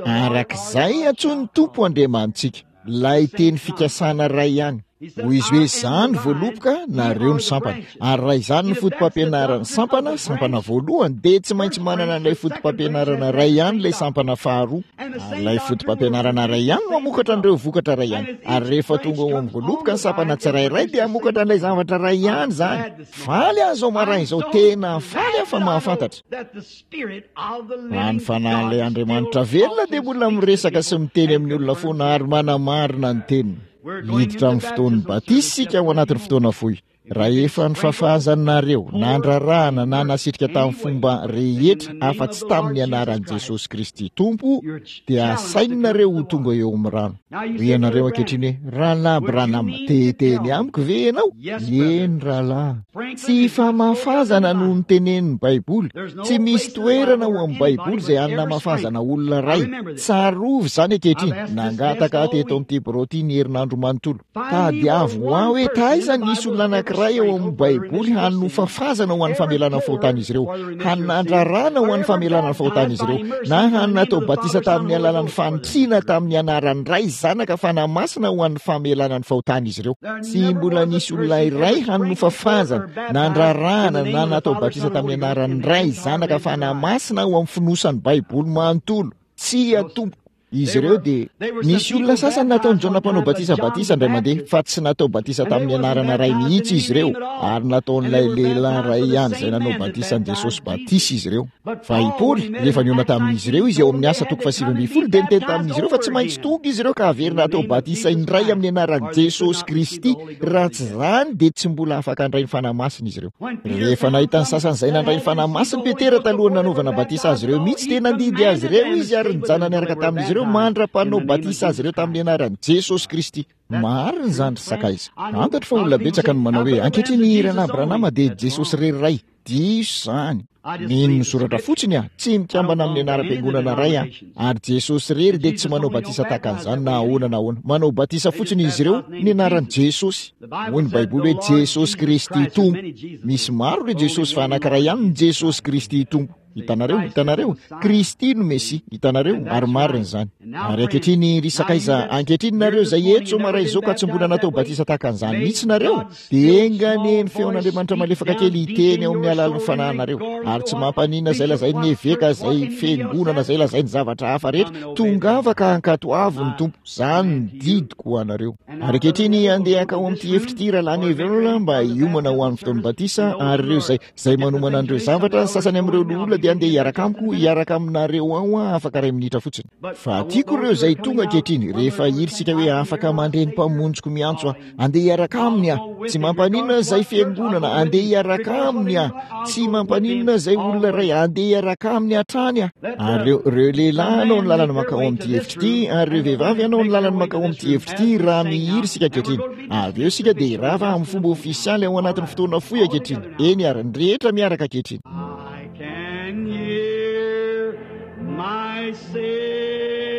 Arak'izay antsoin'ny Tompo Andriamanitsika, ilay teny fikasana iray ihany. Hoy izy hoe izaho ny voaloboka, nareo ny sampana. Ary raha izany ny foto-pampianaran'ny sampana, sampana voalohany, dia tsy maintsy manana an'ilay foto-pampianarana iray ihany ilay sampana faharoa. Ary ilay foto-pampianarana iray ihany no hamokatra an'ireo vokatra iray ihany. Ary rehefa tonga ao amin'ny voaloboka ny sampana tsirairay dia hamokatra an'ilay zavatra iray ihany izany. Faly aho izao maraina izao, tena faly aho fa mahafantatra. Raha ny fanahin'ilay Andriamanitra velona dia mbola miresaka sy miteny amin'ny olona foana ary manamarina ny teniny. Hiditra amin'ny fotoan'ny batisa isika ao anatin'ny fotoana fohy. Raha efa nifafazanareo, nandrarahana na nasitrika tamin'ny fomba rehetra afa-tsy tamin'ny anaran'i Jesosy Kristy Tompo, dia asainareo ho tonga eo amin'ny rano. Hoy ianareo ankehitriny hoe, Rahalahy Branham, te-hiteny amiko ve ianao? Eny, rahalahy. Tsy famafazana no nitenenin'ny Baiboly. Tsy misy toerana ao amin'ny Baiboly izay hanamafazana olona iray. Tsarovy izany ankehitriny. Nangataka ahy teto amin'ity birao ity ny herinandro manontolo. Tadiavo ho ahy hoe taiza nisy olona anankiray ao amin'ny Baiboly hanofafazana ho an'ny famelana ny fahotan'izy ireo, hanandrarana ho an'ny famelana ny fahotan'izy ireo, na hanatao batisa tamin'ny alalan'ny fanitsiana tamin'ny anaran'ny Ray, Zanaka, Fanahy Masina ho an'ny famelana ny fahotan'izy ireo. Tsy mbola nisy olona iray hanofafazana, nandrarana na natao batisa tamin'ny anaran'ny Ray, Zanaka, Fanahy Masina ho amin'ny fonosan'ny Baiboly manontolo. Tsia, tompoko. Izy ireo dia nisy olona sasany nataon'i Jaona mpanao batisa batisa indray mandeha, fa tsy natao batisa tamin'ny anarana Ray mihitsy izy ireo, ary nataon'ilay lehilahy iray ihany izay nanao batisa an'i Jesosy batisa izy ireo. Fa i Paoly, rehefa nihaona tamin'izy ireo izy ao amin'ny asa toko fahasivy ambin'ny folo, dia niteny tamin'izy ireo fa tsy maintsy tonga izy ireo ka haverina hatao batisa indray amin'ny anaran'i Jesosy Kristy, raha tsy izany dia tsy mbola afaka handray ny Fanahy Masina izy ireo. Rehefa nahita ny sasany izay nandray ny Fanahy Masina Petera talohan'ny nanaovana batisa azy ireo mihitsy, dia nandidy azy ireo izy ary nijanona niaraka tamin'izy ireo mandra-panao batisa azy ireo tamin'ny anaran'i Jesosy Kristy. Marina izany, ry sakaiza. Fantatro fa olona betsaka no manao hoe, ankehitriny Rahalahy Branham dia Jesosy irery Ray. Diso izany. Mino ny soratra fotsiny aho, tsy mikambana amin'ny anaram-piangonana iray aho. Ary Jesosy irery dia tsy manao batisa tahaka an'izany na ahoana na ahoana. Manao batisa fotsiny izy ireo ny anaran'i Jesosy. Hoy ny Baiboly hoe Jesosy Kristy Tompo. Misy maro ireo Jesosy fa anankiray ihany ny Jesosy Kristy Tompo. Hitanareo, hitanareo, Kristy no Mesia, hitanareo, ary marina izany. Ary ankehitriny, ry sakaiza, ankehitriny nareo izay eto izao maray izao ka tsy mbola natao batisa tahaka an'izany mihitsy nareo, dia enga anie ny feon'Andriamanitra malefaka kely hiteny ao amin'ny alalan'ny fanahinareo, ary tsy mampaninona izay lazain'ny eveka, izay fiangonana, izay lazain'ny zavatra hafa rehetra, tongava ka ankatoavy ny Tompo, izany ny didiko ho anareo. Ary ankehitriny, andeha hankao amin'ity efitra ity Rahalahy Neville mba hiomana ho an'ny fotoan'ny batisa, ary ireo izay Izay manomana an'ireo zavatra, ny sasany amin'ireo loholona dia andeha hiaraka amiko, hiaraka aminareo ao aho afaka iray minitra fotsiny. Fa tiako ireo izay tonga ankehitriny, rehefa hira isika hoe afaka mandre ny Mpamonjiko miantso aho, andeha hiaraka aminy aho. Tsy mampaninona izay fiangonana, andeha hiaraka aminy aho. Tsy mampaninona izay olona iray, andeha hiaraka aminy hatrany aho. Ary ireo, ireo lehilahy hanao ny lalana mankao amin'ity efitra ity, ary ireo vehivavy hanao ny lalana mankao amin'ity efitra ity, raha mihira isika ankehitriny. Avy eo isika dia hirava amin'ny fomba ofisialy ao anatin'ny fotoana fohy ankehitriny. Eny ary, ny rehetra miaraka ankehitriny. I can hear my Savior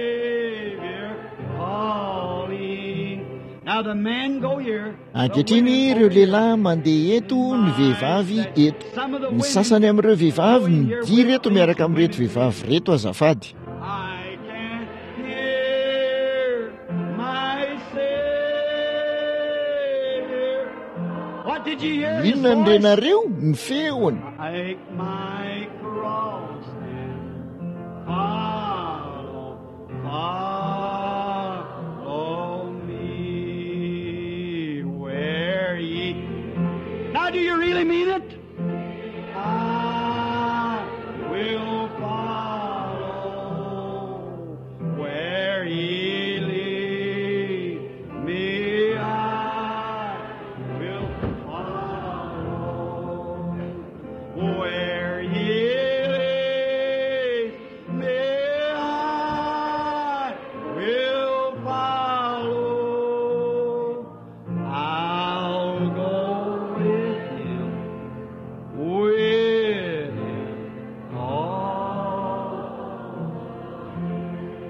calling. Now the men go here. Ankehitriny ireo lehilahy mandeha eto, ny vehivavy eto. Ny sasany amin'ireo vehivavy midira eto miaraka amin'ireto vehivavy ireto azafady. I can hear my Savior. What did you hear? His Inona no voice? renareo? Ny feony. Take my cross and follow, follow me where ye. Now, do you really mean it? I will follow where he lead me. I will follow where he leads me. I will follow. I'll go with him, with him all.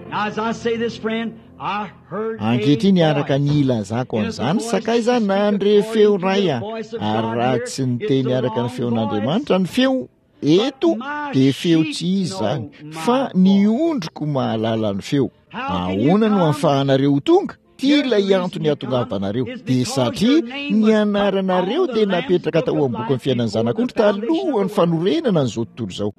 Now, as I say this, friend, I heard a Ankehitriny araka ny voice. ilazako an'izany, sakaiza, nandre feo iray aho, ary raha tsy niteny araka ny feon'Andriamanitra ny feo eto, dia feo tsy izy izany, fa ny ondriko mahalala ny feo. Ahoana no ahafahanareo ho tonga? Ity ilay antony hahatongavanareo, dia satria ny anaranareo dia napetraka tao amin'ny bokin'ny fiainan'ny Zanak'ondry talohan'ny fanorenana an'izao tontolo izao.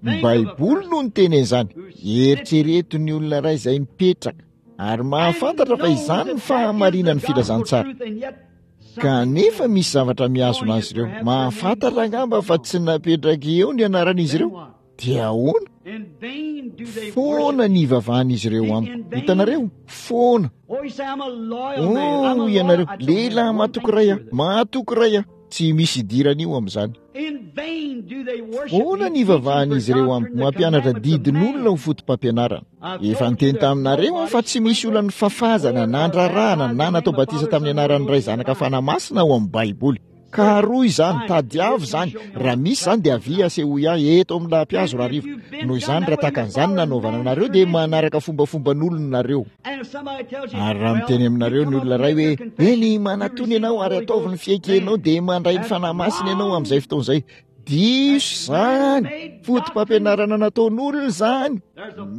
Ny Baiboly no niteny an'izany. Eritrereto ny olona iray izay mipetraka ary mahafantatra fa izany ny fahamarinan'ny filazantsara. Kanefa misy zavatra mihazona azy ireo. Mahafantatra angamba fa tsy napetraka eo ny anaran'izy ireo. Dia ahoana? Foana ny ivavahan'izy ireo amiko. Hitanareo? Foana. Oh, ianareo, lehilahy mahatoky iray aho, mahatoky iray aho. Tsy misy idirana io amin'izany. Foana ny ivavahan'izy ireo amiko, mampianatra didin'olona ho foto-pampianarana. Efa niteny taminareo aho fa tsy misy olona nifafazana, nandrarahana, na natao batisa tamin'ny anaran'ny Ray, Zanaka, Fanahy Masina ao amin'ny Baiboly. Ka roa izany, tadiavo izany. Raha misy izany dia avia asehoy ahy eto amin'ny lampihazo rahariva. Noho izany, raha tahaka an'izany nanaovana anareo dia manaraka fombafomban'olona nareo. Ary raha miteny aminareo ny olona iray hoe, eny, manatona ianao ary ataovy ny fiekenao, dia mandray ny Fanahy Masina ianao amin'izay fotoana izay. Diso izany. Foto-pampianarana nataon'olona izany.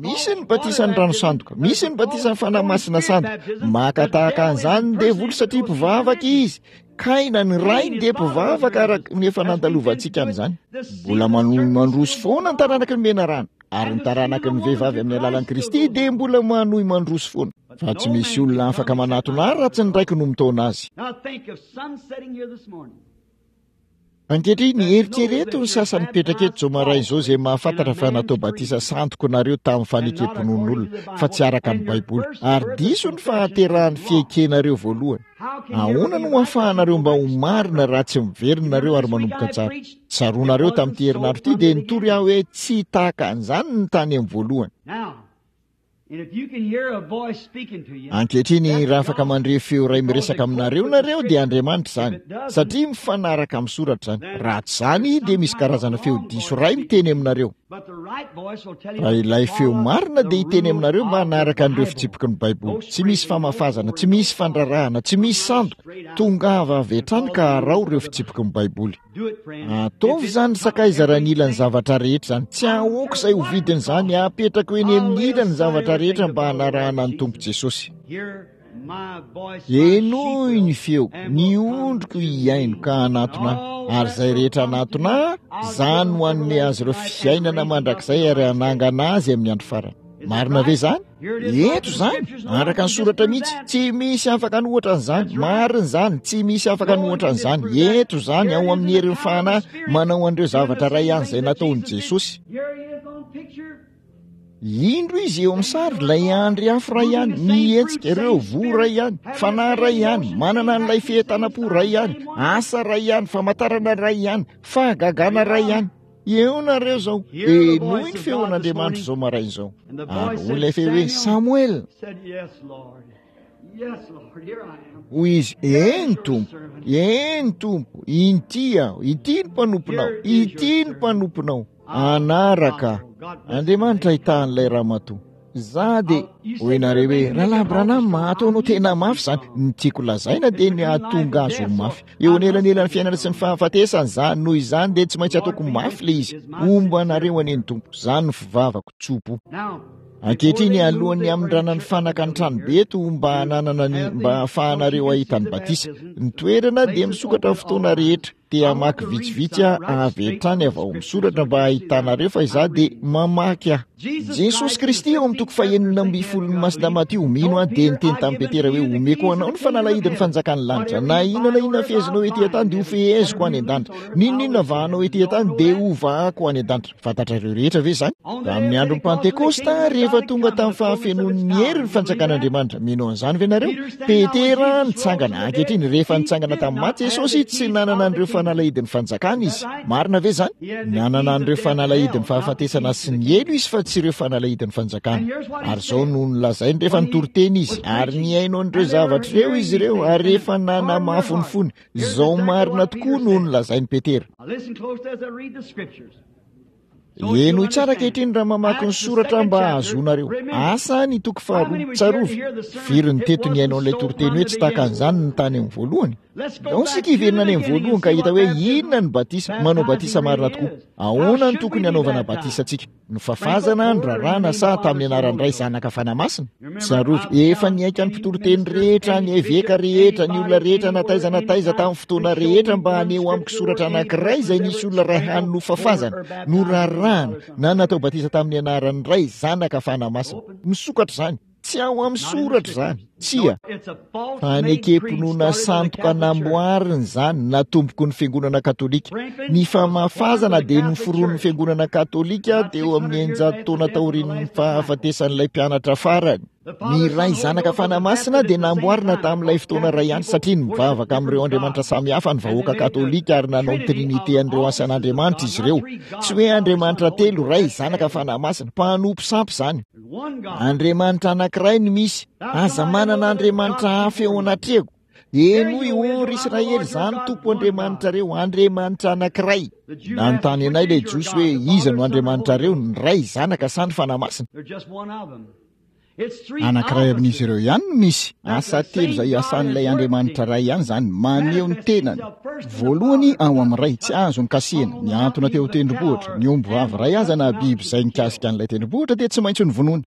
Misy ny batisan'ny rano sandoka, misy ny batisan'ny Fanahy Masina sandoka. Maka tahaka an'izany ny devoly satria mpivavaka izy. Kaina ny rainy dia mpivavaka araka ny efa nandalovantsika an'izany. Mbola manohy mandroso foana ny taranaky ny menarana, ary ny taranaky ny vehivavy amin'ny alalan'i Kristy dia mbola manohy mandroso foana. Fa tsy misy olona afaka manatona ahy raha tsy ny Raiko no mitaona azy. Ankehitriny, eritrereto ny sasany mipetraka eto izao maraina izao izay mahafantatra fa natao batisa sandoko nareo tamin'ny fanekem-pinoan'olona, fa tsy araka ny Baiboly, ary diso ny fahaterahan'ny fiekenareo voalohany. Ahoana no ahafahanareo mba ho marina raha tsy miverina nareo ary manomboka tsara? Tsaroanareo tamin'ity herinandro ity dia nitory aho hoe tsy tahaka an'izany ny tany amin'ny voalohany. Ankehitriny, raha afaka mandre feo iray miresaka aminareo nareo dia Andriamanitra izany, satria mifanaraka amin'ny soratra izany. Raha tsy izany dia misy karazana feo diso iray miteny aminareo. Fa ilay feo marina dia hiteny aminareo mba hanaraka an'ireo fitsipiky ny Baiboly. Tsy misy famafazana, tsy misy fandrarahana, tsy misy sandoka. Tongava avy hatrany ka araho ireo fitsipiky ny Baiboly. Ataovy izany sakaiza raha nila ny zavatra rehetra izany. Tsy ahoako izay ho vidin'izany, apetrako eny amin'ny ila ny zavatra rehetra mba hanarahana ny Tompo Jesosy. Henoy ny feoko, ny ondriko hihaino ka hanatona ahy, ary izay rehetra hanatona ahy, izaho no hanome azy ireo fiainana mandrakizay ary hanangana azy amin'ny andro farany. Marina ve izany? Eto izany, araka ny soratra mihitsy, tsy misy afaka anohatra an'izany. Marina izany, tsy misy afaka anohatra an'izany. Eto izany, ao amin'ny herin'ny Fanahy, manao an'ireo zavatra iray ihany izay nataon'i Jesosy. Indro izy eo amin'ny sary, ilay andry afo iray ihany, mihetsika, ireo voa iray ihany, fanahy iray ihany, manana an'ilay fientanam-po iray ihany, asa iray ihany, famantarana iray ihany, fahagagana iray ihany. Eo nareo izao, henoy ny feon'Andriamanitra izao maraina izao. Ary hoy ilay feo hoe, Samoela. Hoy izy, eny Tompo, eny Tompo, inty aho, ity ny mpanomponao, ity ny mpanomponao. Hanaraka Andriamanitra hitahan'ilay ramatoa. Za dia hoy nareo hoe, Rahalahy Branham, ataonao tena mafy izany. Ny tiako lazaina dia ny hahatonga azy ho mafy. Eo anelanelan'ny fiainana sy ny fahafatesana izany, noho izany dia tsy maintsy ataoko mafy ilay izy. Homba anareo anie ny Tompo. Izany no fivavako tso-po. Ankehitriny, alohan'ny hamindrana ny fanaka ny tranobe eto mba hananana ny, mba hahafahanareo hahita ny batisa. Ny toerana dia misokatra fotoana rehetra. Te hamaky vitsivitsy aho avy hatrany avy ao amin'ny soratra mba hahitanareo fa izaho dia mamaky aho. Jesosy Kristy ao amin'ny toko fahenina ambin'ny folon'ny Masina Matio, mino aho, dia niteny tamin'i Petera hoe, Omeko anao ny fanalahidin'ny fanjakan'ny lanitra. Na inona na inona fehezinao ety an-tany dia hofeheziko any an-danitra. N'inon'inona vahanao ety an-tany dia hovahako any an-danitra. Fantatrareo rehetra ve izany? Tamin'ny andron'ny Pantekosta, rehefa tonga tamin'ny fahafenoan'ny hery ny fanjakan'Andriamanitra, mino an'izany ve nareo? Petera nitsangana. Ankehitriny, rehefa nitsangana tamin'ny maty Jesosy, tsy nanana an'ireo fanalahidin'ny fanjakana izy. Marina ve izany? Nanana an'ireo fanalahidin'ny fahafatesana sy ny helo izy, fa tsy ireo fanalahidin'ny fanjakana. Ary izao no nolazainy rehefa nitory teny izy, ary nihaino an'ireo zavatra ireo izy ireo, ary rehefa nanamafy ny fony. Izao marina tokoa no nolazain'i Petera. Henoy tsara ankehitriny raha mamaky ny soratra mba hahazoanareo. Asa ny toko faharoa. Tsarovy, firy ny teto nihaino an'ilay toriteny hoe tsy tahaka an'izany ny tany amin'ny voalohany? Ndao isika hiverina any amin'ny voalohany ka hita hoe inona ny batisa, manao batisa marina tokoa. Ahoana no tokony hanaovana batisa antsika? Ny fafazana, ny raràna sa tamin'ny anaran'ny Ray, Zanaka, Fanahy Masina? Tsarovy, efa nihaika ny mpitoriteny rehetra, ny eveka rehetra, ny olona rehetra na taiza na taiza tamin'ny fotoana rehetra mba haneho amiko soratra anankiray izay nisy olona iray hany nofafazana, norarahana na natao batisa tamin'ny anaran'ny Ray, Zanaka, Fanahy Masina. Misokatra izany. Tsy ao amin'ny soratra izany. Tsia. Fanekem-pinoana sandoka namboarina izany natomboko ny fiangonana katolika. Ny famafazana dia noforonin'ny fiangonana katolika teo amin'ny eninjato taona taorian'ny fahafatesan'ilay mpianatra farany. Ny Ray, Zanaka, Fanahy Masina dia namboarina tamin'ilay fotoana iray ihany satria nivavaka amin'ireo andriamanitra samihafa ny vahoaka katolika ary nanao ny trinite an'ireo asan'andriamanitra izy ireo. Tsy hoe andriamanitra telo, Ray, Zanaka, Fanahy Masina, mpanompo sampy izany. Andriamanitra anankiray no misy. Aza manana andriamanitra hafa eo anatrehako. Henoy, ô ry Israely, izaho no Tompo Andriamanitrareo, Andriamanitra anankiray. Nanontany anay ilay Jiosy hoe iza no Andriamanitrareo, ny Ray, Zanaka sa ny Fanahy Masina? Anankiray amin'izy ireo ihany no misy. Asa telo izay asan'ilay Andriamanitra Ray ihany izany, maneho ny tenany. Voalohany ao amin'ny Ray, tsy azo nikasihina, nihantona teo an-tendrombohitra. Ny omby vavy iray aza na biby izay nikasika an'ilay tendrombohitra dia tsy maintsy novonoina.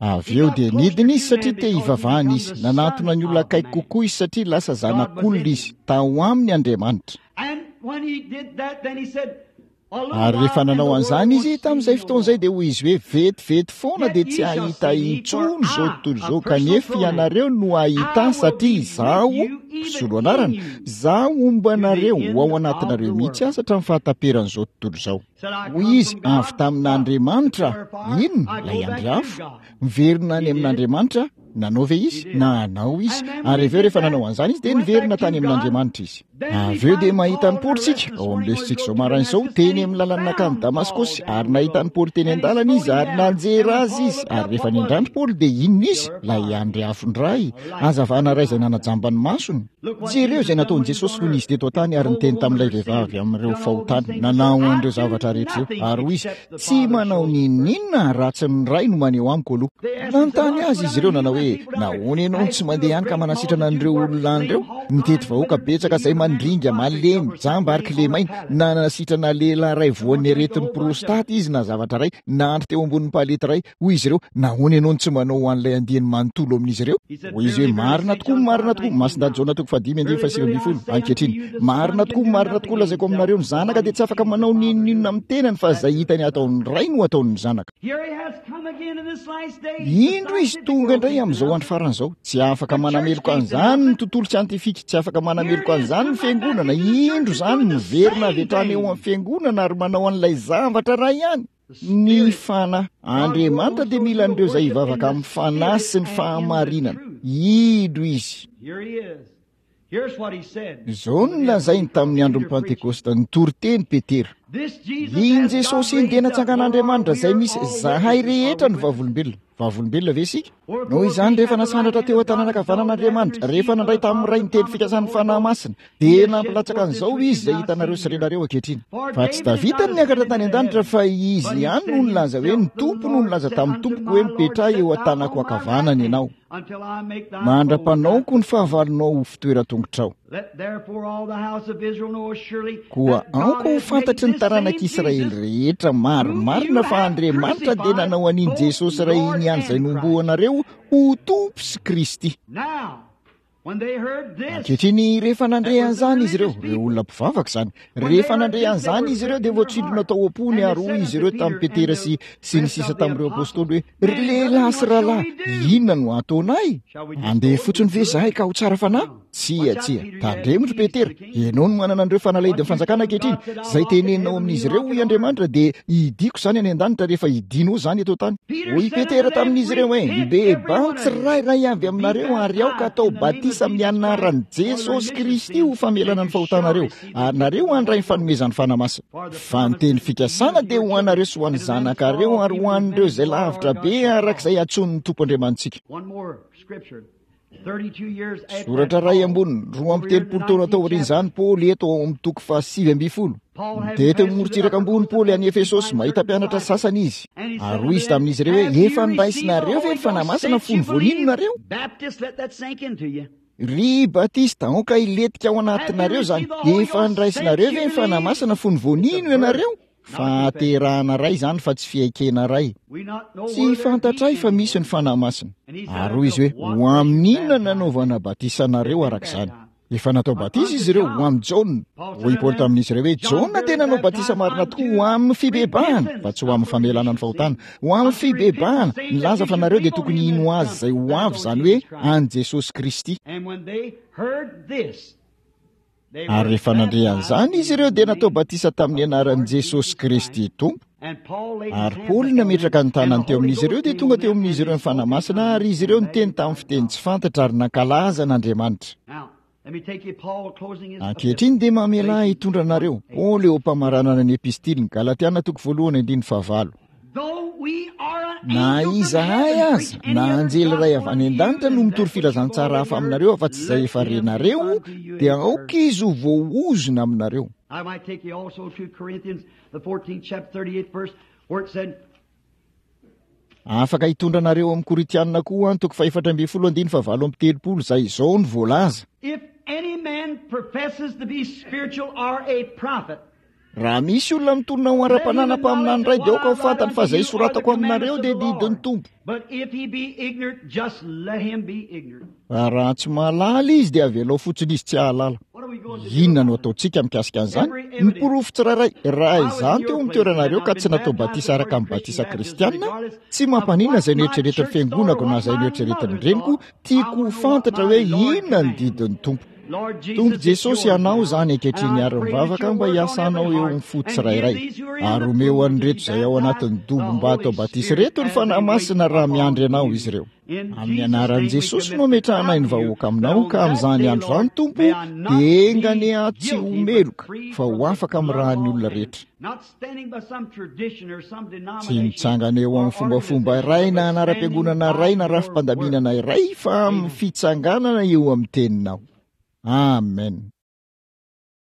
Avy eo dia nidina izy satria te hivavahana izy. Nanantona ny olona akaiky kokoa izy satria lasa zanak'olona izy. Tao aminy Andriamanitra. Ary rehefa nanao an'izany izy, tamin'izay fotoana izay dia hoy izy hoe vetivety foana dia tsy hahita intsony izao tontolo izao, kanefa ianareo no hahita ahy satria izaho, mpisolo anarana, izaho homba anareo, ho ao anatinareo mihitsy aza hatramin'ny fahataperan'izao tontolo izao. Hoy izy, avy tamin'Andriamanitra, inona? Ilay andry afo. Miverina any amin'Andriamanitra. Nanao ve izy? Nanao izy. Ary avy eo rehefa nanao an'izany izy dia niverina tany amin'Andriamanitra izy. Avy eo dia mahita an'i Paoly isika, ao amin'ny lesontsika izao maraina izao, teny amin'ny lalana nankany Damaskosy, ary nahita an'i Paoly teny an-dalana izy, ary nanjera azy izy. Ary rehefa nindrandry Paoly dia inona izy? Ilay andry afo indray, hazavana iray izay nanajamba ny masony. Jereo izay nataon'i Jesosy fony izy teto an-tany ary niteny tamin'ilay vehivavy amin'ireo fahotany, nanao an'ireo zavatra rehetra ireo. Ary hoy izy, Tsy manao n'inon'inona raha tsy ny Ray no maneho amiko aloha. Nanontany azy izy ireo nanao hoe, Nahoana ianao no tsy mandeha any ka manasitrana an'ireo olona any ireo? Nitety vahoaka betsaka izay mandringa, malemy, jamba ary kilemaina. Nanasitrana lehilahy iray voan'ny aretin'ny prostate izy na zavatra iray, nandry teo ambonin'ny palety iray. Hoy izy ireo, Nahoana ianao no tsy manao ho an'ilay andiany manontolo amin'izy ireo? Hoy izy hoe, Marina tokoa, marina tokoa, Masindahy Jaona toko fahadimy andininy fahasivy ambin'ny folo, ankehitriny, marina tokoa, marina tokoa, lazaiko aminareo, ny Zanaka dia tsy afaka manao n'inon'inona amin'ny tenany, fa izay hitany ataon'ny Ray no ataon'ny Zanaka. Indro izy tonga indray amin'izao andro farany izao. Tsy afaka manameloka an'izany ny tontolo siantifika, tsy afaka manameloka an'izany ny fiangonana. Indro izany miverina avy hatrany eo amin'ny fiangonana ary manao an'ilay zavatra iray ihany. Ny Fanahy. Andriamanitra dia mila an'ireo izay hivavaka amin'ny Fanahy sy ny fahamarinana. Indro Izy. Izao no nolazainy tamin'ny andron'ny Pantekosta, nitory teny Petera. Iny Jesosy iny dia natsangan'Andriamanitra izay misy zahay rehetra ny vavolombelona. Vavolombelona ve isika? Noho izany, rehefa nasandratra teo an-tanana ankavanan'Andriamanitra, rehefa nandray tamin'ny Ray ny teny fikasan'ny Fanahy Masina, dia nampilatsaka an'izao Izy izay hitanareo sy renareo ankehitriny. Fa tsy Davida no niakatra tany an-danitra, fa izy ihany no nilaza hoe, Ny Tompo no nilaza tamin'ny Tompoko hoe, Mipetraha eo an-tanako ankavanana ianao, mandra-panaoko ny fahavalonao ho fitoeran-tongotrao. Koa aoka ho fantatry ny taranak'Israely rehetra marimarina fa Andriamanitra dia nanao an'iny Jesosy iray iny ihany izay nohomboanareo ho Tompo sy Kristy. Ankehitriny, rehefa nandre an'izany izy ireo, ireo olona mpivavaka izany, rehefa nandre an'izany izy ireo dia voatsindrona tao am-pony ary hoy izy ireo tamin'i Petera sy sy ny sisa tamin'ireo apostoly hoe, Ry lehilahy sy rahalahy, inona no hataonay? Handeha fotsiny ve izahay ka ho tsara fanahy? Tsia, tsia. Tandremo ry Petera, ianao no manana an'ireo fanalahidin'ny fanjakana ankehitriny. Izay teneninao amin'izy ireo, hoy Andriamanitra, dia hidiako izany any an-danitra rehefa hidianao izany eto an-tany. Hoy Petera tamin'izy ireo hoe, Mibebaha tsirairay avy aminareo ary aoka hatao batisa amin'ny anaran'i Jesosy Kristy ho famelana ny fahotanareo, ary nareo handray ny fanomezan'ny Fanahy Masina. Fa ny teny fikasana dia ho anareo sy ho an'ny zanakareo ary ho an'ireo izay lavitra be araka izay antsoin'ny Tompo Andriamanitsika. Soratra iray amboniny, roa amby telopolo taona taorian'izany, Paoly eto ao amin'ny toko fahasivy ambin'ny folo. Dia teo morontsiraka ambony Paoly any Efesosy, mahita mpianatra sasany izy. Ary hoy izy tamin'izy ireo hoe, Efa noraisinareo ve ny Fanahy Masina fony vao nino nareo? Ry Batista, aoka hilentika ao anatinareo izany. Efa niraisinareo ve ny Fanahy Masina fony vao nino ianareo? Fahaterahana iray izany fa tsy fiaikena iray. Tsy fantatray fa misy ny Fanahy Masina. Ary hoy izy hoe, ho amin'inona nanaovana batisa anareo araka izany? Efa natao batisa izy ireo ho amin'i Jaona. Hoy Paoly tamin'izy ireo hoe, Jaona dia nanao batisa marina tokoa ho amin'ny fibebahana, fa tsy ho amin'ny famelana ny fahotana. Ho amin'ny fibebahana, nilaza fa nareo dia tokony hino azy izay ho avy, izany hoe an'i Jesosy Kristy. Ary rehefa nandre an'izany izy ireo dia natao batisa tamin'ny anaran'i Jesosy Kristy Tompo. Ary Paoly nametraka ny tanany teo amin'izy ireo dia tonga teo amin'izy ireo ny Fanahy Masina, ary izy ireo niteny tamin'ny fiteny tsy fantatra ary nankalaza an'Andriamanitra. Ankehitriny dia mamela ahy hitondra anareo. Paoly eo am-pamaranana ny epistiliny, Galatiana toko voalohany andininy fahavalo. Na izahay aza, na anjely iray avy any an-danitra no mitory filazantsara hafa aminareo afa-tsy izay efa renareo, dia aoka izy ho voaozona aminareo. Afaka hitondra anareo amin'ny Korintianina koa an, toko fahefatra ambin'ny folo andininy fahavalo amby telopolo, izay izao no voalaza. Raha misy olona mitonona ho ara-panana mpaminany iray, dia aoka ho fantany fa izay soratako aminareo dia didin'ny Tompo. Fa raha tsy mahalala izy dia avelao fotsiny izy tsy hahalala. Inona no ataontsika mikasika an'izany? Ny porofo tsirairay, raha izany teo amin'ny toeranareo ka tsy natao batisa araka ny batisa kristianina, tsy mampaninona izay noeritreretin'ny fiangonako na izay noeritreretin'ny reniko, tiako ho fantatra hoe inona ny didin'ny Tompo. Tompo Jesosy, ianao izany ankehitriny ary mivavaka mba hiasanao eo amin'ny fo tsirairay. Ary omeo an'ireto izay ao anatin'ny dobo mba atao batisa ireto ny Fanahy Masina raha miandry anao izy ireo. Amin'ny anaran'i Jesosy no ametrahanay ny vahoaka aminao, ka amin'izany andro izany, Tompo, dia enga anie aho tsy ho meloka, fa ho afaka amin'ny ràn'ny olona rehetra. Tsy mitsangana eo amin'ny fombafomba iray na anaram-piangonana iray na rafi-pandaminana iray, fa amin'ny fitsanganana eo amin'ny teninao. Amen.